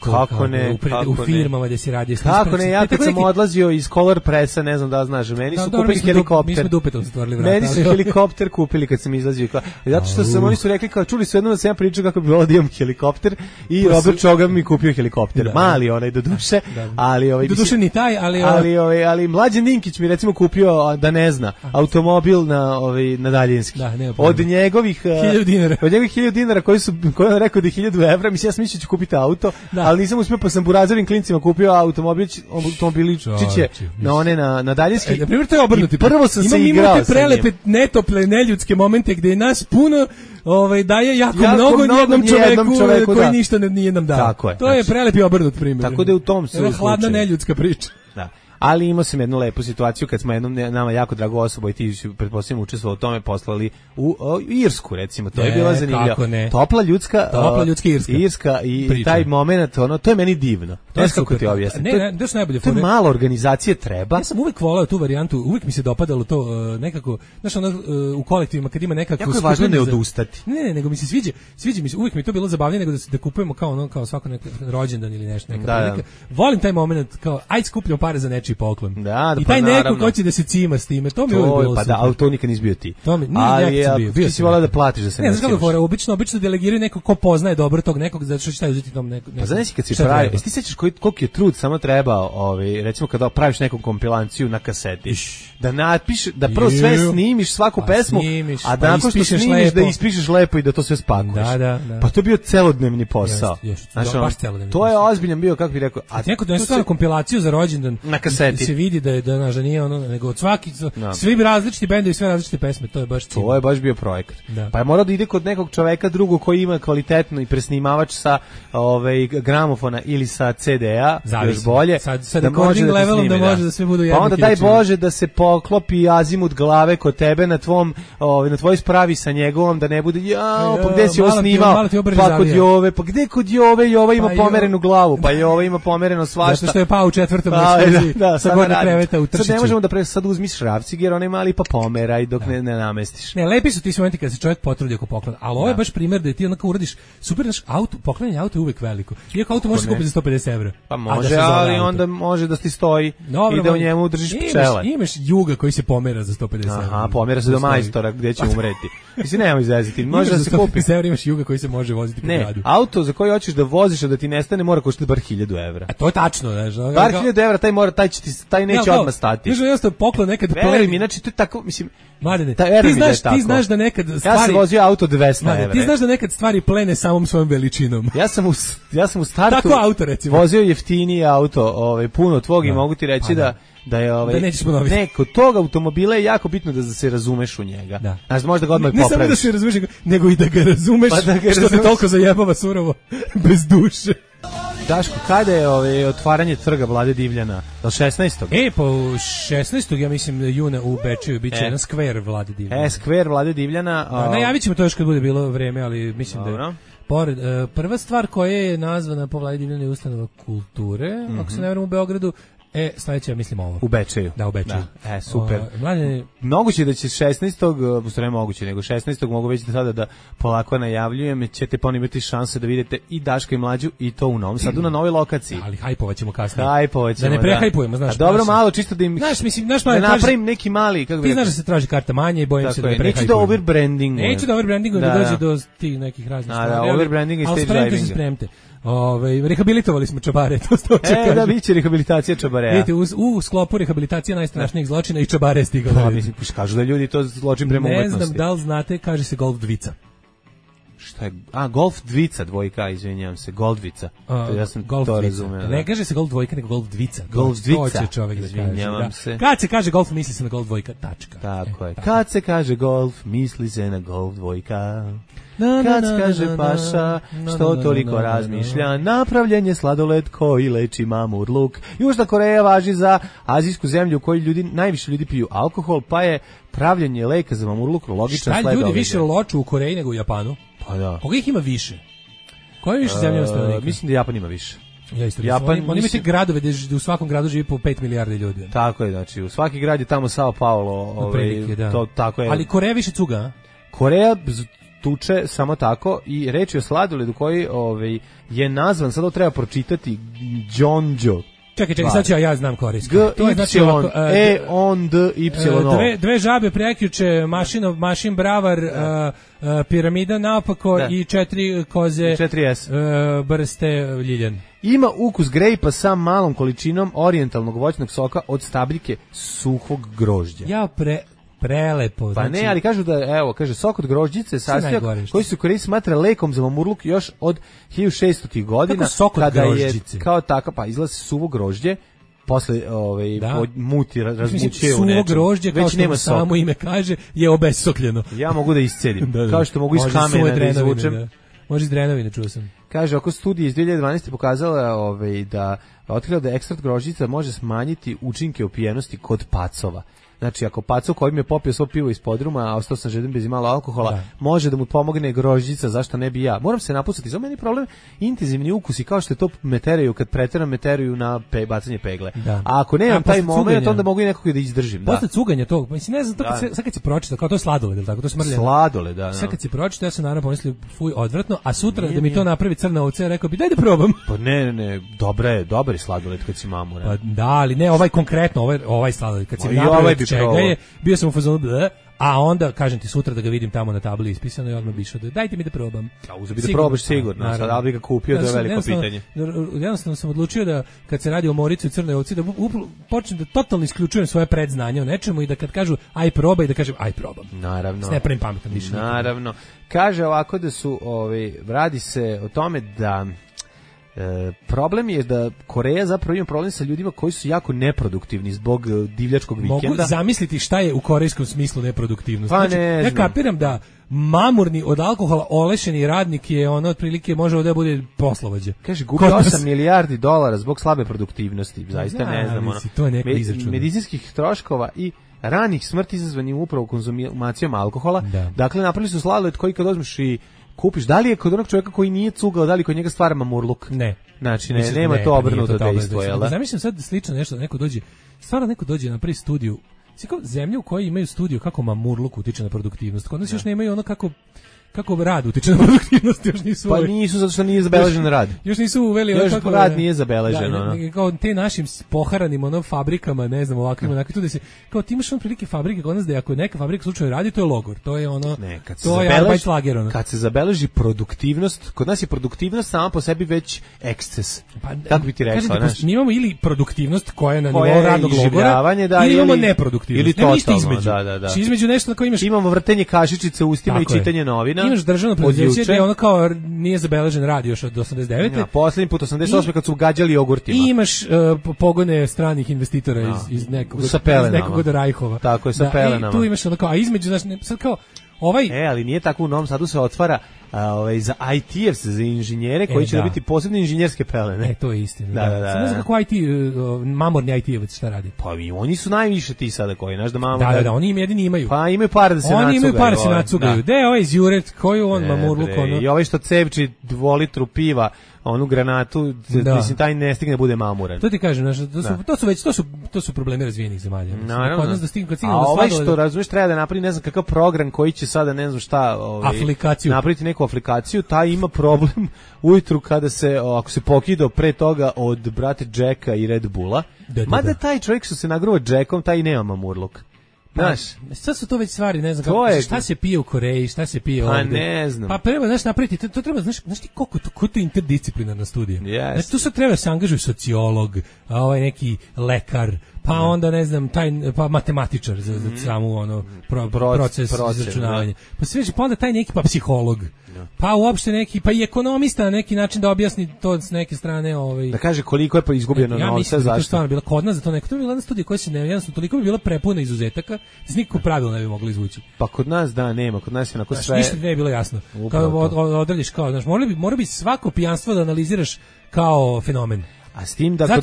u firmama gde si radio. Kako ne, ja kad sam odlazio iz Color Pressa, ne znam da znaš, meni su kupili helikopter. Mi smo dupetom stvorili vrata. Meni su helikopter kupili kad sam izlazio. Zato što oni su rekli, kao čuli su jednom da sam ja pričao kako bi bilo da imam helikopter i Robert Čogam mi kupio helikopter. Mali onaj do duše, ali do duše ni taj, ali Mlađan Ninkić mi recimo kupio da ne zna automobil na daljinski. Od njegovih 1000 dinara. Od njegovih 1000 dinara koji on rekao da je 1000 evra, mislim ja sam mislio da ću kupiti auto, ali nisam uspio, pa sam burazovim klincima kupio automobiličiće na daljinski. Na primjer, to je obrnuti. Prvo sam se igrao sa njim. Prelepe, netople, neljudske momente gde je nas puno daje jako mnogo jednom čoveku koji ništa nije nam dao. To je prelepi obrnut primjer. Tako da je u tom slučaju. Hladna neljudska priča. Da. Ali imao sam jednu lepu situaciju kad smo jednom nama jako drago osoba i ti pretpostavljam učestvovao u tome, poslali u Irsku, recimo, to je bila zanimljiva. Topla ljudska Irska i priča. Taj moment, to je meni divno. To je kako ti objasnim. To su najbolje fore. To je malo organizacije treba. Ja sam uvek voleo tu varijantu, uvek mi se dopadalo to nekako, znaš, u kolektivima kad ima nekako. Jako je važno ne odustati. Ne, nego mi se sviđa mi se, uvek mi to bilo zabavnije nego da kupujemo kao svako neki rođendan ili nešto. Volim taj moment, kao aj skupljamo pare za nečiji poklon. I taj neko hoće da se cima s time, to mi uvijek bilo. Pa da, ali to nikad nisi bio ti. Ali ti si volao da platiš da se ne cimaš. Obično delegiraju neko ko poznaje dobro tog nekog, zato što šta je uzeti tom nekog. Pa znaš kad si pravi, ti sećaš koliko je trud samo trebao, recimo kada praviš neku kompilaciju na kaseti, da napišeš, da prvo sve snimiš svaku pesmu, a da nakon što snimiš da ispišeš lepo i da to sve spakuješ. Pa to je bio celodnevni posao. To je ozbiljan bio, kako bih rekao. A neko donese kompilaciju za rođendan na kaseti. Se vidi da nije ono, nego od svaki, svi različiti bendovi, sve različite pesme, to je baš to je baš bio projekat. Pa je morao da ide kod nekog čoveka drugog koji ima kvalitetno i presnimavač sa gramofona ili sa CD-a, još bolje. Sa recording levelom da može da sve budu jednaki. Pa onda daj Bože da se poklopi azimut glave kod tebe na tvojoj spravi sa njegovom, da ne bude pa gde si ovo snimao, pa kod Jove, pa gde kod Jove, Jova ima pomerenu glavu, pa Jova ima pomereno svašta. Zato što je pao u 4. sa gornje kreveta u Tršiću. Sad ne možemo da sad uzmiš šrafcig jer onaj mali pa pomeraj dok ne namestiš. Ne, lepi su ti momenti kad se čovjek potrudi oko poklona, ali ovo je baš primjer da ti onako uradiš super, naš auto, poklanjanje auto je uvek veliko. Iako auto može se kupiti za 150 evra. Pa može, ali onda može da ti stoji i da u njemu držiš pčele. Imaš Juga koji se pomera za 150 evra. Aha, pomera se do majstora gdje će umreti. Mislim, nemoj izveziti, može da se kupi. Za 150 evra imaš Juga koji se može voziti po gradu. Ne, auto za koji hoćeš da voziš a da ti nestane mora koštati bar 1000 evra. A to je tačno, znaš. Bar 1000 evra, taj neće odmah stati. Znaš, jednostavno poklon nekad pleni. Mi, znači, to je tako, mislim, Mladene, ti znaš da nekad stvari... Ja sam vozio auto 200 evra. Ti znaš da nekad stvari plene samom svojom veličinom. Ja sam u startu tako auto, recimo. Vozio jeftiniji auto, puno tvog i mogu ti reći da je da nećeš ponoviti. Ne, kod tog automobila je jako bitno da se razumeš u njega. Da. Znaš, možda ga odmah popraviš. Ne samo da se razumeš, nego i da ga razumeš, što te toliko zajebava surovo, bez duše. Daško, kada je otvaranje trga Vlade Divljana? Do 16. Po 16. ja mislim juna u Bečeju biće jedan skver Vlade Divljana. Skver Vlade Divljana. Najavit ćemo to još kad bude bilo vreme, ali mislim da pored, prva stvar koja je nazvana po Vlade Divljana je ustanova kulture, ako se ne varam u Beogradu. Sledeće, mislim ovo. U Bečeju. Da, u Bečeju. Super. Moguće da će 16. Sve moguće, nego 16. mogu već sada da polako najavljujem, ćete ponovno imati šanse da vidite i Daška i Mlađu i to u Novom Sadu na novoj lokaciji. Ali hajpovat ćemo kasnije. Da ne prehajpujemo, znaš. A dobro, malo čisto da im... Znaš, mislim, da napravim neki mali, kako bi... Ti znaš da se traži karta manje i bojim se da ne prehajpujem. Neću da overbrandingu. Neću da overbrandingu, da dođe do tih nekih raznih stvari. Da, overbranding i stage drivinga. Rehabilitovali smo čabare, to što hoće kažem. Da, biće rehabilitacija čabarea. Vidite, u sklopu rehabilitacije najstrašnijih zločina i čabare je stigalo. Mislim, kažu da ljudi to zločin prema umetnosti. Ne znam da li znate, kaže se golf dvica. Šta je? Golf dvica, dvojka, izvinjam se, golf dvica. Ja sam to razumeo. Ne kaže se golf dvojka, nego golf dvica. Golf dvica. To će čovjek da kaže. Se. Kad se kaže golf, misli se na golf dvojka, tačka. Tako je. Kad se kaže golf, misli se na golf dvojka. kad kaže paša, što toliko razmišlja, napravljen je sladoled koji leči mamurluk. Južna Koreja važi za azijsku zemlju u kojoj najviše ljudi piju alkohol, pa je pravljenje leka za mamurluk logičan sled. Šta ljudi više loču u Koreji nego u Japanu? Pa da. Koga ih ima više? Koje više zemlje ima? Mislim da Japan ima više. Ja isto Japan, oni imaju te gradove gde u svakom gradu živi po 5 milijardi ljudi. Tako je, znači u svaki grad je tamo Sao Paulo, to tako je. Ali Koreja više cuga, a? Koreja tuče samo tako i reč je o sladoledu koji je nazvan, sad ovo treba pročitati, Jeonjo. Čekaj, sad ću ja znam korejski. To je znači ovako, dve žabe prekjuče, mašin bravar, piramida naopako i 4 koze, 4S. Brste ljiljan. Ima ukus grejpa sa malom količinom orijentalnog voćnog soka od stabljike suhog grožđa. Prelepo. Pa ne, ali kažu da, kaže, sok od grožđice sastojak koji se u Koreji smatra lekom za mamurluk još od 1600. godina. Kako sok od grožđice? Kao tako, pa izlazi suvo grožđe, posle muti, razmućuje u nečem. Suvo grožđe, kao što samo ime kaže, je obesokljeno. Ja mogu da iscedim, kao što mogu iz kamena da izvučem. Može iz drenovine, čuo sam. Kaže, oko studije iz 2012. pokazala da otkrila da ekstrakt grožđica može smanjiti učinke opijenosti kod pacova. Znači, ako pacov kojim je popio svo pivo iz podruma, a ostao sam žeden bez imalo alkohola, može da mu pomogne grožđica, zašto ne bi ja? Moram se napustiti, za meni problem intenzivni ukusi, kao što je to meteraju, kad preteram meteraju na bacanje pegle. Da. A ako nemam taj moment, onda mogu i nekog da izdržim. Posle cuganja tog, mislim, ne znam, sad kad si pročitao, kao to je sladoled, tako, to je smrljeno. Sladoled, da. Sad kad si pročitao, ja sam naravno pomislio, fuj, odvratno, a sutra da mi to napravi crna ovca, rekao bi, daj da probam. Pa ne, dobar je sladoled kad si mamuran. Pa da, ali ne, ovaj konkretno, ovaj sladoled, kad si napravio čega je, bio sam u fazonu, a onda, kažem ti, sutra da ga vidim tamo na tabli ispisano i odmah bi išao, dajte mi da probam. A uzebi da probaš sigurno, sad da bi ga kupio, to je veliko pitanje. Jednostavno sam odlučio da, kad se radi o Moricu i Crnoj ovci, da počnem da totalno isključujem svoje predznanje o nečemu i da kad kažu, aj probaj, da kažem, aj probam. Naravno. S ne pravim pametan više. Naravno. Kaže ovako da su, radi se o tome da problem je da Koreja zapravo ima problem sa ljudima koji su jako neproduktivni zbog divljačkog vikenda. Mogu zamisliti šta je u korejskom smislu neproduktivnost. Pa znači, ja kapiram da mamurni od alkohola olešeni radnik je ono otprilike može da bude poslovođa. Kaže, gubi 8 milijardi dolara zbog slabe produktivnosti. Zaista ne znam. To je neko izračun. Medicinskih troškova i ranih smrti izazvanih upravo konzumacijom alkohola. Da. Dakle, napravili su sladoled koji kad uzmeš i kupiš, da li je kod onog čovjeka koji nije cugao, da li kod njega stvara mamurluk? Ne. Znači, nema to obrnuto dejstvo, jel da? Zamišljam sad slično nešto, neko dođe na prvi studiju, kao zemlje u kojoj imaju studiju kako mamurluk utiče na produktivnost, kod nas još nemaju ono kako rad utiče na produktivnost, još nisu. Pa nisu, zato što nije zabeležen rad. Još nisu uveli ono kako rad nije zabeležen, kao te našim poharanim fabrikama, ne znam, ovakvim, onako tu da se kao ti imaš prilike fabrike kod nas da ako neka fabrika slučajno radi, to je logor, to je ono, to je Arbeitslager, ono. Kad se zabeleži produktivnost, kod nas je produktivnost sama po sebi već eksces. Kako bi ti rekao, znači, mi imamo ili produktivnost koja je na nivou radnog logora, ili imamo neproduktivnost. Ili totalno, da. Između nešto na koje imamo vrtenje kašičice u ustima i čitanje novina. Imaš državno preduzeće gdje ono kao nije zabeležen rad još od 89. Ja, posljednji put 88. kad su gađali jogurtima. I imaš pogone stranih investitora iz nekog od Rajhova. Tako je, sa pelenama. I tu imaš ono kao, a između, znači, sad kao, ali nije tako, u Novom Sadu se otvara za IT-evce, za inženjere koji će dobiti posebne inženjerske pelene. To je istina. Da. Ne znam kako mamorni IT-evac šta radi. Pa i oni su najviše ti sada koji, znaš da mamor... Da, oni im jedini imaju. Pa imaju pare da se nacugaju. Oni imaju pare da se nacugaju. Gde ovaj iz Juret, koju on mamurluk, ono... I ovaj što cevči 2 litru piva, onu granatu, mislim, taj ne stigne da bude mamuran. To ti kažem, to su problemi razvijenih zemalja. Naravno. A ovaj što, razumiješ, treba da napravi ne znam kakav program koji će sada, ne znam šta, napraviti neku aplikaciju, taj ima problem ujutru kada se, ako se pokidao pre toga od brate Jacka i Red Bulla, mada taj čovjek što se nagruva Jackom, taj nema mamurluk. Znaš, sad su to već stvari, ne znam kako, šta se pije u Koreji, šta se pije ovdje. Pa ne znam. Pa treba, znaš, napraviti, to treba, znaš ti koliko to interdisciplinarna studija. Yes. Znači, tu sad treba se angažuju sociolog, neki lekar, pa onda ne znam pa matematičar za samu ono proces izračunavanja. Pa sve pa onda taj neki pa psiholog. Pa uopšte neki pa i ekonomista na neki način da objasni to s neke strane da kaže koliko je pa izgubljeno novca zašto. Ja mislim da bila kod nas za to neko to je bila jedna studija koja se jednostavno toliko bi bila prepuna izuzetaka da se nikako pravilo ne bi moglo izvući. Pa kod nas nema, kod nas je onako sve. Ništa ne je bilo jasno. Kao odradiš kao, znaš, mora bi svako pijanstvo da analiziraš kao fenomen. A s tim da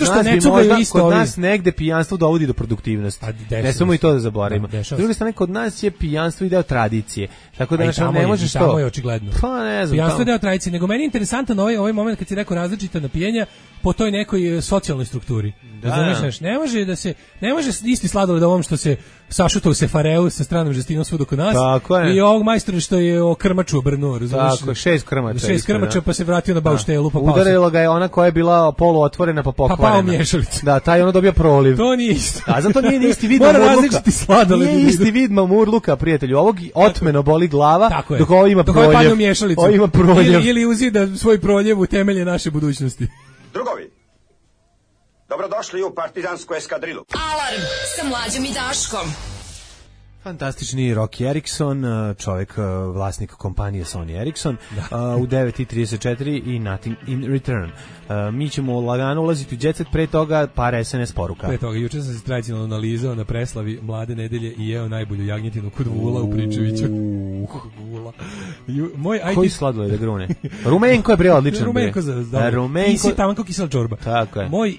kod nas negde pijanstvo dovodi do produktivnosti. Ne samo i to da zaboravimo. S druge strane, kod nas je pijanstvo i deo tradicije. Tako da ne možeš to. Tamo je očigledno. Pa ne znam. Pijanstvo je deo tradicije, nego meni je interesantan ovaj moment kad si rekao različita napijenja po toj nekoj socijalnoj strukturi. Razumeš, ne može isti sladoled ovom što se sašuta u sefareu sa stranom žestinom svud oko nas i ovog majstora što je o krmaču obrnuo, razumeš? Tako, 6 krmača. Pa se vratio na bauštelu, pa udarila ga je ona koja je bila poluotvorena pa pokvarena. Pa pao mješalicu. Da, taj ono dobio proliv. To nije isto. A zato nije isti vid mamurluka. Nije isti vid mamurluka, prijatelju. Ovog otmeno boli glava, dok ovo ima proljev. Ovo ima proljev. Ili uzida svoj proljev u temelje naše budućnosti. Drugovi, dobrodošli u partizansku eskadrilu. Alarm sa Mlađom i Daškom. Fantastični Rocky Erickson, čovjek, vlasnik kompanije Sony Ericsson, u 9:34 i Nothing in Return. Mi ćemo lagano ulaziti u jet set, pre toga par SNS poruka. Pre toga, juče sam se tradicionalno analizao na preslavi Mlade nedelje i jeo najbolju jagnjetinu kod Vula u Pričeviću. Koji sladoled da grune? Rumenko je bre odličan. Rumenko za Rumenko. Isi tamo kao kisela čorba. Tako je. Moj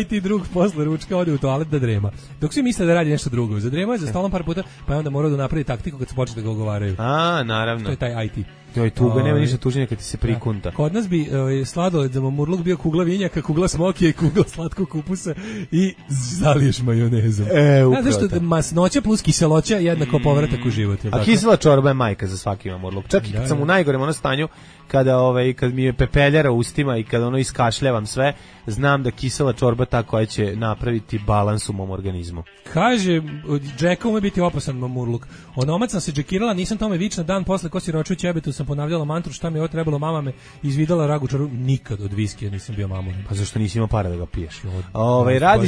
IT drug posle ručka ode u toalet da drema. Dok svi misle da radi nešto drugo. Zadremao je za stolom par puta, pa je onda morao da napravi taktiku kad se počne da ga ogovaraju. A, naravno. To je taj IT. To je tuga, nema ništa tuženja kad ti se prikunta. Kod nas bi sladoled za mamurluk bio kugla vinjaka, kugla smokije, kugla slatkog kupusa i zaliješ majonezom. Upravo. Zašto masnoća plus kiseloća jednako povratak u život. A kisela čorba je majka za svaki mamurluk. Čak i kad sam u najgorem ono stanju, kad mi je pepeljara u ustima i kada ono iskašljavam sve, znam da kisela čorba ta koja će napraviti balans u mom organizmu. Kaže, Džeka ume biti opasan mamurluk. Onomad sam se džekirala, nisam tome vična, dan posle ko si roču ćebetu sam ponavljala mantru šta mi je ovo trebalo, mama me izvidala ragu čaru, nikad od viskija nisam bio mamurin. Pa zašto nisi imao para da ga piješ? Radi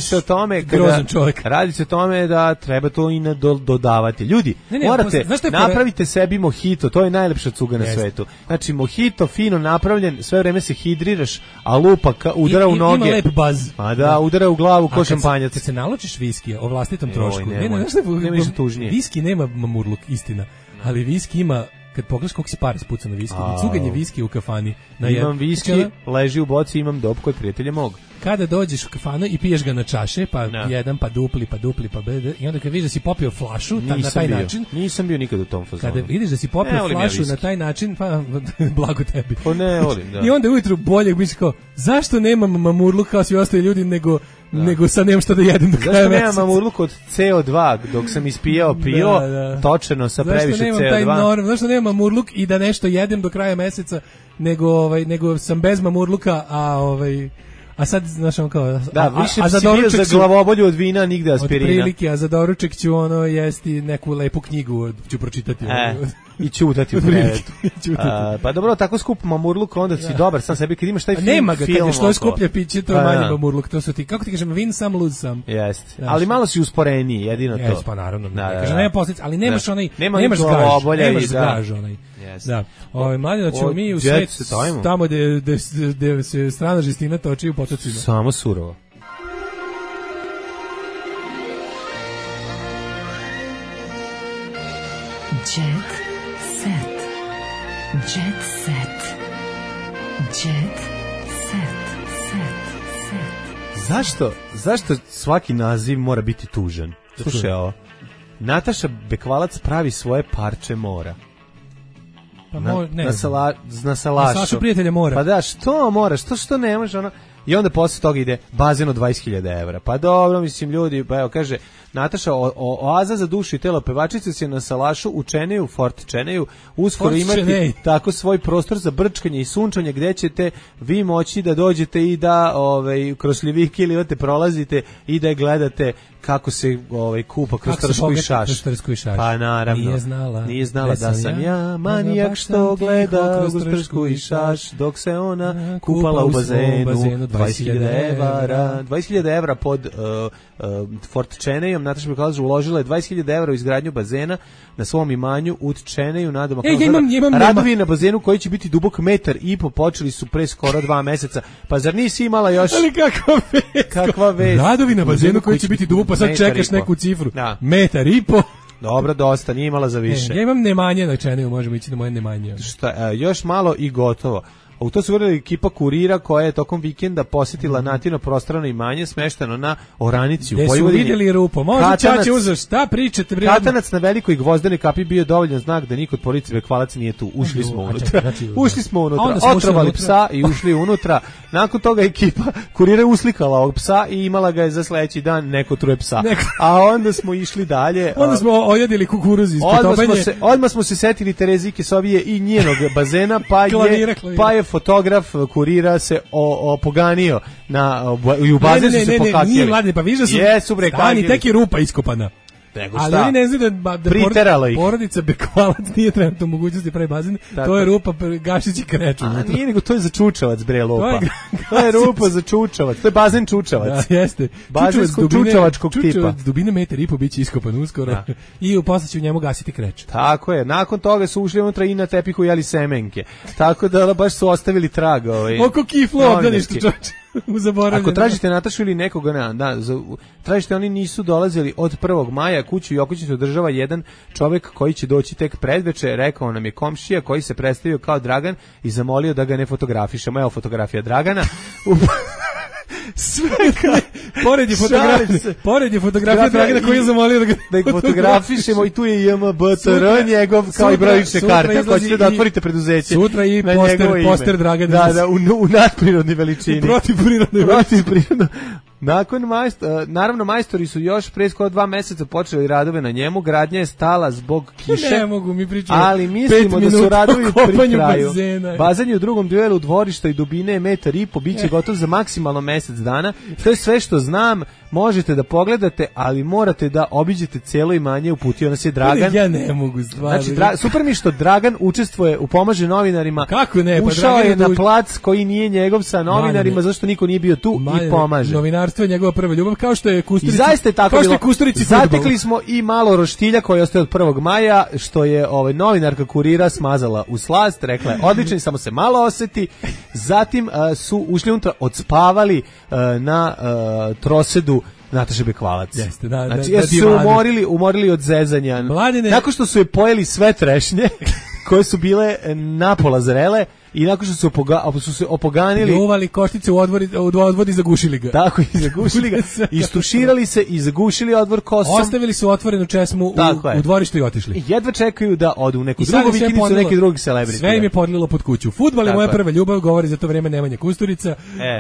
se o tome da treba to i dodavati. Ljudi, morate, napravite sebi mojito, to je najlepša cuga na svetu. Znači, mojito fino napravljen, sve vreme se hidriraš, a lupa udara u noge. Ima lep baz. Pa da, udara u glavu ko šampanjac. Kad se naločiš viskija o vlastitom trošku, nema ništa tužnije. Viski nema mamurluk, istina, ali viski ima. Kad pogledaš koliko se para spuca na viski, cuganje viski u kafani. Imam viski, leži u boci, imam dop kod prijatelja mog. Kada dođeš u kafanu i piješ ga na čaše, pa jedan, pa dupli, i onda kad vidiš da si popio flašu na taj način... Nisam bio nikad u tom fazonu. Kada vidiš da si popio flašu na taj način, pa blago tebi. Pa ne volim, da. I onda ujutru bolje misliš kao, zašto nemam mamurluk kao svi ostali ljudi, nego sad nemam šta da jedem do kraja meseca. Zašto nemam mamurluk od CO2 dok sam ispijao pivo, točeno sa previše CO2? Zašto nemam mamurluk i da nešto jedem do kraja meseca, nego sam bez mamurluka, a sad, znaš, on kao... Da, više si bio za glavobolju od vina, nigde aspirina. Od prilike, a za doruček ću jesti neku lepu knjigu, ću pročitati. I ćutati u krevetu. Pa dobro, tako skup mamurluk, onda si dobar sam sebi, kad imaš taj film. Nema ga, kad je što je skuplje piće, to je manji mamurluk, to su ti, kako ti kažem, win some, lose some. Jeste, ali malo si usporeniji, jedino to. Jeste, pa naravno, nema posljedica, ali nemaš onaj, nemaš gaž, onaj. Da, mladino ćemo mi u svet tamo gde se strana žestina toči u potocima. Samo surovo. Jet set. Jet set. Jet set. Zašto svaki naziv mora biti tužan? Slušaj ovo. Nataša Bekvalac pravi svoje parče mora. Pa na salašu. Sašu prijatelja mora. Pa da, što moraš, što ne može ono. I onda posle toga ide bazen od 20.000 evra. Pa dobro, mislim, ljudi, pa evo, kaže, Nataša, oaza za dušu i telo pevačice se na salašu u Čeneju, Fort Čeneju, uskoro imati tako svoj prostor za brčkanje i sunčanje gdje ćete vi moći da dođete i da kroz šljivike ili prolazite i da je gledate kako se kupa kroz trsku i šaš. Pa naravno. Nije znala da sam ja manijak što gleda kroz trsku i šaš dok se ona kupala u bazenu. 20.000 evra pod Fort Čenejom. Nataša Bekvalac uložila je 20.000 evra u izgradnju bazena na svom imanju u Čeneju. Radovi na bazenu koji će biti dubok 1,5 m počeli su pre skoro 2 meseca. Pa zar nisi imala još... Ali kakva vest? Radovi na bazenu koji će biti dubok, pa sad čekaš neku cifru. 1,5 m. Dobro, dosta, nije imala za više. Ja imam nemanje na Čeneju, možemo ići na moje nemanje. Još malo i gotovo. U to su vrli ekipa Kurira koja je tokom vikenda posjetila Natino prostrano imanje smešteno na Oranici u Vojvodini. Gde su vidjeli rupo? Može Čače uzeo, šta pričate? Katanac na velikoj gvozdenoj kapi bio dovoljan znak da niko od porodice Bekvalac nije tu. Ušli smo unutra. Ušli smo unutra, otrovali psa i ušli unutra. Nakon toga ekipa Kurira uslikala ovog psa i imala ga je za sledeći dan neko truje psa. A onda smo išli dalje. Onda smo ojedili kukuruz iz potopanje. Odmah smo se setili Terezike Sovije i njenog bazena, pa je fotograf Kurira se opoganio i u bazen su se pokakili. Nije mlade, pa viš da su stani, tek je rupa iskopana. Ali oni ne znaju da porodica Bekvalac nije trenutno u mogućnosti pravi bazen, to je rupa Gašić i Kreču. Nije nego, to je za čučavac, bre, lopa. To je rupa za čučavac, to je bazen čučavac. Da, jeste. Bazenskog čučavačkog tipa. Čučavac dubine 1,5 m biće iskopan uskoro i posle će u njemu gasiti Kreč. Tako je, nakon toga su ušli unutra i na tepihu jeli semenke. Tako da baš su ostavili trag. Oko kiflo obdaništa, čoče. Ako tražite Natašu ili nekoga, tražite, oni nisu dolazili od 1. maja, kuću i okućnicu održava jedan čovjek koji će doći tek predveče, rekao nam je komšija koji se predstavio kao Dragan i zamolio da ga ne fotografišemo. Evo fotografija Dragana. Sve pored je fotografija Dragana koji je zamolio da ga fotografišemo i tu je JMBTR njegov kao i brojične karte. Ako ćete da otvorite preduzeće. Sutra i poster Dragana. Da, u nadprirodnoj veličini. Protivprirodnoj. Nakon naravno majstori su još pre skoro 2 meseca počeli radove na njemu, gradnja je stala zbog kiše. Ne mogu mi pričati. Ali mislimo da su radovi pri kraju. Bazen je u drugom dijelu dvorišta i dubine je 1,5 m, biće gotov za maksimalno mjesec dana. To je sve što znam, možete da pogledate, ali morate da obiđete cijelo imanje, uputio nas je Dragan. Ja ne mogu stvarno. Znači, super mi što Dragan učestvuje u pomaže novinarima. Kako ne? Ušao je na plac koji nije njegov sa novinarima, zašto niko nije bio tu i pomaže. Novinarstvo je njegova prva ljubav, kao što je Kusturici. I zaista je tako bilo. Zatekli smo i malo roštilja koji ostaje od 1. maja, što je novinarka Kurira smazala u slast, rekla je odličan, samo se malo oseti. Zatim su ušli unutra, odspavali na trosedu Nataše Bekvalac. Jeste, znači, su umorili od zezanja. Mladine. Nakon što su je pojeli sve trešnje koje su bile napola zrele i nakon što su se opoganili, uvali koštice u odvod i zagušili ga. Tako, i zagušili ga. Istuširali se i zagušili odvor kosom. Ostavili su otvorenu česmu u dvorištu i otišli. I jedva čekaju da odu u neku drugu vikendicu, neki drugi celebrity. Sve im je podlilo pod kuću. Fudbal je moja prva ljubav, govori za to vreme Nemanja Kusturica.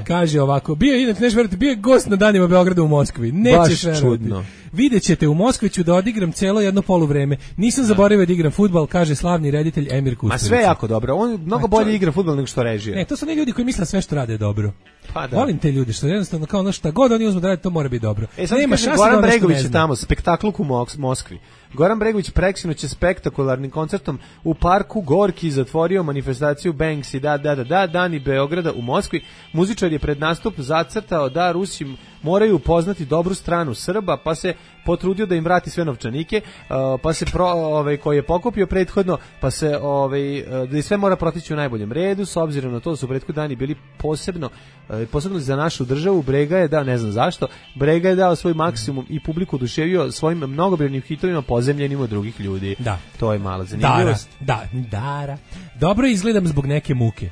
Kaže ovako, bio je gost na danima Beograda u Moskvi. Nećeš verovati. Vidjet ćete, u Moskvi ću da odigram celo jedno poluvreme. Nisam zaboravio da igram fudbal, kaže slavni reditelj Emir Kusturica. Ma sve jako dobro, on mnogo bolje igra fudbal nego što režije. To su ne ljudi koji misle sve što rade je dobro. Pa da. Volim te ljude što jednostavno kao ono šta god oni uzmu da rade, to mora biti dobro. Nema šanse. Goran Bregović je tamo, spektakluk u Moskvi. Goran Bregović preksinoć je spektakularnim koncertom u parku Gorki zatvorio manifestaciju Banksy, Dani Beograda u Moskvi. Muzičar je pred nastup zacrtao da Rusi moraju upoznati dobru stranu Srba, pa se potrudio da im vrati sve novčanike, pa se koji je pokupio prethodno, pa se da sve mora protići u najboljem redu, s obzirom na to da su prethodni dani bili posebno za našu državu. Brega je dao, ne znam zašto, Brega je dao svoj maksimum i publiku oduševio svojim mnogobrojnim hitovima pozemljenim od drugih ljudi. Da. To je mala zanimljivost. Dara. Dobro izgledam zbog neke muke.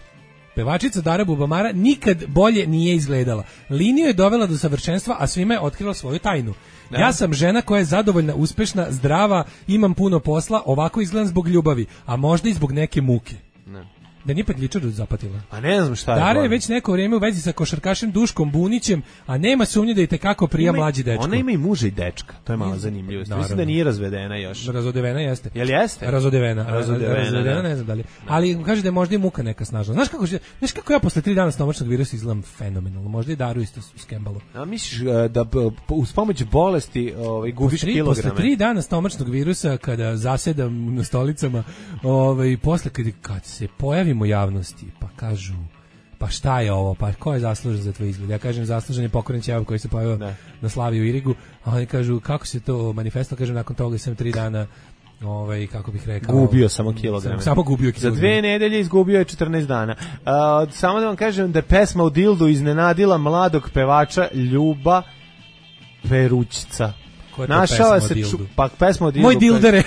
Pevačica Dara Bubamara nikad bolje nije izgledala. Liniju je dovela do savršenstva, a svima je otkrila svoju tajnu. Da. Ja sam žena koja je zadovoljna, uspešna, zdrava, imam puno posla, ovako izgledam zbog ljubavi, a možda i zbog neke muke. Da nije Petličaru zapatila. A ne znam šta je. Dara je već neko vrijeme u vezi sa košarkašem Duškom Bunićem, a nema sumnje da je tekako prija mlađi dečko. Ona ima i muža i dečka, to je mala zanimljivost. Mislim da nije razvedena još. Razodevena jeste. Jel jeste? Razodevena, ne znam da li. Ali kaže da je možda i muka neka snažna. Znaš kako ja posle 3 dana stomačnog virusa izgledam fenomenalno. Možda i Daru isto skembalo. A misliš da uz pomoć bolesti gubiš kilograme? Posle 3 dana stomačnog virusa kada zasedam na stolicama, posle kad se pojavimo u javnosti, pa kažu, pa šta je ovo, pa ko je zaslužen za tvoj izgled? Ja kažem, zaslužen je pokojni Ćevav koji se pojavio na slavi u Irigu, a oni kažu, kako se to manifestilo? Kažem, nakon toga sam 3 dana, kako bih rekao... Gubio samo kilograme. Samo gubio kilograme. Za 2 nedelje izgubio je 14 dana. Samo da vam kažem da je pesma u Dildu iznenadila mladog pevača Ljuba Perućica. Našao se pesma od Dildu. Moj dildere.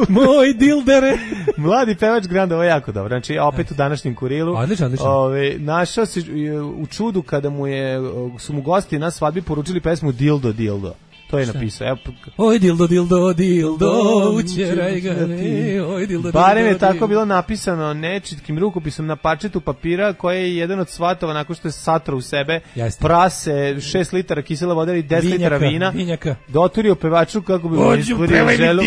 Moj dildere. Mladi pevač Granda, ovo je jako dobro. Znači, opet u današnjem Kurilu. Odlično. Našao se u čudu kada su mu gosti na svadbi poručili pesmu Dildo. To je napisao. Oj dildo, učeraj ga. Oj dildo. Barem je tako bilo napisano nečitkim rukopisom na parčetu papira koje je jedan od svatova nakon što je satro u sebe prase, 6 litara kisela vode i 10 litara vina. Doturio pevaču kako bi mu ispunio želu.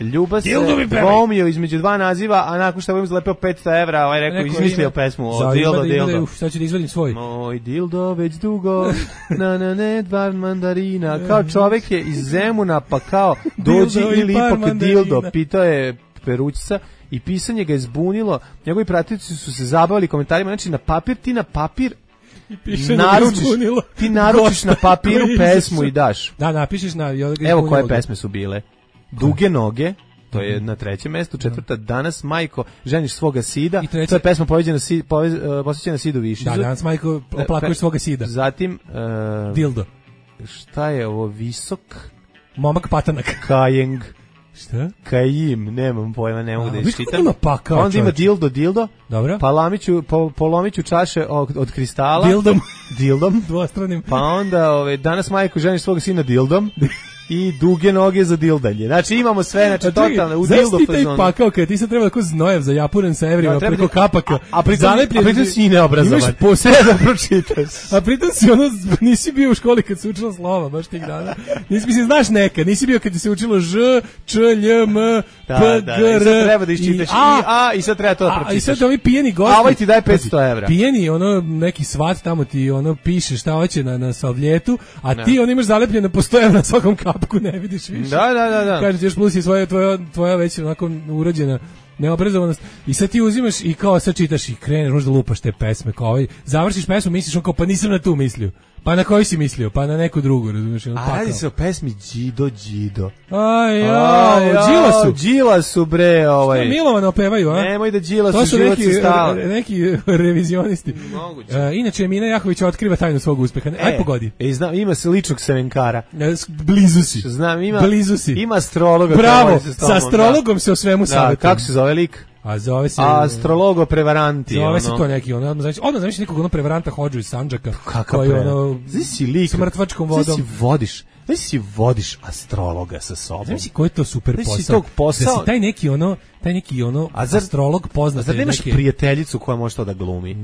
Ljuba se dvoumio između 2 naziva, a nakon što je zalepio 500 evra, ovaj rekao, izmislio pesmu o Dildo. Sad ću da izvadim svoj. Moj Dildo već dugo, na dva mandarina. Kao čovek je iz Zemuna, pa kao dođi ili ipak Dildo, pitao je Perućica i pisanje ga je zbunilo. Njegovi pratioci su se zabavili komentarima, znači ti na papir ti naručiš na papiru pesmu i daš. Da, napišeš na... Evo koje pesme su bile. Duge noge, to je na 3. mestu, 4. Danas Majko ženiš svoga sida, to je pesma posvećena Sidu Višiću. Da, Danas Majko oplakuješ svoga sida. Zatim Dildo. Šta je ovo? Visok momak patanak. Kajeng. Šta? Kajim, nemam pojma, ne mogu da iščitam. Ima pakao, onda ima dildo. Dobro. Polomiću čaše od kristala. Dildom. Dvostranim. Pa onda danas Majko ženiš svoga sina dildom. I duge noge za dildanje. Znači imamo sve, znači totalno u dildo fazonu. Znaš ti taj pakao kada ti sad treba tako znojev za japuren sa evrima preko kapaka. A pritom si neobrazovan. Imaš posle da pročitaš. A pritom si nisi bio u školi kad se učila slova, baš tih dana. Nisi znaš neka, nisi bio kad se učilo Ž, Č, Lj, M, P, G, R. I sad treba da iščitaš i sad treba to da pročitaš. I sad ovi pijeni gosti. A ovaj ti daj 500 evra. Pijeni, neki svat tamo ti piše šta hoće na savljetu, a ti imaš zalepljeno po 100 evra na svakom kapu. Ne vidiš više. Da. Kaže ti još plus i tvoja već onako urađena neobrazovanost i sad ti uzimaš i kao sad čitaš i kreneš, možda lupaš te pesme, kao završiš pesmu, misliš kao pa nisam na tu mislio. Pa na koju si mislio? Pa na neku drugu, razumiješ? A radi se o pesmi Đido. Đilasu, bre, Što Milovana opevaju, a? Nemoj da Đilasu život se stava. Neki revizionisti. Inače, Mina Jahović otkriva tajnu svog uspeha. Aj pogodi. Znam, ima se ličnog semenkara. Blizu si. Znam, blizu si. Ima astrologa. Bravo, sa astrologom se o svemu savjetuje. Kako se zove lik? A zove se astrologo prevaranti. Zove se to neki, odmah znaš nekog prevaranta hođu iz Sandžaka. Koji si lik s mrtvačkom vodom. Si vodiš astrologa sa sobom. Znaš koji je to super posao? Da si taj neki astrolog poznat. Zar nemaš prijateljicu koja može to da glumi?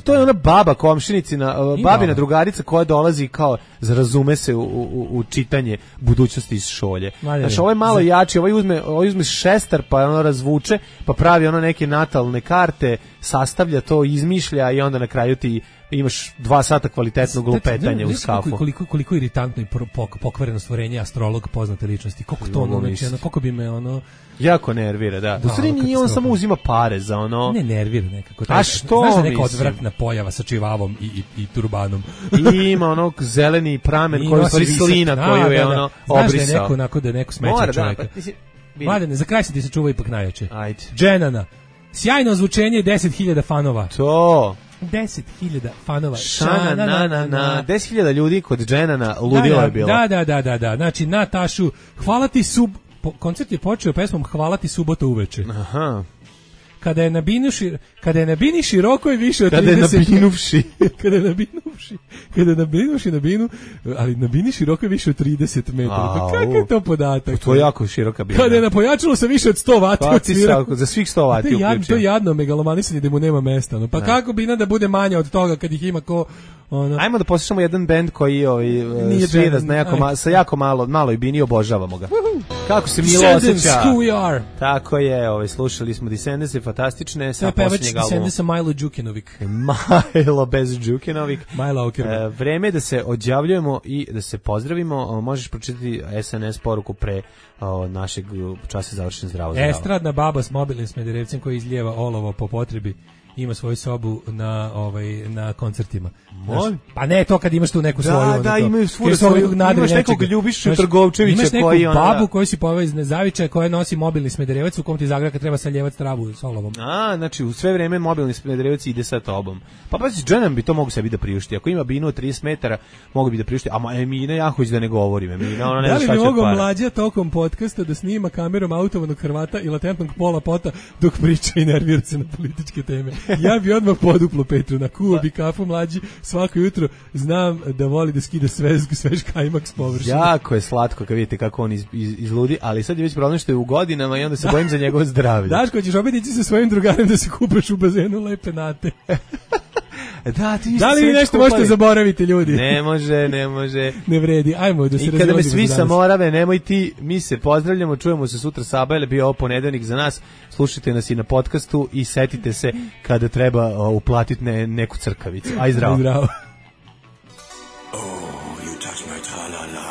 To je ona baba komšinicina, babina drugarica koja dolazi kao razume se u čitanje budućnosti iz šolje. Znači ovo je malo jači, ovaj uzme šestar pa ono razvuče, pa pravi ono neke natalne karte, sastavlja to, izmišlja i onda na kraju ti imaš 2 sata kvalitetnog lupetanja u skafu. Koliko iritantno i pokvareno stvorenje astrolog poznate ličnosti. Koliko to koliko bi me jako nervira, da. U stvari nije, on samo uzima pare za ono... Ne nervira nekako. A što? Znaš da neka odvratna pojava sa čivavom i turbanom. I ima onog zeleni pramen koji je slina koju je ono obrisao. Znaš da je neko smeća čovjeka. Mladene, za kraj se ti se čuva ipak najjače. Ajde. Dženana. Sjajno ozvučenje, 10.000 fanova. To... 10.000 fanova. 10.000 ljudi kod Dženana ludilo je bilo. Da. Znači, Natašu, hvala ti koncert je počeo pesmom Hvala ti subota uveče. Aha. kada je na bini široko je više od 30 kada je na binu, ali na bini široko je više od 30 metara. Pa kakav je to podatak? To je jako široka bina. Kada je na pojačalu sa više od 100 vati odsvira. Za svih 100 vati uključuje. To je jadno megalomanisanje da mu nema mesta. No. Pa kako bina da bude manja od toga kad ih ima ko... Ono. Ajmo da poslušamo jedan bend koji svira sa jako maloj bini, obožavamo ga. Kako se Milo osjeća. Tako je, slušali smo Descendants, fantastične sa posljednjeg albuma. Descendants Milo Đukanović. Milo bez Đukanović. Vreme da se odjavljujemo i da se pozdravimo. Možeš pročitati SNS poruku pre našeg časa završen zdravo. Estradna baba s mobilnim Smederevcem koji izlijeva olovo po potrebi. Ima svoju sobu na koncertima. Pa ne to kad imaš tu neku svoju. Da, imaju svoju. Imaš nekog Ljubišu Trgovčevića koji imaš neku babu koju si poveo iz Nezavičaja koja nosi mobilni Smederevac u kom ti zagrada kad treba saljevati travu s olovom. Znači u sve vreme mobilni Smederevac ide sa tobom. Pa Dženan bi to mogu sebi da priušti. Ako ima binu od 30 metara, mogu bi da priušti. A Emina Jahović da ne govorim. Emina, ona ne zna šta će para. Da li bi mogao Mlađa tokom podcasta da snima kamerom autovanog Hrvata i latentnog Pola Pota dok priča i nervira se na političke teme? Ja bi odmah poduplo Petru, nakuo bi kafu Mlađi svako jutro, znam da voli da skida svež kajmak s površine. Jako je slatko kad vidite kako on izludi, ali sad je već problem što je u godinama i onda se bojim za njegovo zdravlje. Daško, ćeš opet ići sa svojim drugarem da se kupaš u bazenu lepe nate. Da li vi nešto možete zaboraviti, ljudi? Ne može. Ne vredi, ajmo da se razilazimo. I kada me svi sa Morave, nemoj ti, mi se pozdravljamo, čujemo se sutra Sabajle, bio ovo ponedeljnik za nas, slušajte nas i na podcastu i setite se kada treba uplatiti neku crkavicu. Aj zdravo.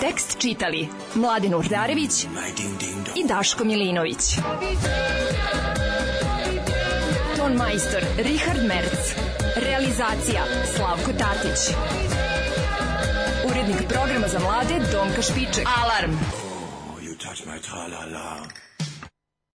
Tekst čitali Mladin Urdarević i Daško Milinović. Ton majstor Richard Merc. Realizacija Slavko Tatić. Urednik programa za mlade Donka Špiček. Alarm! Oh, you touch my tra-la-la.